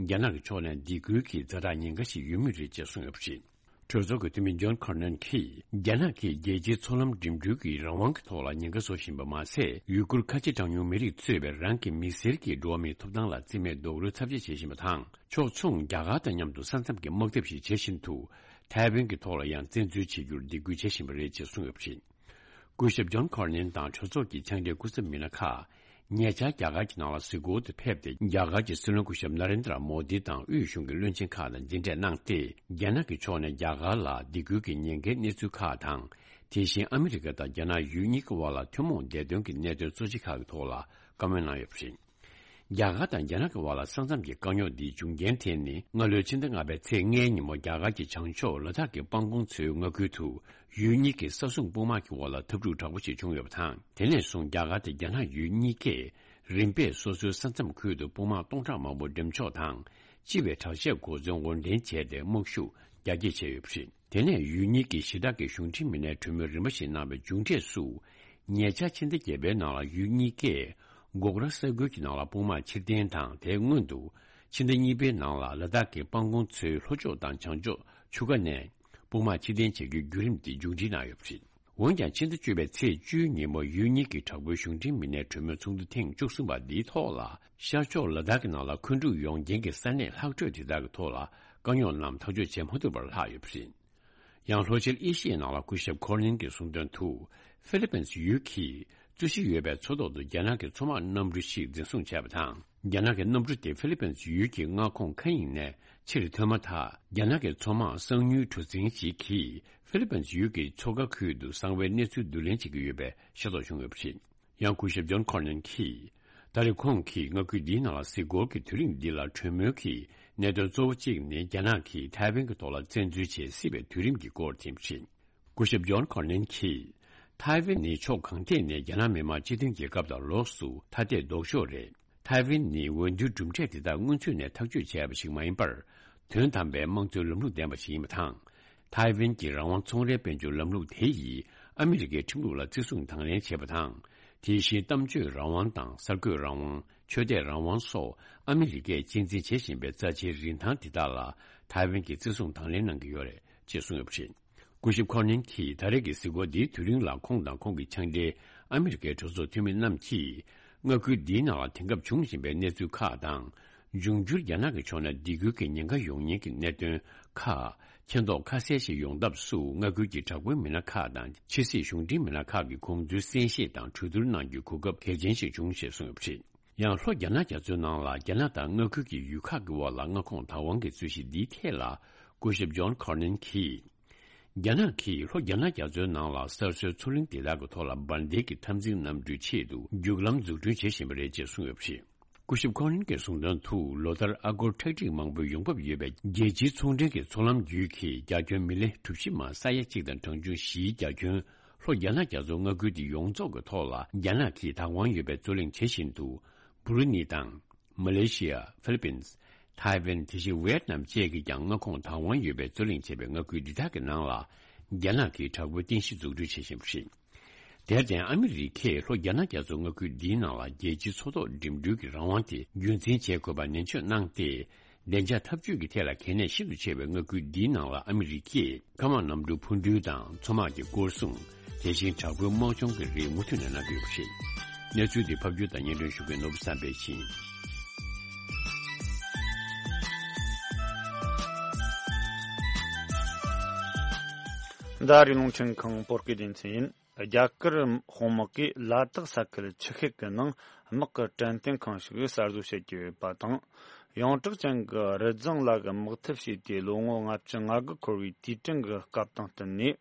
རྒྱ་ནག་གི་ཕྱོགས་ནས་སྡིགས་སྐུལ་གྱི་ཛ་དྲག་ཉེན་ཁ་ཞིག་ཡོད་མུས་རེད་ཅེས་གསུངས་ཡོད་པ་རེད། གྲོས་ཚོགས་ཀྱི་འཐུས་མི་ཇོན་ཁར་ནན་གྱིས་རྒྱ་ནག་གིས་རྒྱལ་སྤྱིའི་མཚོ་ལམ་འགྲིམ་འགྲུལ་གྱི་རང་དབང་གི་ཐོག་ལ་ཉེན་ཁ་བཟོ་བཞིན་པ་མ་ཟད། ཡུ་གུར་ཁ་ཆེ་གྲངས་ཉུང་མི་རིགས་གཙོས་པའི་རང་གི་མི་སེར་གྱི་འགྲོ་བ་མིའི་ཐོབ་ཐང་ལ་རྩིས་མེད་རྡོག་རོལ་ཚབས་ཆེ་བྱེད་བཞིན་པ་དང་། ཕྱོགས་མཚུངས་རྒྱ་གར་དང་མཉམ་དུ་ས་མཚམས་ཀྱི་དམག་འཐབ་ཞིག་བྱེད་བཞིན་དུ། ཐའེ་ཝན་གྱི་ཐོག་ལ་ཡང་བཙན་འཛུལ་བྱེད་རྒྱུར་སྡིགས་སྐུལ་བྱེད་བཞིན་པ་རེད་ཅེས་གསུངས་ཡོད་པ་རེད། སྐུ་ཞབས་ཇོན་ཁར་ནན་དང་གྲོས་ཚོགས་ཀྱི་ཕྱག་སྦྲེལ་སྐུ་ཚབ་མི་སྣ་ཁག་ཉེ་ཆར་རྒྱ་གར་གྱི་ནང་ལ་གཟིགས་སྐོར་དུ་ཕེབས་ཏེ། རྒྱ་གར་གྱི་སྲིད་བློན་སྐུ་ཞབས་ན་རེན་དྲ་མོ་དི་དང་དབུས་གཞུང་གི་བློན་ཆེན་ཁག་དང་མཇལ་འཕྲད་གནང་སྟེ། རྒྱ་ནག་གི་ཕྱོགས་ནས་རྒྱ་གར་ལ་སྡིགས་སྐུལ་གྱི་ཉེན་ཁའི་གནས་ཚུལ་ཁག་དང་། དེ་བཞིན་ཨ་མི་རི་ཀ་དང་རྒྱ་ནག་ཡུལ་གཉིས་ཀྱི་དབར་ལ་ཐུན་མོང་བདེ་དོན་གྱི་གནད་དོན་གཙོ་ཆེ་ཁག་གི་ཐོག་ལ་བཀའ་མོལ་གནང་ཡོད་པ་རེད། རྒྱ་གར་དང་རྒྱ་ནག་གི་དབར་ལ་ས་མཚམས་ཀྱི་དཀའ་རྙོག་འདིའི་འབྱུང་རྐྱེན་དེ་ནི། སྔ་ལོའི་ཕྱི་ཟླ་ལྔ་པའི་ཚེས་ལྔའི་ཉིན་མོ་རྒྱ་གར་གྱི་བྱང་ཕྱོགས་ལ་དྭགས་ཀྱི་སྤང་གོང་མཚོའི་མངའ་ཁུལ་དུ། ཡུལ་གཉིས་ཀྱི་ས་སྲུང་དཔུང་དམག་གི་འོག་ལ་འཐབ་འཁྲུག་དྲག་པོ་ཞིག་བྱུང་ཡོད་པ་དང་། དེ་ནས་བཟུང་རྒྱ་གར་དང་རྒྱ་ནག་ཡུལ་གཉིས་ཀས་རིམ་པས་སོ་སོའི་ས་མཚམས་ཁུལ་དུ་དཔུང་དམག་སྟོང་ཕྲག་མང་པོ་འགྲེམས་འཇོག་དང་། སྤྱི་པའི་དྲག་ཆས་གོ་མཚོན་དབོར་འདྲེན་བྱས་ཏེ། དམག་ཤུགས་རྒྱ་སྐྱེད་བྱས་ཡོད་པ་རེད། དེ་ནས་ཡུལ་གཉིས་ཀྱི་ཞི་དྲག་གི་གཞུང་འབྲེལ་མི་སྣའི་གྲོས་མོལ་རིམ་པ་ཞིག་གནང་བའི་མཇུག་འབྲས་སུ། ཉེ་ཆར་ཕྱི་ཟླ་བརྒྱད་པའི་ནང་ལ་ཡུལ་གཉིས་ཀས་སྒོག་ར་ས་ཁུལ་གྱི་ནང་ལ་དཔུང་དམག་ཕྱིར་འཐེན་དང་། དེའི་སྔོན་དུ་ཕྱི་ཟླ་གཉིས་པའི་ནང་ལ་ལ་དྭགས་ཀྱི་སྤང་གོང་མཚོའི་ལྷོ་ཕྱོགས་དང་བྱང་ཕྱོགས་ཆུ་ཁ་ནས་དཔུང་དམག་ཕྱིར་འཐེན་བྱེད་རྒྱུའི་བརྒྱུད་རིམ་དེ་མཇུག་སྒྲིལ་གནང་ཡོད་པ་རེད། འོན་ཀྱང་ཕྱི་ཟླ་བཅུ་པའི་ཚེས་བཅུའི་ཉིན་མོ་ཡུལ་གཉིས་ཀྱི་དྲག་པོའི་གཞུང་འབྲེལ་མི་སྣའི་གྲོས་མོལ་ཚོགས་འདུ་ཐེངས་བཅུ་གསུམ་པ་འདིའི་ཐོག་ལ། ཤར་ཕྱོགས་ལ་དྭགས་ཀྱི་ནང་ལ་མཁོ་སྒྲུབ་ཡོང་རྐྱེན་གྱི་ས་གནས་ལྷག་འཕྲོས་དེ་དག་གི་ཐོག་ལ་དཀའ་རྙོག་རྣམས་ཐག་གཅོད་བྱེད་མ་ཐུབ་པར་ལྷག་ཡོད་པ་རེད། ཡང་ལྷོ་ཤར་ཨེ་ཤི་ཡའི་ནང་ལ་སྐུ་ཞབས་ཁོར་ནིན་གྱིས་གསུངས་དོན་དུ། ཧྥི་ལི་པིན་ཡུལ་གྱིས་རྩོད་གཞི་ཡོད་པའི་མཚོ་ཐོག་ཏུ་རྒྱ་ནག་གི་མཚོ་དམག་གནམ་གྲུ་ཞིག་འཛིན་བཟུང་བྱས་པ་དང་། རྒྱ་ནག་གི་གནམ་གྲུ་དེ་ཧྥི་ལི་པིན་ཡུལ་གྱི་མངའ་ཁོངས་མཁའ་དབྱིངས་ནས་ཕྱིར་ཐོན་མ་ཐག་རྒྱ་ནག་གི་མཚོ་དམག་གསང་ཉུལ་གྲུ་གཟིངས་ཤིག་གིས་ཧྥི་ལི་པིན་ཡུལ་གྱི་མཚོ་ཁ་ཁུལ་དུ་གསང་བའི་གནས་ཚུལ་བསྡུ་ལེན་བྱེད་ཀྱི་ཡོད་པའི་ཤེས་རྟོགས་བྱུང་ཡོད་པ་རེད། ཡང་སྐུ་ཞབས་ཇོན་ཁོར་ནན་གྱིས། ད་རེས་ཁོང་གིས་མངའ་ཁུལ་འདིའི་ནང་ལ་གཟིགས་སྐོར་གྱི་དུས་རིམ་འདི་ལ་གྲོས་མོལ་གྱི་གནད་དོན་གཙོ་བོ་གཅིག་ནི། རྒྱ་ནག་གིས་ཐའེ་ཝན་གྱི་ཐོག་ལ་བཙན་འཛུལ་བྱེད་སྲིད་པའི་དུས་རིམ་གྱི་སྐོར་དེ་ཡིན་པ་རེད། སྐུ་ཞབས་ཇོན་ཁོར་ནན་གྱིས། ཐའེ་ཝན་ནི་ཕྱོགས་གང་ཐད་ནས་རྒྱ་ནག་མི་དམངས་སྤྱི་མཐུན་རྒྱལ་ཁབ་དང་ལོགས་སུ་ཐ་དད་ལྡོག་ཕྱོགས་རེད། ཐའེ་ཝན་ནི་འོས་བསྡུའི་གྲུབ་འབྲས་དེ་དག་སྔོན་ཚུད་ནས་ཐག་གཅོད་བྱས་པ་ཞིག་མ་ཡིན་པར། དོན་དམ་པའི་དམངས་གཙོའི་ལམ་ལུགས་ལྡན་པ་ཞིག་ཡིན་པ་དང་། ཐའེ་ཝན་གྱི་རང་དབང་ཚོང་རའི་དཔལ་འབྱོར་ལམ་ལུགས་དེ་ཡིས་ཨ་མི་རི་ཀའི་ཁྲིམས་ལུགས་ལ་བརྩི་སྲུང་དང་ལེན་བྱེད་པ་དང་། དེ་བཞིན་གཏམ་བརྗོད་རང་དབང་དང་གསར་འགོད་རང་དབང་། ཆོས་དད་རང་དབང་སོགས་ཨ་མི་རི་ཀས་གཅེས་འཛིན་བྱེད་བཞིན་པའི་རྩ་ཆེའི་རིན་ཐང་དེ་དག་ལ་ཐའེ་ཝན་གྱིས་བརྩི་སྲུང་དང་ལེན་གནང་གི་ཡོད་རེད་ཅེས་གསུངས་ཡོད་པ་རེད། སྐུ་ཞབས་ཁོར་ནན་གྱིས་ད་རེས་ཀྱི་གཟིགས་སྐོར་འདིའི་དུས་རིང་ལ་ཁོང་དང་ཁོང་གི་ཕྱག་སྦྲེལ་ཨ་མི་རི་ཀའི་གྲོས་ཚོགས་འཐུས་མི་རྣམས་ཀྱིས་མངའ་ཁུལ་འདིའི་ནང་ལ་དེང་སྐབས་འབྱུང་བཞིན་པའི་གནས་ཚུལ་ཁག་དང་། འབྱུང་འགྱུར་རྒྱ་ནག་གི་ཕྱོགས་ནས་སྡིགས་སྐུལ་གྱི་ཉེན་ཁ་ཡོང་ཉེན་གྱི་གནད་དོན་ཁག་མཁྱེན་རྟོགས་ཁ་གསལ་ཞིག་ཡོང་ཐབས་སུ། མངའ་ཁུལ་གྱི་དྲག་པོའི་མི་སྣ་ཁག་དང་ཕྱི་སྲིད་གཞུང་འབྲེལ་མི་སྣ་ཁག་གིས་དགོངས་ཚུལ་གསན་བཞེས་དང་གྲོས་བསྡུར་གནང་རྒྱུའི་གོ་སྐབས་གལ་ཆེན་ཞིག་བྱུང་ཞེས་གསུངས་ཡོད་པ་རེད། ཡང་ལྷོ་རྒྱ་ནག་རྒྱ་མཚོའི་ནང་ལ་རྒྱ་ནག་དང་མངའ་ཁུལ་གྱི་ཡུལ་ཁག་གི་དབར་ལ་མངའ་ཁོངས་བདག་དབང་གི་རྩོད་གཞི་འདིའི་ཐད་ལ། སྐུ་ཞབས་ཇོན་ཁོར་ནན་གྱིས། རྒྱ་ནག་གིས་ལྷོ་རྒྱ་ནག་རྒྱ་མཚོའི་ནང་ལ་གསར་བཟོའི་མཚོ་གླིང་དེ་དག་གི་ཐོག་ལ་འབར་མདེལ་གྱི་འཐབ་འཛིང་གནམ་གྲུའི་ཆེད་དུ་རྒྱུག་ལམ་འཛུགས་སྐྲུན་བྱེད་བཞིན་པ་རེད་ཅེས་གསུངས་ཡོད་པ་རེད། སྐུ་ཞབས་ཁོ་རན་གྱིས་གསུངས་དོན་དུ། ལོ་ལྟར་ཨ་སྒོར་ཁྲག་ཁྲིག་མང་པོའི་ཡོང་འབབ་ཡོད་པའི་རྒྱལ་སྤྱིའི་ཚོང་འབྲེལ་གྱི་མཚོ་ལམ་བརྒྱུད་ཀྱིས་རྒྱ་ཁྱོན་མི་ལེ་གྲུ་བཞི་མ་ས་ཡ་གཅིག་དང་གྲངས་ཆུང་བཞིའི་རྒྱ་ཁྱོན་ལྷོ་རྒྱ་ནག་རྒྱ་མཚོ་མངའ་ཁུལ་དེ་ཡོངས་རྫོགས་ཀྱི་ཐོག་ལ་རྒྱ་ནག་གིས་བདག་དབང་ཡོད་པའི་རྩོད་གླེང་བྱེད་བཞིན་དུ། འབུ་རུ་ནི་དང་། མ་ལེ་ཤི་ཡ། ཧྥི་ལི་པིན། ཐའེ་ཝན། དེ་བཞིན་ཝེ་ཏི་ནམ་བཅས་ཀྱིས་ཀྱང་མངའ་ཁོངས་བདག་དབང་ཡོད་པའི་རྩོད་གླེང་བྱས་པའི་མངའ་ཁུལ་འདི་དག་གི་ནང་ལ། རྒྱ་ནག་གིས་དྲག་པོའི་རྟེན་གཞི་འཛུགས་སྐྲུན་བྱེད་བཞིན་པ་རེད། དེར་བརྟེན། ཨ་མི་རི་ཀས་ལྷོ་རྒྱ་ནག་རྒྱ་མཚོ་མངའ་ཁུལ་འདིའི་ནང་ལ་རྒྱལ་སྤྱིའི་མཚོ་ཐོག་འགྲིམ་འགྲུལ་གྱི་རང་དབང་དེ་རྒྱུན་འཛིན་བྱེད་དགོས་པ་ནན་བརྗོད་གནང་སྟེ། བདེ་འཇགས་འཐབ་ཇུས་ཀྱི་ཐད་ལ་གལ་གནད་ཤིན་ཏུ་ཆེ་བའི་མངའ་ཁུལ་འདིའི་ནང་ལ་ཨ་མི་རི་ཀས་སྐམ་དམག་གནམ་གྲུ་འཕུར་འགྲུལ་དང་མཚོ་དམག་གི་སྐོར་སྲུང་། དེ་བཞིན་དྲག་པོའི་དམག་སྦྱོང་གི་རིགས་མུ་མཐུད་ནས་གནང་གི་ཡོད་པ་རེད། གནས་ཚུལ་འདི་ཕབ་སྒྱུར་དང་སྙན་སྒྲོན་ཞུ་མཁན་ནོར་བུ་བསམ་འཕེལ་ཡིན། འདི་རི་ལུང་ཆེན་ཁང་བོད་སྐད་སྡེ་ཚན་ཡིན། རྒྱ་གར་དཔུང་དམག་གིས་ལ་དྭགས་ས་ཁུལ་ཆུ་ཤེལ་གྱི་ནང་དམག་གི་དྲན་རྟེན་ཁང་ཞིག་གསར་བཟོ་བྱེད་ཀྱི་ཡོད་པ་དང་། ཡོངས་གྲགས་ཅན་གྱི་རི་རྫོང་ལ་གི་དམག་འཐབ་བྱས་ཏེ་ལོ་ངོ་ལྔ་བཅུ་ང་དགུ་འཁོར་བའི་དུས་དྲན་གྱི་སྐབས་དང་བསྟུན་ནས།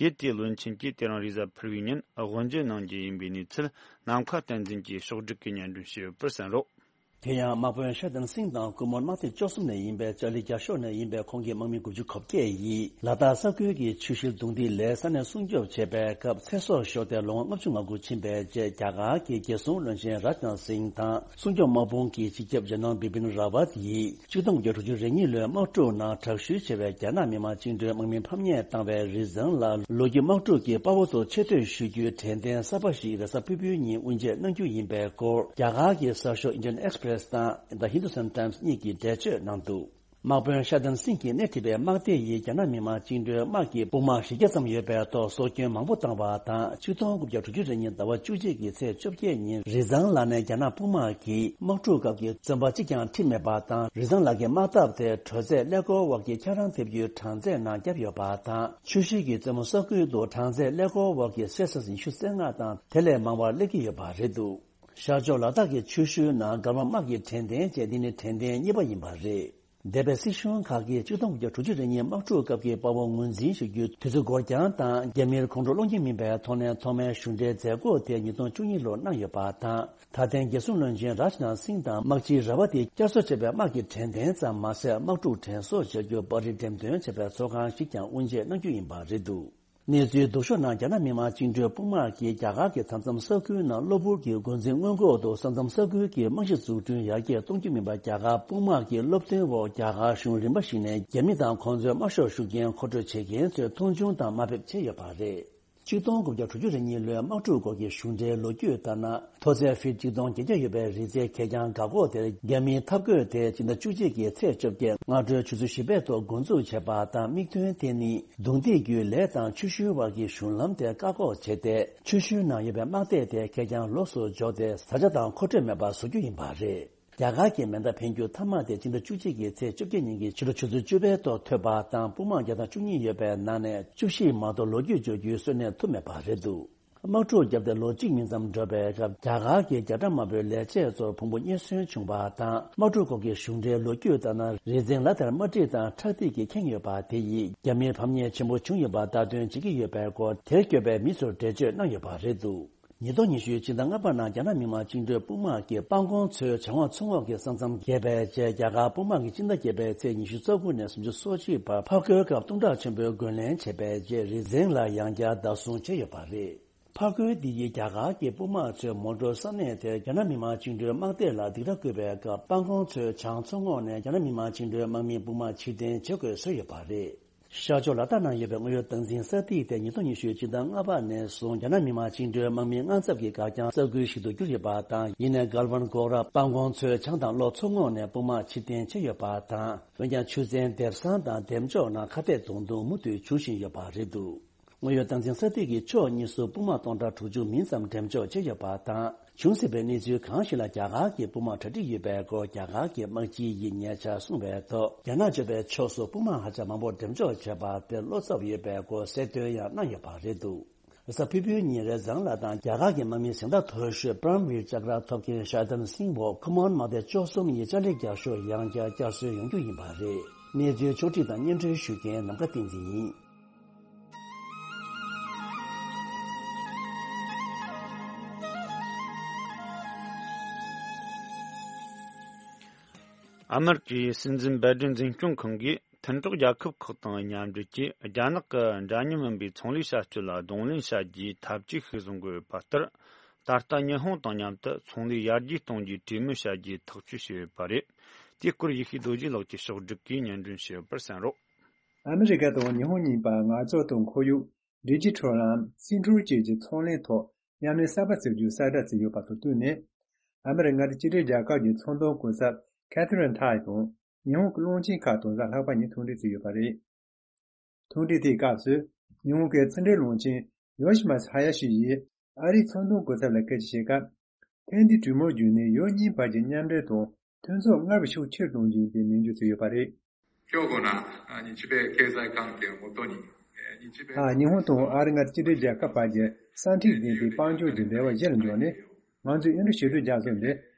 ཡུལ་དེའི་བློན་ཆེན་གྱིས་དེ་རིང་རེས་གཟའ་ཕུར་བུའི་ཉིན་དབུ་འབྱེད་གནང་རྒྱུ་ཡིན་པའི་གནས་ཚུལ་ནམ་མཁའ་བསྟན་འཛིན་གྱིས་ཕྱོགས་བསྒྲིགས་ཀྱིས་སྙན་སྒྲོན་ཞུས་ཡོད་པར་གསན་རོགས། ཁེ་ཡང་དམག་དཔོན་ཤ་ཏན་སིང་དང་ཀུ་མོན་དམག་སྡེ་བཅུ་གསུམ་ནས་ཡིན་པའི་ཅར་ལི་རྒྱ་ཤོག་ནས་ཡིན་པའི་ཁོང་གི་དམག་མི་དགུ་བཅུ་གོ་བརྒྱད་ཡིས་ལ་དྭགས་ས་ཁུལ་གྱི་ཆུ་ཤུལ་རྡུང་རྡེག་ལས་ས་གནས་སྲུང་སྐྱོབ་བྱེད་པའི་སྐབས་ཚེ་སྲོག་ཤོར་ཏེ་ལོ་ངོ་ལྔ་བཅུ་ང་དགུ་ཕྱིན་པའི་རྗེས། རྒྱ་གར་གྱི་རྒྱལ་སྲུང་བློན་ཆེན་རཱཇ་ནཱཐ་སིང་དང་སྲུང་སྐྱོབ་དམག་དཔུང་གི་སྤྱི་ཁྱབ་ཇེ་ནལ་བི་པིན་ར་ཝཏ་ཡིས་ཆིག་སྟོང་དགུ་བརྒྱ་དྲུག་ཅུ་རེ་གཉིས་ལོའི་དམག་འཁྲུག་ནང་དྲག་ཤུལ་ཆེ་བའི་རྒྱ་ནག་མི་དམངས་བཅིངས་འགྲོལ་དམག་མི་ཕམ་ཉེས་བཏང་བའི་རི་ཛོན་ལ་ལོ་རྒྱུས་དམག་འཁྲུག་གི་དཔའ་བོ་ཚོ་ཆེ་བསྟོད་ཞུ་རྒྱུའི་དྲན་རྟེན་གསར་པ་ཞིག་རེས་གཟའ་ཕུར་བུའི་ཉིན་དབུ་འབྱེད་གནང་རྒྱུ་ཡིན་པའི་སྐོར། རྒྱ་གར་གྱི་གསར་ཤོག་Indian Express དང་The Hindustan Times གཉིས་ཀྱིས་འགྲེལ་བརྗོད་གནང་འདུག་དམག་དཔོན་ཤ་ཏན་སིང་གིས་སྣེ་ཁྲིད་པའི་དམག་སྡེ་ཡིས་རྒྱ་ནག་མི་དམངས་བཅིངས་འགྲོལ་དམག་གི་དཔུང་དམག་བཞི་བརྒྱ་ཙམ་ཡོད་པའི་ཐོག་སྲོག་སྐྱོན་མང་པོ་བཏང་བ་དང་། ཆིག་སྟོང་དགུ་བརྒྱ་དྲུག་ཅུ་རེ་གཉིས་ཟླ་བ་བཅུ་གཅིག་གི་ཚེས་བཅོ་བརྒྱད་ཉིན་རི་ཛང་ལ་ནས་རྒྱ་ནག་དཔུང་དམག་གིས་དམག་འཁྲུག་སྐབས་ཀྱི་བཙོན་པ་གཅིག་ཀྱང་ཁྲིད་མེད་པ་དང་། རི་ཛང་ལ་གི་དམག་འཐབ་དེ་དྲོད་ཚད་ཀླད་ཀོར་འོག་གི་འཁྱགས་རོམ་ཐེབས་རྒྱུའི་གྲངས་ཚད་ནང་བརྒྱབ་ཡོད་པ་དང་། ཆུ་ཤུལ་གྱི་རྩེ་མོ་ས་ཁུལ་དུ་གྲངས་ཚད་ཀླད་ཀོར་འོག་གི་སེལ་སི་ཡས་ཉི་ཤུ་རྩ་ལྔ་དང་དེ་ལས་མང་བར་སླེབས་ཀྱི་ཡོད་པ་རེད་འདུག་ཤར་ཕྱོགས་ལ་དྭགས་ཀྱི་ཆུ་ཤུལ་ནང་སྒར་མ་དམག་གི་དྲན་རྟེན་བཅས་འདི་ནི་དྲན་རྟེན་གཉིས་པ་ཡིན་པ་རེད། འདས་པའི་སྲིད་གཞུང་ཁག་གིས་ཆིག་སྟོང་དགུ་བརྒྱ་དྲུག་ཅུ་རེ་གཉིས་དམག་འཁྲུག་སྐབས་ཀྱི་དཔའ་བོ་ངོས་འཛིན་ཞུ་རྒྱུའི་དུས་ཚོད་འགོར་རྐྱང་དང་རྒྱ་མིར་ཁོང་ཁྲོ་སློང་རྒྱུ་མིན་པའི་ཐོག་ནས་ཐོག་མའི་གཞུང་འབྲེལ་མཛད་སྒོ་དེ་ཉིས་སྟོང་བཅུ་གཉིས་ལོར་གནང་ཡོད་པ་དང་། ད་ཐེངས་རྒྱལ་སྲུང་བློན་ཆེན་རཱཇ་ནཱཐ་སིང་དང་དམག་སྤྱི་ར་བ་ཏིས་བསྐྱར་གསོ་བྱས་པའི་དམག་གི་དྲན་རྟེན་ཙམ་མ་ཟད། དམག་འཁྲུག་དྲན་གསོ་བྱ་རྒྱུ་པར་རིས་འགྲེམས་སྟོན་བྱས་པའི་ཚོགས་ཁང་ཞིག་ཀྱང་དབུ་འབྱེད་གནང་རྒྱུ་ཡིན་པ་རེད་འདུག་གནས་ཚུལ་སྡུག་ཤོས་ནང་རྒྱ་ནག་མི་དམངས་བཅིངས་འགྲོལ་དཔུང་དམག་གིས་རྒྱ་གར་གྱི་མཐའ་མཚམས་ས་ཁུལ་ནང་གློ་བུར་གྱི་འགོ་འཛིན་སྔོན་འགོག་ཏུ་ས་མཚམས་ས་ཁུལ་གྱི་རྨང་གཞི་འཛུགས་སྐྲུན་ཡར་རྒྱས་གཏོང་རྒྱུ་མིན་པར་རྒྱ་གར་དཔུང་དམག་གི་སློབ་སྟོན་འོག་རྒྱ་གར་གཞུང་རིམ་པ་ཞིག་ནས་རྒྱ་མི་དང་ཁོང་ཚོའི་དམར་ཤོག་ཤུགས་རྐྱེན་མཁོ་སྤྲོད་བྱེད་མཁན་ཚོའི་མཐོང་ཆུང་དང་དམའ་འབེབས་བྱས་ཡོད་པ་རེད། ཆིག་སྟོང་དགུ་བརྒྱ་དྲུག་ཅུ་རེ་གཉིས་ལོའི་དམག་འཁྲུག་སྐོར་གྱི་གཞུང་འབྲེལ་ལོ་རྒྱུས་ལྟར་ན། མཐོ་ཚད་ཕིཊ་གཅིག་སྟོང་བརྒྱད་བརྒྱ་ཡོད་པའི་རི་རྩེའི་གད་རྒྱངས་འགག་འགོག་དེར་རྒྱ་མིའི་འཐབ་རྒོལ་དེ་སྤྱི་ཟླ་བཅུ་གཅིག་གི་ཚེས་བཅོ་བརྒྱད་སྔ་དྲོའི་ཆུ་ཚོད་བཞི་པའི་ཐོག་འགོ་འཛུགས་བྱས་པ་དང་། དམིགས་དོན་དེ་ནི་རྡུང་རྡེག་བརྒྱུད་ལས་དང་ཆུ་ཤུལ་བར་གྱི་གཞུང་ལམ་དེ་བཀག་འགོག་བྱས་ཏེ། ཆུ་ཤུལ་ནང་ཡོད་པའི་དམག་སྡེ་དེ་གད་རྒྱངས་ལོགས་སུ་འཇོག་སྟེ། བཟའ་བཅའ་དང་མཁོ་སྤྲོད་མེད་པར་བཟོ་རྒྱུ་ཡིན་པ་རེད། རྒྱ་གར་གྱི་མེ་མདའ་འཕེན་རྒྱུ་མཐའ་མ་དེ་སྤྱི་ཟླ་བཅུ་གཅིག་གི་ཚེས་བཅོ་བརྒྱད་ཉིན་གྱི་ཕྱི་དྲོ་ཆུ་ཚོད་བཅུ་པའི་ཐོག་ཐོས་པ་དང་། དཔུང་དམག་བརྒྱ་དང་བཅུ་གཉིས་ཡོད་པའི་ནང་ནས་བཅུ་བཞི་མ་གཏོགས་ལོ་རྒྱུས་འཇོག་རྒྱུའི་གསོན་གནས་ཐུབ་མེད་པ་རེད་འདུག་དམག་འཁྲུག་བརྒྱབ་སྟེ་ལོ་གཅིག་མིན་ཙམ་འགྲོ་བའི་སྐབས། རྒྱ་གར་གྱི་རྒྱ་གྲམ་དམར་པོའི་ལས་བྱེད་ཚོར་ཕུང་པོ་རྙེད་སོན་བྱུང་བ་དང་། དམག་འཁྲུག་སྐོར་གྱི་གཞུང་འབྲེལ་ལོ་རྒྱུས་ལྟར་ན། རི་རྩེ་ལ་དེར་དམར་ཁྲིད་དང་ཁྲག་ཐིགས་ཀྱིས་ཁེངས་ཡོད་པ་དེ་ཡིས་རྒྱ་མིར་ཕམ་ཉེས་ཆེན་པོ་བྱུང་ཡོད་པར་བརྡ་སྟོན་བྱེད་ཀྱི་ཡོད་པའི་སྐོར། དེར་སྐྱོད་པའི་མི་ཚོར་འགྲེལ་བརྗོད་གནང་ཡོད་པ་རེད་འདུག་ཉིས་སྟོང་ཉི་ཤུའི་ཕྱི་ཟླ་ལྔ་པ་ནང་རྒྱ་ནག་མི་དམངས་བཅིངས་འགྲོལ་དཔུང་དམག་གིས་དཔའ་མགོན་མཚོའི་བྱང་འོག་མཚོ་ངོགས་ཀྱི་ས་མཚམས་བརྒལ་བའི་རྗེས། རྒྱ་གར་དཔུང་དམག་གིས་སྤྱི་ཟླ་བརྒྱད་པའི་ཚེས་ཉི་ཤུ་རྩ་དགུ་ནས་སུམ་ཅུ་སོ་གཅིག་བར་ཕར་རྒོལ་སྐབས་གཏུམ་དྲག་ཆེན་པོའི་རྒོལ་ལན་བྱས་པའི་རྗེས། རི་རྩེ་ལ་ཡང་བསྐྱར་བདག་བཟུང་བྱས་ཡོད་པ་རེད། ཕར་རྒོལ་འདི་ཡིས་རྒྱ་གར་གྱི་དཔུང་དམག་ཚོས་མོན་གྷོ་ས་གནས་དེར་རྒྱ་ནག་མི་དམངས་བཅིངས་འགྲོལ་དམག་སྡེ་ལ་སྡིགས་ར་བསྐུལ་བའི་སྐབས། དཔའ་མགོན་མཚོའི་བྱང་མཚོ་ངོགས་ནས་རྒྱ་ནག་མི་དམངས་བཅིངས་འགྲོལ་དམག་མིའི་དཔུང་དམག་ཕྱིར་འཐེན་བྱེད་དགོས་བཟོས་ཡོད་པ་རེད། ཤར་ཕྱོགས་ལ་དྭགས་ནང་ཡོད་པའི་དངོས་ཡོད་སྟངས་འཛིན་ས་ཐིག་དེ་ཉིས་སྟོང་ཉི་ཤུའི་སྤྱི་ཟླ་ལྔ་པ་ནས་བཟུང་རྒྱ་ནག་མི་དམངས་བཅིངས་འགྲོལ་དམག་མིའི་དངངས་འཚབ་ཀྱི་སྒར་རྐྱང་ས་ཁུལ་ཞིག་ཏུ་གྱུར་ཡོད་པ་དང་། ཡིན་ནའི་གལ་ཝན་གོག་ར་དཔའ་མགོན་མཚོའི་བྱང་དང་གློ་མཚོ་ངོགས་ནས་དཔུང་དམག་ཕྱིར་འཐེན་བྱས་ཡོད་པ་དང་། འོན་ཀྱང་ཆུ་ཚན་འདེབས་སང་དང་འདེབས་འཇོག་ནང་ཁ་གཏད་གཏོང་འདུན་མུ་མཐུད་འབྱུང་བཞིན་ཡོད་པ་རེད་འདུག་དངོས་ཡོད་སྟངས་འཛིན་ས་ཐིག་གིས་ཕྱོགས་གཉིས་སུ་དཔུང་དམག་སྟོང་ཕྲག་དྲུག་ཅུ་མིན་ཙམ་འགྲེམས་འཇོག་བྱས་ཡོད་པ་དང་། བྱུང་སྲིད་པའི་གནས་ཚུལ་གང་ཞིག་ལ་རྒྱ་གར་གྱི་དཔུང་དམག་གྲ་སྒྲིག་ཡོད་པའི་སྐོར་རྒྱ་གར་གྱི་དམག་སྤྱི་ཡིས་ཉེ་ཆར་གསུངས་པའི་ཐོག་རྒྱ་ནག་གཅོད་པའི་ཕྱོགས་སུ་དཔུང་དམག་ཧ་ཅང་མང་པོ་འགྲེམས་འཇོག་བྱས་པ་དེར་བློ་འཚབ་ཡོད་པའི་སྐོར་གསལ་སྟོན་ཡང་གནང་ཡོད་པ་རེད་འདུག་རེས་གཟའ་ཕུར་བུའི་ཉིན་རི་ཛང་ལ་དང་རྒྱ་གར་གྱི་དམག་མིའི་གཟེངས་རྟགས་མཐོ་ཤོས་པྲམ་བིར་ཅཀ་ར་ཐོབ་མཁན་ཤ་ཏན་སིང་འོག་ཁུ་མོན་དམག་སྡེ་བཅུ་གསུམ་ཡི་ཅ་ལི་རྒྱ་ཤོག་ཡང་བསྐྱར་བསྐྱར་གསོ་ཡོང་རྒྱུ་ཡིན་པ་རེད། གནས་ཚུལ་ཕྱོགས་བསྒྲིགས་དང་སྙན་སྒྲོན་ཞུ་མཁན་ནམ་མཁའ་བསྟན་འཛིན་ཡིན། ཨ་མེ་རི་ཀའི་སྲིད་འཛིན་འབད་བརྩོན་འཛིན་སྐྱོང་ཁང་གིས་མཐུན་གྲོགས་རྒྱལ་ཁབ་ཁག་དང་མཉམ་འབྲེལ་གྱིས་རྒྱ་ནག་གི་འདྲ་མཉམ་མིན་པའི་ཚོང་ལས་བྱ་སྤྱོད་ལ་གདོང་ལེན་བྱ་རྒྱུའི་ཐབས་ཇུས་ཤིག་བཟུང་གི་ཡོད་པ་ལྟར། ད་ལྟ་ཉི་ཧོང་དང་མཉམ་དུ་ཚོང་ལས་ཡར་རྒྱས་གཏོང་རྒྱུའི་གྲོས་མོལ་བྱ་རྒྱུའི་ཐག་གཅོད་བྱས་ཡོད་པ་རེད། དེའི་སྐོར་ཡེ་ཤེས་རྡོ་རྗེ་ལགས་ཀྱིས་ཕྱོགས་བསྒྲིགས་ཀྱིས་སྙན་སྒྲོན་ཞུས་ཡོད་པར་གསན་རོགས། ཨ་མི་རི་ཀ་དང་ཉི་ཧོང་གཉིས་པ་ངར་ལྕགས་དང་ཁོར་ཡུག་ཌི་ཇི་ཊལ་ལམ་སིང་ཁྲོན་བཅས་ཀྱི་ཚོང་ལས་ཐོག་མཉམ་ལས་གསར་པ་བཙུགས་རྒྱུའི་གསལ་བསྒྲགས་བྱས་ཡོད་པ་དང་བསྟུན་ནས། ཨ་མི་རི་ཀ་མངའ་སྡེ་གཅིག་སྒྲིལ་རྒྱལ་ཁབ་ཀྱི་ཚོང་དོན་གོ་ཚབ་ཁེ་ཐི་རིན་ཐའི་དང་ཉི་ཧོང་གི་བློན་ཆེན་ཁག་དང་གཟའ་ལྷག་པ་ཉིན་ཐུག་འཕྲད་བྱས་ཡོད་པ་རེད། ཐུག་འཕྲད་དེའི་སྐབས་སུ་ཉི་ཧོང་གི་ཕྱི་འབྲེལ་བློན་ཆེན་ཡོ་ཤི་མ་ས་ཧ་ཡ་ཤི་ཡིས་ཨ་རིའི་ཚོང་དོན་གོ་ཚབ་ལ་སྐད་ཆ་བཤད་སྐབས། ཐེངས་འདིའི་གྲོས་མོལ་བརྒྱུད་ནས་ཡུལ་གཉིས་བར་གྱི་མཉམ་འབྲེལ་དང་མཐུན་ཚོགས་སྔར་བས་ཤུགས་ཆེར་གཏོང་རྒྱུ་ཡིན་པའི་ནན་བརྗོད་བྱས་ཡོད་པ་རེད། 今日この日米経済関係をもとに、えー日米 ཨ། ཉི་ཧོང་དང་ཨ་རིའི་མངའ་སྡེ་གཅིག་སྒྲིལ་རྒྱལ་ཁབ་བར་གྱི་ས་ཐིག་ལྡན་པའི་དཔལ་འབྱོར་གྱི་འབྲེལ་བ་གཞིར་འཇོག་ནས། ང་ཚོས་ཨིན་ཌོ་ཞི་ལྷོའི་རྒྱལ་ས་འདི་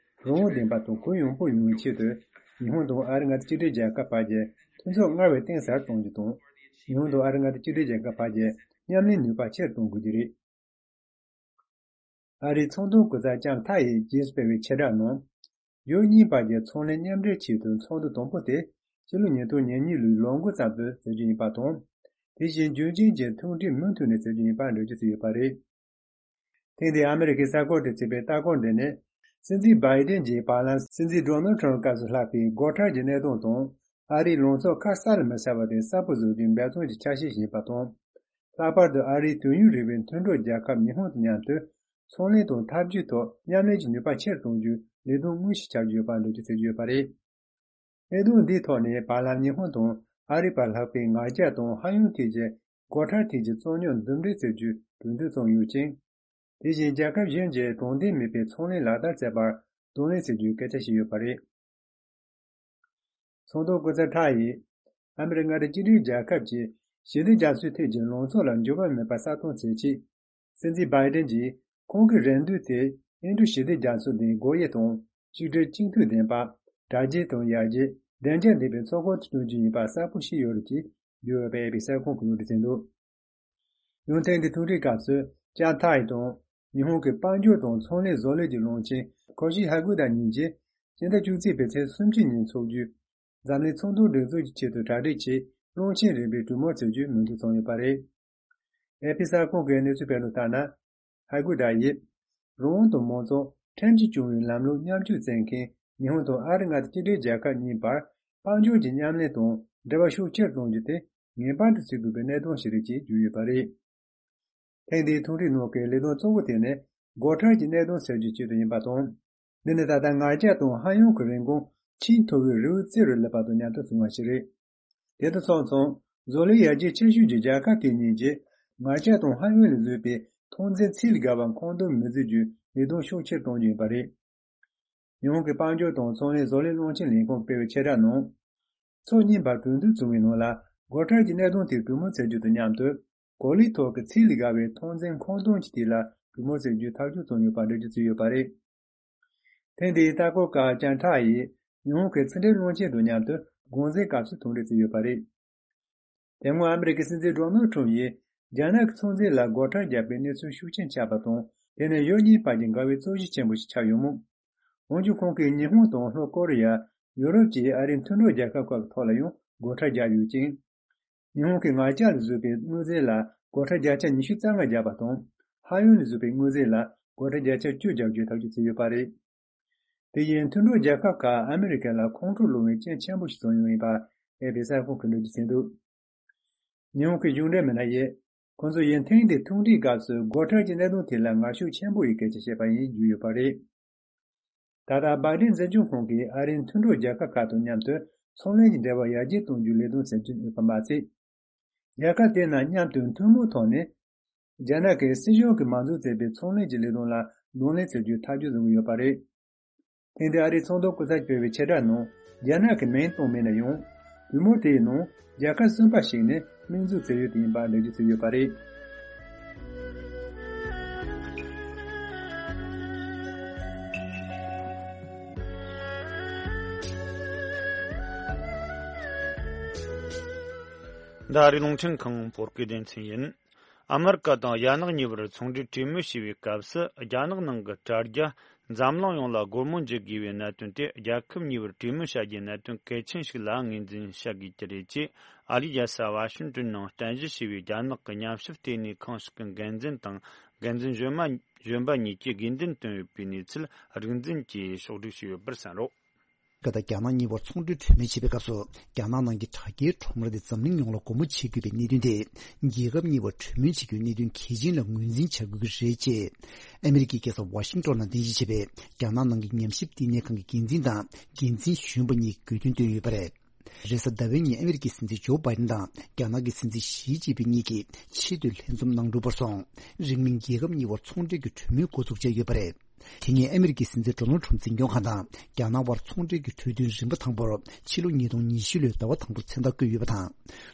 རང་དབང་ལྡན་པ་དང་གུ་ཡངས་པོ་ཡོང་བའི་ཆེད་དུ། ཉི་ཧོང་དང་ཨ་རིའི་མངའ་སྡེ་གཅིག་སྒྲིལ་རྒྱལ་ཁབ་བར་གྱི་མཐུན་ཚོགས་སྔར་བས་གཏིང་ཟབ་གཏོང་རྒྱུ་དང་། ཉི་ཧོང་དང་ཨ་རིའི་མངའ་སྡེ་གཅིག་སྒྲིལ་རྒྱལ་ཁབ་བར་གྱི་མཉམ་ལས་ནུས་པ་ཆེར་གཏོང་དགོས་ཀྱི་རེད། ཨ་རིའི་ཚོང་དོན་སྐུ་ཚབ་ལྕམ་ཐའི་ཡིས་རྗེས་སུ་སྤེལ་བའི་ཕྱིར་བསྒྲགས་ནང་། ཡུལ་གཉིས་བར་གྱི་ཚོང་ལས་མཉམ་འབྲེལ་ཆེད་དུ་ཚོགས་འདུ་དང་པོ་དེ་ཕྱི་ལོ་ཉིས་སྟོང་ཉེར་གཉིས་ལོའི་ལོ་འགོ་ཙམ་དུ་བྱེད་རྒྱུ་ཡིན་པ་དང་། དེ་བཞིན་རྒྱུན་རྐྱེན་གྱི་ཐུགས་འདྲི་མུ་མཐུད་ནས་བྱེད་རྒྱུ་ཡིན་པ་འགྲེལ་བརྗོད་བྱས་ཡོད་པ་རེད། ཐེངས་འདིའི་ཨ་མི་རི་ཀའི་གསར་འགོད་པས་བརྩིས་པའི་ལྟ་སྐོར་འདི་ནི། སྲིད་འཛིན་བྷའི་ཏིན་གྱིས་བར་ལམ་སྲིད་འཛིན་ཌོ་ནལ་ཁྲམ་སྐབས་སུ་ལྷག་པའི་སྒོ་ཁྲལ་གྱི་གནད་དོན་དང་། ཨ་རིའི་ལངས་ཕྱོགས་ཁ་གསལ་ལ་མི་གསལ་བ་དེ་གསལ་པོ་བཟོ་རྒྱུའི་འབད་བརྩོན་གྱི་ཆ་ཤས་ཤིག་ཡིན་པ་དང་། ལྷག་པར་དུ་ཨ་རིའི་དུས་ཡུན་རིང་བའི་མཐུན་གྲོགས་རྒྱལ་ཁབ་ཉི་ཧོང་དང་མཉམ་དུ། ཚོང་ལས་དང་འཐབ་ཇུས་ཐོག་མཉམ་ལས་ཀྱི་ནུས་པ་ཆེར་གཏོང་རྒྱུའི་ལས་དོན་དངོས་ཤིག་ཆགས་ཀྱི་ཡོད་པ་འགྲེལ་བརྗོད་བྱེད་ཀྱི་ཡོད་པ་རེད། གནད་དོན་འདིའི་ཐོག་ནས་བར་ལམ་ཉི་ཧོང་དང་ཨ་རི་བར་ལྷག་པའི་ངར་རྒྱག་དང་ཧ་ཡོང་ཐད་ཀྱི་སྒོ་ཁྲལ་ཐད་ཀྱི་རྩོད་རྙོག་འདུམ་འགྲིག་བྱེད་རྒྱུའི་གྲོས་མཐུན་བྱུང་ཡོད་ཅིང་། དེ་བཞིན་རྒྱལ་ཁབ་གཞན་གྱིས་དྲང་བདེན་མེད་པའི་ཚོང་ལས་ལག་བསྟར་བྱས་པར་གདོང་ལེན་བྱེད་རྒྱུའི་སྐད་ཆ་བཤད་ཡོད་པ་རེད། ཚོགས་འདུ་སྐུ་ཚབ་ཁྲ་ཡིས། ཨ་མི་རི་མངའ་སྡེ་གཅིག་སྒྲིལ་རྒྱལ་ཁབ་ཀྱིས་ཞི་བདེ་རྒྱ་མཚོའི་ཐད་ཀྱི་ལངས་ཕྱོགས་ལ་འགྱུར་བ་མེད་པར་གསལ་སྟོན་བྱེད་ཆེད། སྲིད་འཛིན་བྷའི་ཏིན་གྱིས་ཁོང་གི་རེ་འདུན་དེ་ཨིན་ཌོ་ཞི་བདེ་རྒྱ་མཚོ་ནས་སྒོ་དབྱེ་དང་གཅིག་སྒྲིལ་གཅིག་མཐུན་ལྡན་པ། དྲ་རྒྱའི་དང་ཡར་རྒྱས་བདེ་འཇགས་ལྡན་པའི་ཚོགས་ཁང་དུ་བསྐྲུན་རྒྱུ་ཡིན་པ་གསལ་པོ་ཞིག་ཡོད་རེད་ཅེས་བརྗོད་ཡོད་པའི་ཨེ་པི་གསར་ཁང་གིས་ལུང་འདྲེན་བྱས་འདུག་ཡང་ཐེངས་འདིའི་ཐུག་འཕྲད་སྐབས་སུ་ཅཱན་ཐའེ་དང་ཉི་ཧོང་གི་དཔལ་འབྱོར་དང་ཚོང་ལས་བཟོ་ལས་ཀྱི་བློན་ཆེན་ཁོ་ཤི་ཧ་གུ་ད་གཉིས་ཀྱིས་སྤྱི་ཟླ་བཅུ་གཅིག་པའི་ཚེས་སུམ་ཅུ་ཉིན་འཚོགས་རྒྱུའི་འཛམ་གླིང་ཚོང་དོན་སྒྲིག་འཛུགས་ཀྱི་ཆེད་དུ་གྲ་སྒྲིག་ཆེད་རླུང་འཕྲིན་རིམ་པའི་གྲོས་མོལ་བྱེད་རྒྱུའི་མོས་མཐུན་བྱུང་ཡོད་པ་རེད། ཨེ་པི་གསར་ཁང་གིས་གནས་ཚུལ་སྤེལ་དོན་ལྟར་ན། ཧ་གུ་ད་ཡིས། རང་དབང་དང་མང་གཙོ་ཁྲིམས་ཀྱིས་སྐྱོང་བའི་ལམ་ལུགས་མཉམ་སྤྱོད་བྱེད་མཁན་ཉི་ཧོང་དང་ཨ་རི་མངའ་སྡེ་གཅིག་སྒྲིལ་རྒྱལ་ཁབ་གཉིས་བར་དཔལ་འབྱོར་གྱི་མཉམ་ལས་དང་འབྲེལ་བ་ཤུགས་ཆེར་གཏོང་རྒྱུ་དེ་ངེས་པར་དུ་བྱེད་དགོས་པའི་གནད་དོན་ཞིག་རེད་ཅེས་བརྗོད་ཡོད་པ་རེད། ཐེངས་འདིའི་ཐུག་འཕྲད་ནང་གི་ལས་དོན་གཙོ་བོ་དེ་ནི་སྒོ་ཁྲལ་གྱི་གནད་དོན་སེལ་རྒྱུའི་ཆེད་དུ་ཡིན་པ་དང་། འདི་ནི་ད་ལྟ་ངར་རྒྱག་དང་ཧ་ཡོང་གི་རིན་གོང་ཆེས་མཐོ་བའི་རི་བོའི་རྩེ་རུ་སླེབས་པ་དང་མཉམ་དུ་བྱུང་བ་ཞིག་རེད། དེ་དང་སོང་ཙང་བཟོ་ལས་ཡར་རྒྱས་ཆེ་ཤོས་ཀྱི་རྒྱལ་ཁབ་དེ་གཉིས་ཀྱིས་ངར་རྒྱག་དང་ཧ་ཡོང་ལས་བཟོས་པའི་ཐོན་རྫས་ཚད་ལས་བརྒལ་བ་མཁོ་འདོན་མི་བྱེད་རྒྱུའི་ལས་དོན་ཤུགས་ཆེར་གཏོང་རྒྱུ་ཡིན་པ་རེད། ཉི་ཧོང་གི་དཔལ་འབྱོར་དང་ཚོང་ལས་བཟོ་ལས་བློན་ཆེན་ལས་ཁུངས་སྤེལ་བའི་ཆེད་བསྒྲགས་ནང་། ཕྱོགས་གཉིས་བར་གྲོས་མཐུན་བྱུང་བའི་ནང་ལ་སྒོ་ཁྲལ་གྱི་གནད་དོན་དེ་གྲོས་མོལ་བྱེད་རྒྱུ་དང་མཉམ་དུ། གོ་ལའི་ཐོག་གི་ཚད་ལས་བརྒལ་བའི་ཐོན་རྫས་མཁོ་འདོན་གྱི་ཐད་ལ་གྲོས་མོལ་བྱེད་རྒྱུའི་ཐག་གཅོད་བྱུང་ཡོད་པ་འགྲེལ་བརྗོད་བྱས་ཡོད་པ་རེད། ཐེངས་འདིའི་ལྟ་སྐོར་སྐབས་ཅཱན་ཁྲ་ཡིས་ཉི་ཧོང་གི་ཕྱི་འབྲེལ་བློན་ཆེན་དང་མཉམ་དུ་དགོང་ཟས་སྐབས་སུ་ཐུག་འཕྲད་བྱས་ཡོད་པ་རེད། དེ་སྔོན་ཨ་མི་རི་ཀའི་སྲིད་འཛིན་ཌོ་ནལ་ཁྲམ་ཡིས་རྒྱ་ནག་གི་ཚོང་རྫས་ལ་སྒོ་ཁྲལ་བརྒྱབ་པའི་གནས་ཚུལ་ཤུགས་ཆེན་ཆགས་པ་དང་། དེ་ནི་ཡུལ་གཉིས་བར་གྱི་འགལ་བའི་རྩོད་གཞི་ཆེན་པོ་ཞིག་ཆགས་ཡོད་མོད། འོན་ཀྱང་ཁོང་གིས་ཉི་ཧོང་དང་ལྷོ་ཀོ་རི་ཡ། ཡུ་རོབ་བཅས་ཨ་རིའི་མཐུན་གྲོགས་རྒྱལ་ཁབ་ཁག་གི་ཐོག་ལ་ཡང་སྒོ་ཁྲལ་བརྒྱབ་ཡོད་ཅིང་། ཉི་ཧོང་གིས་ངར་རྒྱག་ལ་བཟོས་པའི་དངོས་རྫས་ལ་སྒོ་ཁྲལ་བརྒྱ་ཆ་ཉི་ཤུ་རྩ་ལྔ་བརྒྱབ་པ་དང་། ཧ་ཡོང་ལ་བཟོས་པའི་དངོས་རྫས་ལ་སྒོ་ཁྲལ་བརྒྱ་ཆ་བཅུ་བརྒྱབ་རྒྱུའི་ཐག་གཅོད་བྱས་ཡོད་པ་རེད། དེ་ཡིས་མཐུན་གྲོགས་རྒྱལ་ཁབ་ཁག་ཨ་མི་རི་ཀ་ལ་ཁོང་ཁྲོ་སློང་བའི་རྐྱེན་ཆེན་པོ་ཞིག་བཟོས་ཡོད་ཡིན་པ་ཨེ་པི་གསར་ཁང་གིས་འགྲེལ་བརྗོད་བྱས་འདུག་ཉི་ཧོང་གི་གཞུང་འབྲེལ་མི་སྣ་ཡིས། ཁོང་ཚོ་ཡིས་ཐེངས་འདིའི་ཐུག་འཕྲད་སྐབས་སུ་སྒོ་ཁྲལ་གྱི་གནད་དོན་དེ་ལ་ངར་ཤུགས་ཆེན་པོ་ཡིས་སྐད་ཆ་བཤད་པ་ཡིན་བརྗོད་ཡོད་པ་རེད། ད་ལྟ་བྷའི་ཏིན་འཛིན་སྐྱོང་ཁང་གིས་ཨ་རིའི་མཐུན་གྲོགས་རྒྱལ་ཁབ་ཁག་དང་མཉམ་དུ་ཚོང་ལས་ཀྱི་འབྲེལ་བ་ཡར་རྒྱས་གཏོང་རྒྱུའི་ལས་དོན་སེམས་ཀྱིས་གནོད་པ་མ་ཚད། རྒྱལ་ཁབ་དེ་རྣམས་མཉམ་དུ་ཐུན་མོང་ཐོག་ནས། རྒྱ་ནག་གི་སྲིད་གཞུང་གིས་མ་འཛུགས་བྱས་པའི་ཚོང་ལས་ཀྱི་ལས་དོན་ལ་གདོང་ལེན་བྱེད་རྒྱུའི་ཐག་གཅོད་བཟུང་གི་ཡོད་པ་རེད། ཐེངས་འདིའི་ཨ་རིའི་ཚོགས་འདུ་སྐུ་ཚབ་སྤེལ་བའི་ཆེད་བསྒྲགས་ནང་རྒྱ་ནག་གི་མིང་བཏོན་མེད་ན་ཡང་། གྲོས་མོལ་དེའི་ནང་རྒྱལ་ཁབ་གསུམ་པ་ཞིག་ནས་དམིགས་འཛུགས་བྱས་ཡོད་པ་ཡིན་པ་འགྲེལ་བརྗོད་བྱས་ཡོད་པ་རེད། འདི་ཨ་རིའི་རླུང་འཕྲིན་ཁང་བོད་སྐད་སྡེ་ཚན་ཡིན། ཨ་མེ་རི་ཀ་དང་རྒྱ་ནག་གཉིས་བར་ཚོང་འབྲེལ་གྲོས་མོལ་བྱས་པའི་སྐབས་སུ། རྒྱ་ནག་ནང་གི་དྲ་རྒྱ་འཛམ་གླིང་ཡོངས་ལ་སྒོ་མོ་འབྱེད་དགོས་པའི་གནད་དོན་དེ། རྒྱལ་ཁབ་གཉིས་བར་གྲོས་མོལ་བྱ་རྒྱུའི་གནད་དོན་གལ་ཆེན་ཞིག་ལ་ངོས་འཛིན་བྱ་དགོས་ཀྱི་རེད་ཅེས། ཨ་རིའི་རྒྱལ་ས་ཝ་ཤིང་ཏོན་ནང་རྟེན་གཞི་བྱས་པའི་རྒྱ་ནག་གི་ཉམས་ཞིབ་ལྟེ་གནས་ཁང་ཞིག་གི་འགན་འཛིན་དང་། འགན་འཛིན་གཞོན་མ་གཞོན་པ་གཉིས་ཀྱིས་དགོས་འདུན་བཏོན་ཡོད་པའི་གནས་ཚུལ་རིག་འཛིན་གྱིས་ཕྱོགས་བསྒྲིགས་བྱས་ཡོད་པར་གསན་རོགས། ཀ་དང་རྒྱ་ནག་གཉིས་བར་ཚོང་འབྲེལ་གྲོས་མོལ་བྱེད་པའི་སྐབས་སུ། རྒྱ་ནག་ནང་གི་དྲ་རྒྱའི་ཁྲོམ་ར་དེ་འཛམ་གླིང་ཡོངས་ལ་སྒོ་མོ་འབྱེད་དགོས་པའི་གནད་དོན་དེ། རྒྱལ་ཁབ་གཉིས་བར་གྲོས་མོལ་བྱེད་རྒྱུའི་གནད་དོན་གལ་ཆེན་ལ་ངོས་འཛིན་བྱ་དགོས་ཀྱི་རེད་ཅེས། ཨ་མི་རི་ཀའི་རྒྱལ་ས་ཝ་ཤིང་ཏོན་ནང་རྟེན་གཞི་བྱས་པའི་རྒྱ་ནག་ནང་གི་ཉམས་ཞིབ་ལྟེ་གནས་ཁང་གི་འགན་འཛིན་དང་འགན་འཛིན་གཞོན་པ་གཉིས་དགོས་འདུན་བཏོན་ཡོད་པ་རེད། རེས་གཟའ་ཟླ་བའི་ཉིན་ཨ་མི་རི་ཀའི་སྲིད་འཛིན་ཇོ་བྷའི་ཏིན་དང་རྒྱ་ནག་གི་སྲིད་འཛིན་ཞི་ཅིན་ཕིན་གཉིས་ཀྱིས་ཆེས་མཐོའི་ལྷན་འཛོམས་གནང་གྲུབ་པར་སོང་། རིང་མིན་རྒྱལ་ཁབ་གཉིས་བར་ཚོང་འབྲེལ་གྱི་གྲོས་མོལ་འགོ་འཛུགས་བྱས་ཡོད་པ་རེད། དེ་སྔོན་ཨ་མི་རི་ཀའི་སྲིད་འཛིན་ཌོ་ནལ་ཁྲམ་འཛིན་སྐྱོང་ཁང་དང་རྒྱ་ནག་དབར་ཚོང་འབྲེལ་གྱི་གྲོས་མཐུན་རིམ་པ་དང་པོར་ཕྱི་ལོ་ཉིས་སྟོང་ཉི་ཤུ་ལོའི་ཟླ་བ་དང་པོར་མཚན་རྟགས་བཀོད་ཡོད་པ་དང་།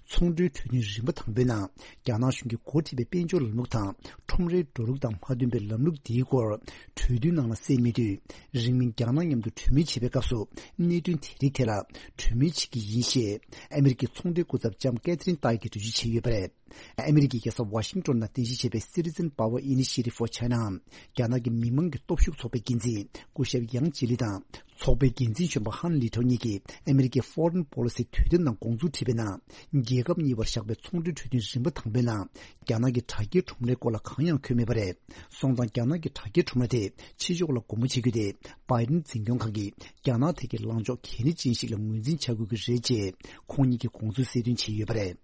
ཚོང་འབྲེལ་གྲོས་མཐུན་རིམ་པ་དང་པོའི་ནང་རྒྱ་ནག་གཞུང་གིས་འགོ་ཁྲིད་པའི་དཔལ་འབྱོར་ལམ་ལུགས་དང་ཁྲོམ་རའི་འགྲོ་ལུགས་དང་མ་མཐུན་པའི་ལམ་ལུགས་འདིའི་སྐོར་གྲོས་མཐུན་ནང་ལ་གསལ་མེད་དུས། རིང་མིན་རྒྱ་ནག་མཉམ་དུ་གྲོས་མོལ་བྱེད་པའི་སྐབས་སུ་གནད་དོན་དེ་རིགས་ཐད་ལ་གྲོས་མོལ་བྱེད་ཀྱི་ཡིན་ཞེས་ཨ་མི་རི་ཀའི་ཚོང་འབྲེལ་སྐུ་ཚབ་ལྕམ་ཀེ་ཐི་རིན་ཏཱི་གིས་འགྲེལ་བརྗོད་བྱས་ཡོད་པ་རེད། ཨ་མི་རི་ཀའི་རྒྱལ་ས་ཝ་ཤིང་ཏོན་ནང་རྟེན་གཞི་བྱས་པའི་Citizen Power Initiative for China འམ་རྒྱ་ནག་གི་མི་དམངས་ཀྱི་སྟོབས་ཤུགས་ཚོགས་པའི་འགན་འཛིན་སྐུ་ཞབས་ཡང་ཅི་ལི་དང་ ཚོགས་པའི་འགན་འཛིན་གཞོན་པ་ཧན་ལི་ཐོ་གཉིས་ཀྱིས་ཨ་མེ་རི་ཀའི་Foreign Policy དུས་དེབ་ནང་དགོངས་ཚུལ་བྲིས་པའི་ནང་། རྒྱལ་ཁབ་གཉིས་བར་བཞག་པའི་ཚོང་འབྲེལ་གྲོས་མཐུན་རིམ་པ་དང་པོའི་ནང་། རྒྱ་ནག་གི་དྲ་རྒྱའི་ཁྲོམ་རའི་སྐོར་ལ་གང་ཡང་འཁོད་མེད་པ་རེད། སོང་ཙང་རྒྱ་ནག་གི་དྲ་རྒྱའི་ཁྲོམ་ར་དེ་ཕྱི་ཕྱོགས་ལ་སྒོ་མོ་འབྱེད་རྒྱུ་དེ། བྷའི་ཏིན་འཛིན་སྐྱོང་ཁང་གིས་རྒྱ་ནག་ཐད་ཀྱི་ལངས་ཕྱོགས་གལ་གནད་ཅན་ཞིག་ལ་ངོས་འཛིན་བྱ་དགོས་ཀྱི་རེད་ཅེས། ཁོང་གཉིས་ཀྱིས་དགོངས་ཚུལ་གསལ་སྟོན་བྱས་ཡོད་པ་རེད།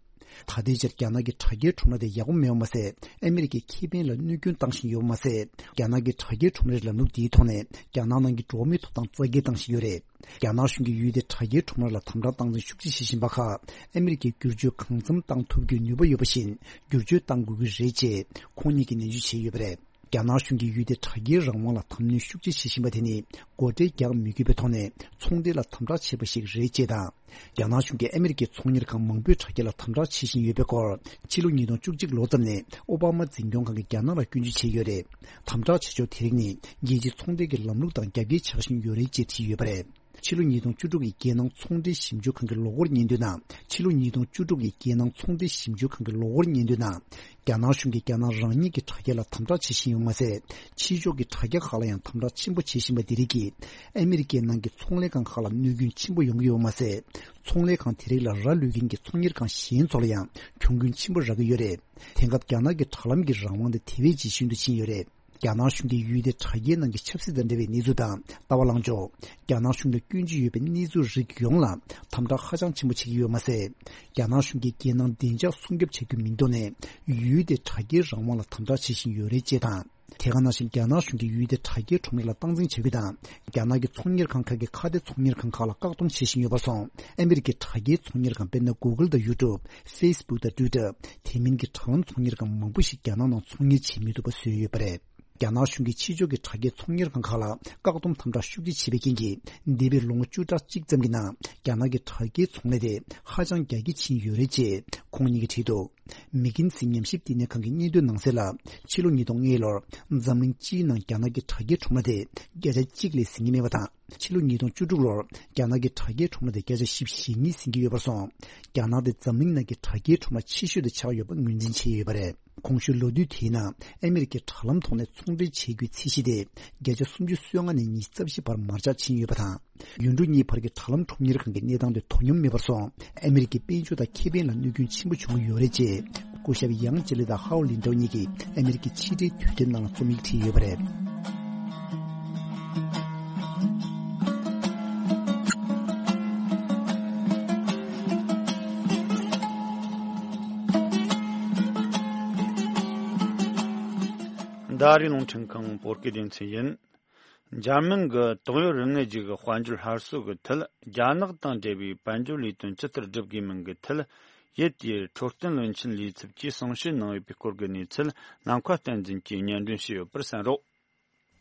ད་ལྟའི་ཆར་རྒྱ་ནག་གི་དྲ་རྒྱའི་ཁྲོམ་ར་དེ་ཡག་པོ་མེད་པ་མ་ཟད། ཨ་མེ་རི་ཀའི་ཁེ་ཕན་ལ་གནོད་སྐྱོན་བཏང་བཞིན་ཡོད་པ་མ་ཟད། རྒྱ་ནག་གི་དྲ་རྒྱའི་ཁྲོམ་རའི་ལམ་ལུགས་འདིའི་ཐོག་ནས་རྒྱ་ནག་ནང་གི་འགྲོ་བ་མིའི་ཐོབ་ཐང་རྩ་འགེངས་བཏང་བཞིན་ཡོད་རེད། རྒྱ་ནག་གཞུང་གིས་ཡུལ་དེའི་དྲ་རྒྱའི་ཁྲོམ་ར་ལ་དམ་དྲག་སྟངས་འཛིན་ཤུགས་ཆེ་བྱེད་བཞིན་པ་ཁག་ཨ་མེ་རི་ཀས་བསྒྱུར་བཅོས་གང་འཚམ་བཏང་ཐུབ་རྒྱུའི་ནུས་པ་ཡོད་པ་བཞིན། བསྒྱུར་བཅོས་བཏང་དགོས་ཀྱི་རེད་ཅེས་ཁོང་གཉིས་ཀྱིས་ནན་བརྗོད་བྱས་ཡོད་པ་རེད། རྒྱ་ནག་གཞུང་གིས་ཡུལ་དེའི་དྲ་རྒྱའི་རང་དབང་ལ་དམ་གནོན་ཤུགས་ཆེ་བྱེད་བཞིན་པ་དེ་ནི། སྒོ་ཁྲལ་རྒྱག་མི་དགོས་པའི་ཐོག་ནས་ཚོང་འབྲེལ་ལ་དམ་དྲག་བྱས་པ་ཞིག་རེད་ཅེས་དང་། རྒྱ་ནག་གཞུང་གིས་ཨ་མེ་རི་ཀའི་ཚོང་གཉེར་ཁང་མང་པོས་དྲ་རྒྱ་ལ་དམ་དྲག་བྱེད་བཞིན་ཡོད་པའི་སྐོར། ཕྱི་ལོ་ཉིས་སྟོང་བཅུ་གཅིག་ལོ་ཙམ་ནས་ཨོ་བྷ་མ་འཛིན་སྐྱོང་ཁང་གིས་རྒྱ་ནག་ལ་སྐྱོན་བརྗོད་བྱས་ཡོད་རེད། དམ་དྲག་བྱེད་ཕྱོགས་དེ་རིགས་ནི། རྒྱལ་སྤྱིའི་ཚོང་འབྲེལ་གྱི་ལམ་ལུགས་དང་རྒྱབ་འགལ་ཆགས་བཞིན་ཡོད་རེད་ཅེས་བྲིས་ཡོད་པ་རེད། ཕྱི་ལོ་ཉིས་སྟོང་བཅུ་དྲུག་གི་རྒྱལ་ནང་ཚོང་འབྲེལ་ཞིབ་འཇུག་ཁང་གི་ལོ་འཁོར་སྙན་ཐོའི་ནང་། ཕྱི་ལོ་ཉིས་སྟོང་བཅུ་དྲུག་གི་རྒྱལ་ནང་ཚོང་འབྲེལ་ཞིབ་འཇུག་ཁང་གི་ལོ་འཁོར་སྙན་ཐོའི་ནང་། རྒྱ་ནག་གཞུང་གིས་རྒྱ་ནག་རང་ཉིད་ཀྱི་དྲ་རྒྱ་ལ་དམ་དྲག་བྱེད་བཞིན་ཡོད་པ་མ་ཟད། ཕྱི་ཕྱོགས་ཀྱི་དྲ་རྒྱ་ཁག་ལ་ཡང་དམ་དྲག་ཆེན་པོ་བྱེད་བཞིན་པ་འདི་རིགས་ཀྱིས། ཨ་མེ་རི་ཀའི་ནང་གི་ཚོང་ལས་ཁང་ཁག་ལ་གནོད་སྐྱོན་ཆེན་པོ་ཡོང་གི་ཡོད་པ་མ་ཟད། ཚོང་ལས་ཁང་དེ་རིགས་ལ་ར་ལུད་མཁན་གྱི་ཚོང་གཉེར་ཁང་གཞན་ཚོ་ལ་ཡང་གྱོང་གུན་ཆེན་པོ་རག་གི་ཡོད་རེད། དེང་སྐབས་རྒྱ་ནག་གི་དྲ་ལམ་གྱི་རང་དབང་དེ་དེ་བས་ཇེ་ཞན་དུ་ཕྱིན་ཡོད་རེད། རྒྱ་ནག་གཞུང་གིས་ཡུལ་དེའི་དྲ་རྒྱའི་ནང་གི་ཆབ་སྲིད་དང་འབྲེལ་བའི་གནས་ཚུལ་དང་ལྟ་བ་ལངས་ཕྱོགས། རྒྱ་ནག་གཞུང་ལ་སྐྱོན་བརྗོད་ཡོད་པའི་གནས་ཚུལ་རིགས་ཡོངས་ལ་དམ་དྲག་ཧ་ཅང་ཆེན་པོ་བྱེད་ཀྱི་ཡོད་པ་མ་ཟད། རྒྱ་ནག་གཞུང་གིས་རྒྱལ་ནང་བདེ་འཇགས་སྲུང་སྐྱོབ་བྱ་རྒྱུ་མིན་འདོགས་ནས། ཡུལ་དེའི་དྲ་རྒྱའི་རང་དབང་ལ་དམ་དྲག་བྱེད་བཞིན་ཡོད་རེད་ཅེས་དང་། དེ་ག་ནང་བཞིན་རྒྱ་ནག་གཞུང་གིས་ཡུལ་དེའི་དྲ་རྒྱའི་ཁྲོམ་ར་ལ་སྟངས་འཛིན་བྱ་རྒྱུ་དང་། རྒྱ་ནག་གི་ཚོང་གཉེར་ཁང་ཁག་གིས་ཁ་གཏད་ཚོང་གཉེར་ཁང་ཁག་ལ་བཀག་སྡོམ་བྱེད་བཞིན་ཡོད་པར་སོང་། ཨ་མེ་རི་ཀའི་དྲ་རྒྱའི་ཚོང་གཉེར་ཁང་དཔེར་ན་Google་དང་YouTube། Facebook་དང་Twitter། དེ་མིན་གྱི་དྲ་ལམ་ཚོང་གཉེར་ཁང་མང་པོ་ཞིག་རྒྱ་ནག་ནང་ཚོང་གཉེར་བྱེད་མི་ཐུབ་པ་བཟོས་ཡོད་པ་རེད། རྒྱ་ནག་གཞུང་གིས་ཕྱི་ཕྱོགས་ཀྱི་དྲ་རྒྱའི་ཚོང་གཉེར་ཁང་ཁག་ལ་བཀག་སྡོམ་དམ་དྲག་ཤུགས་ཆེ་བྱས་པའི་རྐྱེན་གྱིས། འདས་པའི་ལོ་ངོ་བཅུ་ཕྲག་གཅིག་ཙམ་གྱི་ནང་རྒྱ་ནག་གི་དྲ་རྒྱའི་ཚོང་ལས་དེ་ཧ་ཅང་རྒྱ་སྐྱེད་ཕྱིན་ཡོད་རེད་ཅེས་ཁོང་གཉིས་ཀྱིས་བྲིས་འདུག་མིག་ཀིན་སི་ཉམས་ཞིབ་བསྟི་གནས་ཁང་གི་སྙན་ཐོའི་ནང་གསལ་ལ། ཕྱི་ལོ་ཉིས་སྟོང་ལྔ་ལོར་འཛམ་གླིང་སྤྱིའི་ནང་རྒྱ་ནག་གི་དྲ་རྒྱའི་ཁྲོམ་ར་དེ་བརྒྱ་ཆ་གཅིག་ལས་ཟིན་གྱི་མེད་པ་དང་། ཕྱི་ལོ་ཉིས་སྟོང་བཅུ་དྲུག་ལོར་རྒྱ་ནག་གི་དྲ་རྒྱའི་ཁྲོམ་ར་དེ་བརྒྱ་ཆ་བཞི་བཅུ་ཞེ་གཉིས་ཟིན་གྱི་ཡོད་པར་སོང་། རྒྱ་ནག་དེ་འཛམ་གླིང་ནང་གི་དྲ་རྒྱའི་ཁྲོམ་ར་ཆེ་ཤོས་དེ་ཆགས་ཡོད་པ་ངོས་འཛིན་བྱས་ཡོད་པ་རེད། གོང་ཞུས་ལོ་དུས་དེའི་ནང་ཨ་མེ་རི་ཀའི་དྲ་ལམ་ཐོག་ནས་ཚོང་འབྲེལ་བྱེད་རྒྱུའི་ཚད་གཞི་དེ་བརྒྱ་ཆ་སུམ་ཅུ་སོ་ལྔ་ནས་ཉི་ཤུ་རྩ་བཞི་བར་མར་ཆག་ཕྱིན་ཡོད་པ་དང་། ཡུལ་གྲུ་གཉིས་བར་གྱི་དྲ་ལམ་ཁྲོམ་གཉེར་ཁང་གི་གནས་སྟངས་དེ་དོ་སྙོམས་མེད་པར་སོང་། ཨ་མེ་རི་ཀའི་དཔལ་འབྱོར་དང་ཁེ་ཕན་ལ་གནོད་སྐྱོན་ཆེན་པོ་བྱུང་གི་ཡོད་རེད་ཅེས། སྐུ་ཞབས་ཡང་ཅི་ལི་དང་ཧའོ་ལིན་ཀྲོའུ་གཉིས་ཀྱིས་ཨ་མེ་རི་ཀའི་ཕྱི་འབྲེལ་དུས་དེབ་ནང་ལ་རྩོམ་ཡིག་བྲིས་ཡོད་པ་རེད། འདི་ཨ་རིའི་རླུང་འཕྲིན་ཁང་བོད་སྐད་སྡེ་ཚན་ཡིན། འཇར་མན་གྱི་ཏོག་དབྱིབས་རིམས་ནད་ཅིག་གི་དཔལ་འབྱོར་སླར་གསོ་གི་ཐད། རྒྱ་ནག་དང་འབྲེལ་བའི་དཔལ་འབྱོར་ལས་དོན་ཇི་ལྟར་སྒྲུབ་དགོས་མིན་གྱི་ཐད། ཡུལ་དེའི་འཕྲོད་བསྟེན་བློན་ཆེན་ལས་ཚབ་ཀྱིས་གསུང་བཤད་གནང་ཡོད་པའི་སྐོར་གྱི་གནས་ཚུལ། ནམ་མཁའ་བསྟན་འཛིན་གྱིས་སྙན་སྒྲོན་ཞུས་ཡོད་པར་གསན་རོགས།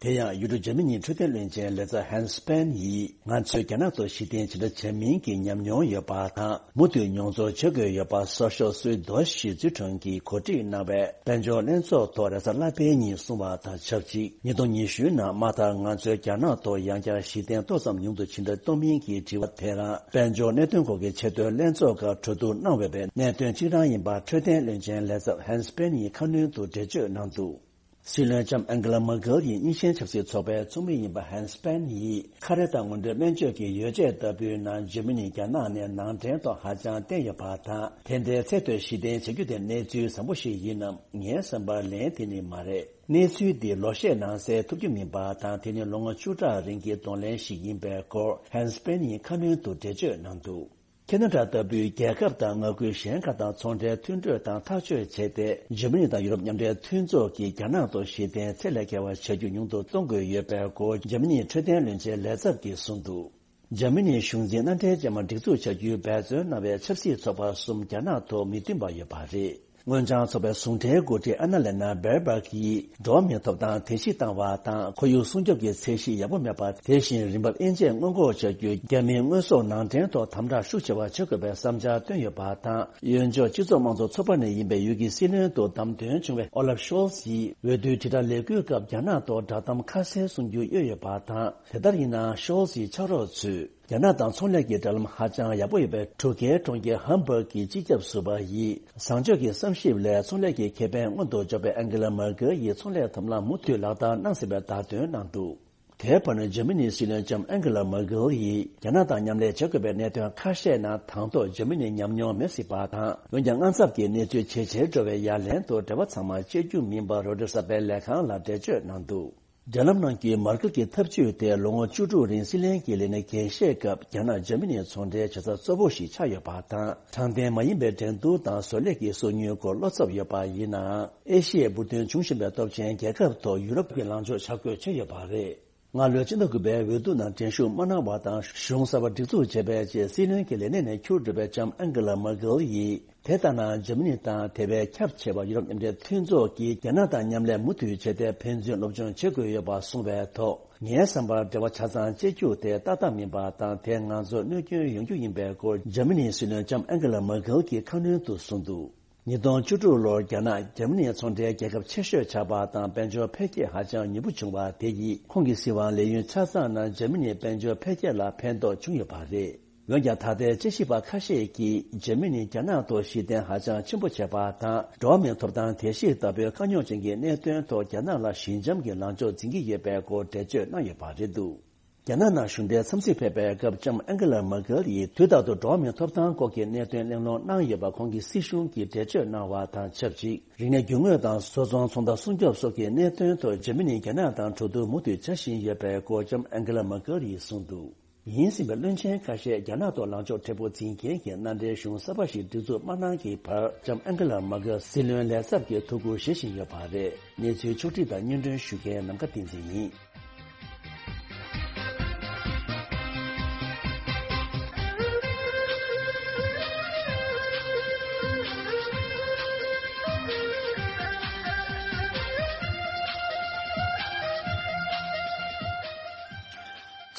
དེ་ཡང་ཡུལ་གྲུ་འཇར་མ་ནིའི་འཕྲོད་བསྟེན་བློན་ཆེན་ལས་ཚབ་ཧན་སི་པན་ཡིས། ང་ཚོས་རྒྱ་ནག་ཏུ་གཞི་རྟེན་ཕྱིར་འདྲ་བྱ་མིན་གྱི་ཉམས་མྱོང་ཡོད་པ་དང་། མུ་མཐུད་མྱོང་ཚོར་བྱེད་དགོས་ཡོད་པ་གསར་ཤོག་སུའི་རྡོ་ཞི་ཙུའི་ཁྲོན་གྱིས་གོ་སྒྲིག་གནང་བའི་དཔལ་འབྱོར་ལྷན་ཚོགས་ཐོག་རེས་གཟའ་ལྷག་པའི་ཉིན་གསུངས་པ་དང་ཆབས་ཅིག་ཉིས་སྟོང་ཉི་ཤུའི་ནང་མ་མཐར་ང་ཚོས་རྒྱ་ནག་ཐོག་ཡང་བསྐྱར་གཞི་རྟེན་ཏོག་ཙམ་ཉུང་དུ་ཕྱིར་འདྲ་གཏོང་མིན་གྱི་དྲི་བ་དེ་རང་དཔལ་འབྱོར་གནད་དོན་སྐོར་གྱི་ཆེས་མཐོའི་ལྷན་ཚོགས་ཁག་གྲོས་བསྡུར་གནང་འོས་པའི་གནད་དོན་གཅིག་རང་ཡིན་པ་འཕྲོད་བསྟེན་བློན་ཆེན་ལས་ཚབ་ཧན་སི་པན་ཡིས་ཁ་སྣོན་དུ་འགྲེལ་བརྗོད་གནང་འདུག་སྲིད་བློན་ལྕམ་ཨན་གྷི་ལ་མར་ཀེལ་ཡིས་དབྱིན་ཇིའི་ཆབ་སྲིད་ཚོགས་པའི་ཚོགས་མི་ཡིན་པ་ཧན་སི་པན་ཡིས་ཁ་རས་དང་སྔོན་འགྲོའི་སྨན་བཅོས་ཀྱི་ཡོ་བྱད་ལྟ་བུའི་ནང་འཇར་མ་ནི་རྒྱ་ནག་ནས་ནང་འདྲེན་ཐོག་ཧ་ཅང་བརྟེན་ཡོད་པ་དང་། དེ་འདྲའི་ཚད་མཐོའི་གཞི་རྟེན་བྱ་རྒྱུ་དེ་གནས་ཚུལ་བཟང་པོ་ཞིག་ཡིན་ནམ། ངའི་བསམ་པར་ལན་དེ་ནི་མ་རེད། གནས་ཚུལ་འདི་ལོ་ཤས་ནང་གསལ་ཐུབ་རྒྱུ་མིན་པ་དང་། དེ་ནི་ལོ་ངོ་བཅུ་ཕྲག་རིང་གི་གདོང་ལེན་ཞིག་ཡིན་པའི་སྐོར་ཧན་སི་པན་ཡིས་ཁ་སྣོན་དུ་འགྲེལ་བརྗོད་གནང་འདུག་ཁེ་ན་ཌ་ལྟ་བུའི་རྒྱལ་ཁབ་དང་མངའ་ཁུལ་གཞན་ཁག་དང་ཚོང་འབྲེལ་མཐུན་གྲོས་དང་ཐག་གཅོད་བྱས་ཏེ། འཇར་མ་ནི་དང་ཡུ་རོབ་མཉམ་འབྲེལ་མཐུན་ཚོགས་ཀྱིས་རྒྱ་ནག་ཏུ་གཞི་རྟེན་ཚད་ལས་བརྒལ་བ་བྱ་རྒྱུ་ཉུང་དུ་གཏོང་དགོས་ཡོད་པའི་སྐོར་འཇར་མ་ནིའི་འཕྲོད་བསྟེན་བློན་ཆེན་ལས་ཚབ་ཀྱིས་གསུངས་འདུག་འཇར་མ་ནིའི་གཞུང་འཛིན་མནའ་འབྲེལ་ཅན་མ་སྒྲིག་འཛུགས་བྱ་རྒྱུའི་འབད་བརྩོན་གནང་བའི་ཆབ་སྲིད་ཚོགས་པ་གསུམ་རྒྱ་ནག་ཐོག་མི་མཐུན་པ་ཡོད་པ་རེད། སྔོན་བྱང་ཚོགས་པའི་ཟུང་འབྲེལ་འགོ་ཁྲིད་ཨ་ན་ལེ་ན་བེར་བག་གིས། འགྲོ་བ་མིའི་ཐོབ་ཐང་བརྡལ་བཤིག་བཏང་བ་དང་། ཁོར་ཡུག་སྲུང་སྐྱོབ་ཀྱི་ཚད་གཞི་ཡག་པོ་མེད་པ། དེ་བཞིན་རིན་འབབ་དབྱེ་འབྱེད་སྔོན་འགོག་བྱ་རྒྱུའི་རྒྱ་མིའི་དངོས་ཟོག་ནང་འདྲེན་ཐོག་དམ་དྲག་ཤུགས་ཆེ་བ་བྱེད་དགོས་པའི་བསམ་འཆར་བཏོན་ཡོད་པ་དང་། གཡོན་ཕྱོགས་སྤྱི་ཚོགས་དམངས་གཙོ་ཚོགས་པ་ནས་ཡིན་པའི་ཡུལ་གྱི་སྲིད་བློན་དུ་བདམས་ཐོན་བྱུང་བའི་ཨོ་ལབ་ཤོལ་ཚ་ཡིས། འོས་བསྡུའི་དྲིལ་བསྒྲགས་ལས་འགུལ་སྐབས་རྒྱ་ནག་ཐོག་བསྒྲགས་གཏམ་ཁ་གསལ་གསུང་རྒྱུ་གཡོལ་ཡོད་པ་དང་། དེ་ལྟར་ཡིན་ནའང་ཤོལ་ཚ་ཡིས་ཕྱག་རོགས་ཚོས། རྒྱ་ནག་དང་ཚོང་ལས་ཀྱི་འབྲེལ་ལམ་ཧ་ཅང་ཡག་པོ་ཡོད་པའི་འབྲུག་རྒྱལ་གྲོང་ཁྱེར་ཧམ་བྷག་གི་སྤྱི་ཁྱབ་ཟུར་པ་ཡིས། བཟང་སྤྱོད་ཀྱི་བསམ་ཞིབ་ལས་ཚོང་ལས་ཀྱི་ཁེ་ཕན་མངོན་དུ་འཇོག་པའི་ཨན་གྷི་ལ་མར་ཀེལ་ཡིས་ཚོང་ལས་ཐབས་ལམ་མུ་མཐུད་ལག་བསྟར་གནང་ཟིན་པའི་བརྡ་སྟོན་གནང་འདུག་དེའི་བར་ན་འཇར་མ་ནིའི་སྲིད་བློན་ལྕམ་ཨན་ཀེ་ལ་མར་ཀེལ་ཡིས་རྒྱ་ནག་དང་མཉམ་ལས་བྱེད་དགོས་པའི་གནད་དོན་ཁ་ཤས་ནང་དང་ཐོག་འཇར་མ་ནི་ཉམས་མྱོང་མེད་སྲིད་པ་དང་། འོན་ཀྱང་། དངངས་འཚབ་ཀྱི་གནས་ཚུལ་ཇེ་ཆེར་འགྲོ་བའི་ཡ་ལན་དུ། འབྲེལ་བ་ཚང་མ་བཅད་རྒྱུ་མིན་པ། རོའི་ཊར་གསར་པའི་ལས་ཁང་ལ་འགྲེལ་བརྗོད་གནང་འདུག། འབྲེལ་ལམ་ནང་གི་མར་ཀེལ་གྱི་ཐབས་ཇུས་དེ་ལོ་ངོ་བཅུ་དྲུག་རིང་སྲིད་བློན་གྱི་ལས་གནས་འགན་བཞེས་སྐབས་རྒྱ་ནག་འཇར་མ་ནིའི་ཚོང་འབྲེལ་བྱེད་ས་གཙོ་བོ་ཞིག་ཆགས་ཡོད་པ་དང་། དྲང་བདེན་མ་ཡིན་པའི་འགྲན་བསྡུར་དང་བཟོ་ལས་ཀྱི་སོ་ཉུལ་སྐོར་བློ་འཚབ་ཡོད་པ་ཡིན་ནའང་། ཨེ་ཤི་ཡའི་འབུར་ཐོན་ཆུང་ཤོས་པའི་སྟོབས་ཆེན་རྒྱལ་ཁབ་ཐོག་ཡུ་རོབ་ཀྱི་ལངས་ཕྱོགས་ཆ་བགོས་བྱས་ཡོད་པ་རེད། སྔ་ལོའི་སྤྱི་ཟླ་དགུ་པའི་འོས་བསྡུ་ནང་འགྲན་ཞུགས་མ་གནང་བ་དང་། གཞུང་གསར་པ་སྒྲིག་འཛུགས་བྱས་པའི་རྗེས། སྲིད་བློན་གྱི་ལས་གནས་ནས་ཁྱུར་འགྲོ་བའི་ལྕམ་ཨན་ཀེ་ལ་མར་ཀེལ་ཡིས། དེ་ལྟ་ན། འཇར་མ་ནི་དང་དེ་བས་ཁྱབ་ཆེ་བ་ཡུ་རོབ་མཉམ་འབྲེལ་མཐུན་ཚོགས་ཀྱིས་རྒྱ་ནག་དང་མཉམ་ལས་མུ་མཐུད་བྱས་ཏེ། ཕན་ཚུན་སློབ་སྦྱོང་བྱེད་དགོས་ཡོད་པ་གསུངས་པའི་ཐོག་ངའི་བསམ་པར། འབྲེལ་བ་ཆ་ཚང་བཅད་རྒྱུ་དེ་ཏག་ཏག་མིན་པ་དང་། དེས་ང་ཚོར་གནོད་སྐྱོན་ཡོང་རྒྱུ་ཡིན་པའི་སྐོར། འཇར་མ་ནིའི་སྲིད་བློན་ལྕམ་ཨན་ཀེ་ལ་མར་ཀེལ་གྱིས་ཁ་སྣོན་དུ་གསུངས་འདུག། ཉིས་སྟོང་བཅུ་དྲུག་ལོར་རྒྱ་ནག་འཇར་མ་ནིའི་ཚོང་འབྲེལ་རྒྱལ་ཁབ་ཆེ་ཤོས་ཆགས་པ་དང་། དཔལ་འབྱོར་འཕེལ་རྒྱས་ཧ་ཅང་ཉེ་པོ་བྱུང་བ་དེ་ཡིས། ཁོང་གི་སྲིད་དབང་ལས་ཡུན་ཆ་ཚང་ནང་འཇར་མ་ནིའི་དཔལ་འབྱོར་འཕེལ་རྒྱས་ལ་ཕན་ཐོགས་བྱུང་ཡོད་པ་རེད། འོན་ཀྱང་། ད་ལྟའི་དཔྱད་ཞིབ་པ་ཁ་ཤས་ཀྱིས། འཇར་མ་ནིས་རྒྱ་ནག་ཐོག་གཞི་རྟེན་ཧ་ཅང་ཆེན་པོ་བྱས་པ་དང་། འགྲོ་བ་མིའི་ཐོབ་ཐང་དེ་བཞིན་དག་པའི་དཀའ་རྙོག་ཅན་གྱི་གནད་དོན་ཐོག་རྒྱ་ནག་ལ་ཞི་འཇམ་གྱི་ལངས་ཕྱོགས་འཛིན་གྱི་ཡོད་པའི་སྐོར་འགྲེལ་བརྗོད་གནང་ཡོད་པ་རེད་འདུག། རྒྱ་ནག་ནང་གཞུང་འབྲེལ་འཚམས་གཟིགས་ཕེབས་པའི་སྐབས། ལྕམ་ཨན་ཀེ་ལ་མར་ཀེལ་ཡིས། དུས་རྟག་ཏུ་འགྲོ་བ་མིའི་ཐོབ་ཐང་སྐོར་གྱི་གནད་དོན་གླེང་སློང་གནང་ཡོད་པ། ཁོང་གི་སྲིད་གཞུང་གིས་འགྲེལ་བརྗོད་གནང་བ་དང་ཆབས་ཅིག། རིག་གནས་རྒྱུ་དངོས་དང་བཟོ་ཚོང་། ཚོང་རྟགས་སྲུང་སྐྱོབ་སོགས་ཀྱི་གནད་དོན་ཐོག་འཇར་མ་ནི་རྒྱ་ནག་དང་གྲོས་བསྡུར་མུ་མཐུད་བྱ་བཞིན་ཡོད་པའི་སྐོར། ལྕམ་ཨན་ཀེ་ལ་མར་ཀེལ་ཡིས་གསུངས་འདུག། ཡིན་ཟིན་པའི་བློན་ཆེན་ཁ་ཤས་རྒྱ་ནག་ཐོག་ལངས་ཕྱོགས་མཁྲེགས་པོ་འཛིན་མཁན་གྱི་མནའ་འབྲེལ་གཞུང་གསར་པ་ཞིག་སྒྲིག་འཛུགས་མ་གནང་གི་བར། ལྕམ་ཨན་ཀེ་ལ་མར་ཀེལ་སྲིད་བློན་ལས་ཚབ་ཀྱི་ཐུགས་ཁུར་བཞེས་བཞིན་ཡོད་པ་རེད། གནས་ཚུལ་ཕྱོགས་བསྒྲིགས་དང་སྙན་སྒྲོན་ཞུ་མཁན་ནམ་མཁའ་བསྟན་འཛིན་ཡིན།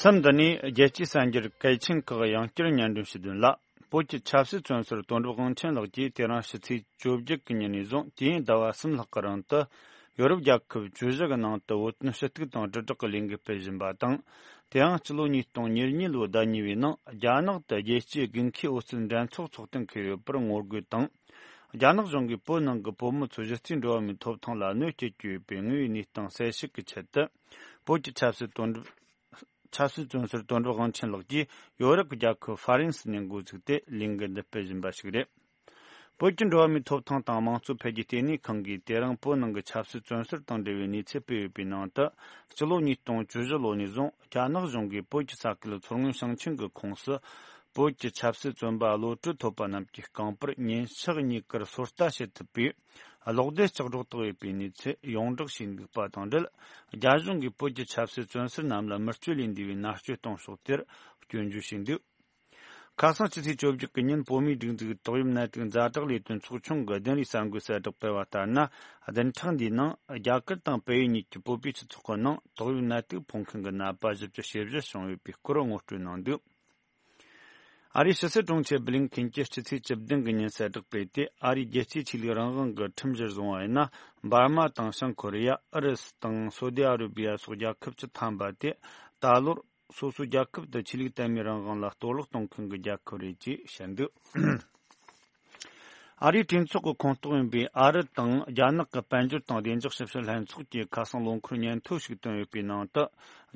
མཚམས་འདི་ནས་རྒྱལ་སྤྱིའི་གསར་འགྱུར་གལ་ཆེན་ཁག་ཡང་བསྐྱར་སྙན་སྒྲོན་ཞུ་དོན་ལ། བོད་ཀྱི་ཆབ་སྲིད་བཙོན་ཟུར་དོན་གྲུབ་དབང་ཆེན་ལགས་ཀྱིས་དེ་རིང་ཕྱི་ཚེས་བཅོ་བརྒྱད་ཀྱི་ཉིན་ནས་བཟུང་དུས་ཡུན་ཟླ་བ་གསུམ་ལྷག་གི་རིང་དུ། ཡོ་རོབ་རྒྱལ་ཁབ་བཅུ་བཞི་གི་ནང་དུ་བོད་དོན་ཞུ་གཏུག་དང་དྲིལ་བསྒྲགས་ཀྱི་ལས་འགུལ་སྤེལ་བཞིན་པ་དང་། དེ་ཡང་སྤྱི་ལོ་ཉིས་སྟོང་ཉེར་གཉིས་ལོའི་ཟླ་གཉིས་པའི་ནང་རྒྱ་ནག་ཏུ་རྒྱལ་སྤྱིའི་དགུན་ཁའི་འོད་སྲུང་འགྲན་ཚོགས་ཚོགས་གཏན་འཁེལ་ཡོད་པར་ངོ་རྒོལ་དང་། རྒྱ་ནག་གཞུང་གིས་བོད་ནང་གི་བོད་མི་ཚོའི་གཞི་རྩའི་འགྲོ་བ་མིའི་ཐོབ་ཐང་ལ་གནོད་སྐྱེལ་གྱི་ཡོད་པའི་དངོས་ཡོད་གནས་སྟངས་གསལ་བཤད་ཀྱི་ཆེད་དུ། བོད་ཀྱི་ཆབ་སྲིད་དོན་གྲུབ། ཆབ་སྲིད་བཙོན་ཟུར་དོན་གྲུབ་དབང་ཆེན་ལགས་ཀྱིས་ཡོ་རོབ་ཀྱི་རྒྱལ་ཁབ་ཧྥ་རན་སི་ནས་འགོ་བཙུགས་ཏེ་ལས་འགུལ་འདི་སྤེལ་བཞིན་པ་ཞིག་རེད། བོད་ཀྱི་འགྲོ་བ་མིའི་ཐོབ་ཐང་དང་དམངས་གཙོ་འཕེལ་རྒྱས་ལྟེ་གནས་ཁང་གིས་དེ་རིང་བོད་ནང་གི་ཆབ་སྲིད་བཙོན་ཟུར་དང་འབྲེལ་བའི་གནས་ཚུལ་སྤེལ་ཡོད་པའི་ནང་དུ། སྤྱི་ལོ་ཉིས་སྟོང་བཅུ་བཞི་ལོ་ནས་བཟུང་རྒྱ་ནག་གཞུང་གིས་བོད་ཀྱི་ས་ཁུལ་མཚོ་སྔོན་ཞིང་ཆེན་གྱི་ཁོངས་སུ། བོད་ཀྱི་ཆབ་སྲིད་བཙོན་པ་བློ་གྲོས་ཐོབ་པ་རྣམས་ཀྱི་རྐང་པར་ཉིན་ཞག་གཉིས་ཀར་སོ་ལྟ་བྱེད་ཐུབ་པའི་གློག་རྡུལ་ལྕགས་སྒྲོག་བཏགས་ཡོད་པའི་གནས་ཚུལ་ཡོངས་བསྒྲགས་བྱས་འདུག་པ་དང་འབྲེལ། རྒྱ་གཞུང་གིས་བོད་ཀྱི་ཆབ་སྲིད་བཙོན་ཟུར་རྣམས་ལ་མི་སྤྱོད་ལས་འདས་པའི་མནར་གཅོད་གཏོང་ཕྱོགས་དེར་སྐྱོན་བརྗོད་བྱས་འདུག། ཁ་སང་ཕྱི་ཚེས་བཅོ་བརྒྱད་ཀྱི་ཉིན་བོད་མིའི་སྒྲིག་འཛུགས་ཏོག་དབྱིབས་ནད་དུག་ཛ་དྲག་ལས་དོན་ཚོགས་ཆུང་གི་བདུན་རེའི་གསར་འགོད་གསལ་བསྒྲགས་སྤེལ་བ་ལྟར་ན། བདུན་ཕྲག་འདིའི་ནང་རྒྱ་གར་དང་བལ་ཡུལ་གཉིས་ཀྱི་བོད་པའི་སྤྱི་ཚོགས་ཀྱི་ནང་ཏོག་དབྱིབས་ནད་དུག་ཕོག་མཁན་གྱི་ནད་པ་བཞི་བཅུ་ཞེ་བཞི་བྱུང་ཡོད་པའི་སྐོར་ངོ་སྤྲོད་གནང་འདུག། ཨ་རིའི་ཕྱི་སྲིད་དྲུང་ཆེ་བྷི་ལིན་ཁིན་གྱིས་ཕྱི་ཚེས་བཅུ་བདུན་གྱི་ཉིན་གསལ་བསྒྲགས་སྤེལ་ཏེ། ཨ་རིའི་རྒྱལ་སྤྱིའི་ཆོས་ལུགས་རང་དབང་གི་ཁྲིམས་གཞིར་བཟུང་བ་ཡིན་ན། འབར་མ་དང་བྱང་ཁོ་རེ་ཡ། ཨུ་རུ་སུ་དང་སོ་ཏི་ཨ་རུ་བི་ཡ་སོགས་རྒྱལ་ཁབ་བཅུ་ཐམ་པ་དེ་ད་ལོར་སོ་སོའི་རྒྱལ་ཁབ་ཏུ་ཆོས་ལུགས་དད་མོས་རང་དབང་ལ་གཏོར་བརླག་གཏོང་མཁན་གྱི་རྒྱལ་ཁབ་རེད་ཅེས་བཤད་འདུག། ཨ་རིའི་གྲོས་ཚོགས་ཀྱི་ཁོངས་གཏོགས་ཡིན་པའི་ཨ་རི་དང་རྒྱ་ནག་གི་དཔལ་འབྱོར་དང་བདེ་འཇགས་ཞིབ་བཤེར་ལྷན་ཚོགས་ཀྱིས་ཁ་སང་ལོ་འཁོར་སྙན་ཐོ་ཞིག་བཏོན་ཡོད་པའི་ནང་དུ།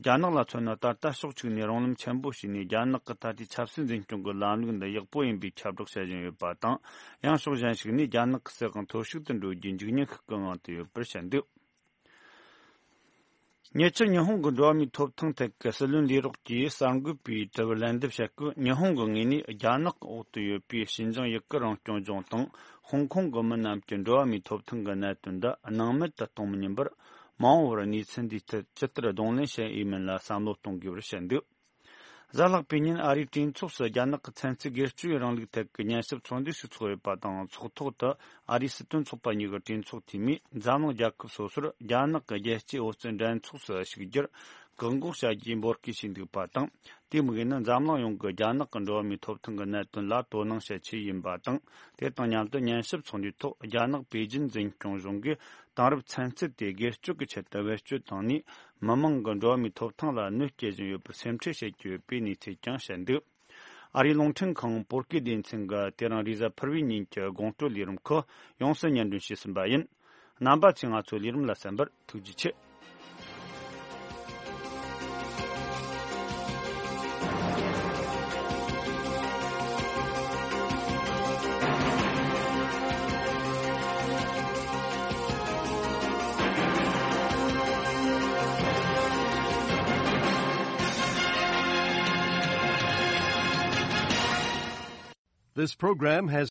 རྒྱ་ནག་ལ་མཚོན་ན། ད་ལྟ་ཕྱོགས་གཅིག་ནས་རང་ལམ་ཆེན་པོ་ཞིག་ནས་རྒྱ་ནག་གི་ད་ལྟའི་ཆབ་སྲིད་འཛིན་སྐྱོང་གི་ལམ་ལུགས་འདི་ཡག་པོ་ཡིན་པའི་ཁྱབ་བསྒྲགས་བྱེད་བཞིན་ཡོད་པ་དང་། ཡང་ཕྱོགས་གཞན་ཞིག་ནས་རྒྱ་ནག་གི་སྲིད་དབང་འཐོར་ཞིག་ཏུ་འགྲོ་རྒྱུའི་འཇིགས་ཉེན་ཤུགས་ཀྱིས་དབང་དུ་ཡོད་པར་བཤད་འདུག། ཉེ་ཆར་ཉི་ཧོང་གི་འགྲོ་བ་མིའི་ཐོབ་ཐང་ཐད་ཀྱི་སྲིད་བློན་ལས་རོགས་ཀྱིས་གསར་འགོད་པའི་དྲི་བར་ལན་འདེབས་བྱེད་སྐབས། ཉི་ཧོང་གི་ངོས་ནས་རྒྱ་ནག་གི་འོག་ཏུ་ཡོད་པའི་ཞིན་ཅང་ཡུ་གུར་རང་སྐྱོང་ལྗོངས་དང་ཧོང་ཀོང་གི་མི་རྣམས་ཀྱི་འགྲོ་བ་མིའི་ཐོབ་ཐང་གི་གནད་དོན་འདི་སྣང་མེད་དུ་གཏོང་མི་ཉན་པར། མ་འོངས་པར་གནས་ཚུལ་འདིའི་ཐད་ཇི་ལྟར་གདོང་ལེན་བྱེད་འོས་མིན་ལ་བསམ་བློ་གཏོང་དགོས་པར་བཤད་འདུག། གཟའ་ལྷག་པའི་ཉིན་ཨ་རིའི་གྲོས་ཚོགས་སུ་རྒྱ་ནག་གི་ཚན་རྩལ་སྒེར་གཅོད་རིང་ལུགས་ཐད་ཀྱི་ཉན་ཞིབ་ཚོགས་འདུ་ཞིག་ཚོགས་ཡོད་པ་དང་། ཚོགས་ཐོག་ཏུ་ཨ་རིའི་སྲིད་དོན་ཚོགས་པ་གཉིས་ཀྱི་གྲོས་ཚོགས་འཐུས་མིས་འཛམ་གླིང་རྒྱལ་ཁབ་སོ་སོར་རྒྱ་ནག་གི་རྒྱལ་སྤྱིའི་འོད་བརྩོན་འགྲན་ཚོགས་སུ་ཞུགས་རྒྱུར་བཀག་འགོག་བྱ་རྒྱུའི་འབོད་སྐུལ་བྱས་འདུག་པ་དང་། དེའི་དམིགས་ཡུལ་ནི་འཛམ་གླིང་ཡོངས་ཀྱིས་རྒྱ་ནག་གི་འགྲོ་བ་མིའི་ཐོབ་ཐང་གི་གནད་དོན་ལ་དོ་སྣང་བྱེད་ཆེད་ཡིན་པ་དང་། དེ་དང་མཉམ་དུ་ཉན་ཞིབ་ཚོགས་འདུའི་ཐོག་རྒྱ་ནག་པེ་ཅིན་འཛིན་སྐྱོང་གཞུང་གིས་དེང་རབས་ཚན་རྩལ་དེ་སྒེར་གཅོད་ཀྱི་ཆེད་དུ་བེད་སྤྱོད་བཏང་ནས། མི་མང་གི་འགྲོ་བ་མིའི་ཐོབ་ཐང་ལ་གནོད་སྐྱེལ་བཞིན་ཡོད་པར་སེམས་ཁྲལ་བྱེད་ཀྱི་ཡོད་པའི་གནས་ཚུལ་ཀྱང་བཤད་འདུག། ཨ་རིའི་རླུང་འཕྲིན་ཁང་བོད་སྐད་སྡེ་ཚན་གྱིས་དེ་རིང་རེས་གཟའ་ཕུར་བུའི་ཉིན་གྱི་དགོང་དྲོའི་ལས་རིམ་ཁག་ཡོངས་སུ་སྙན་སྒྲོན་བྱས་ཟིན་པ་ཡིན། རྣམ་པ་ཚོས་ང་ཚོའི་ལས་རིམ་ལ་གསན་པར་ཐུགས་རྗེ་ཆེ། This program has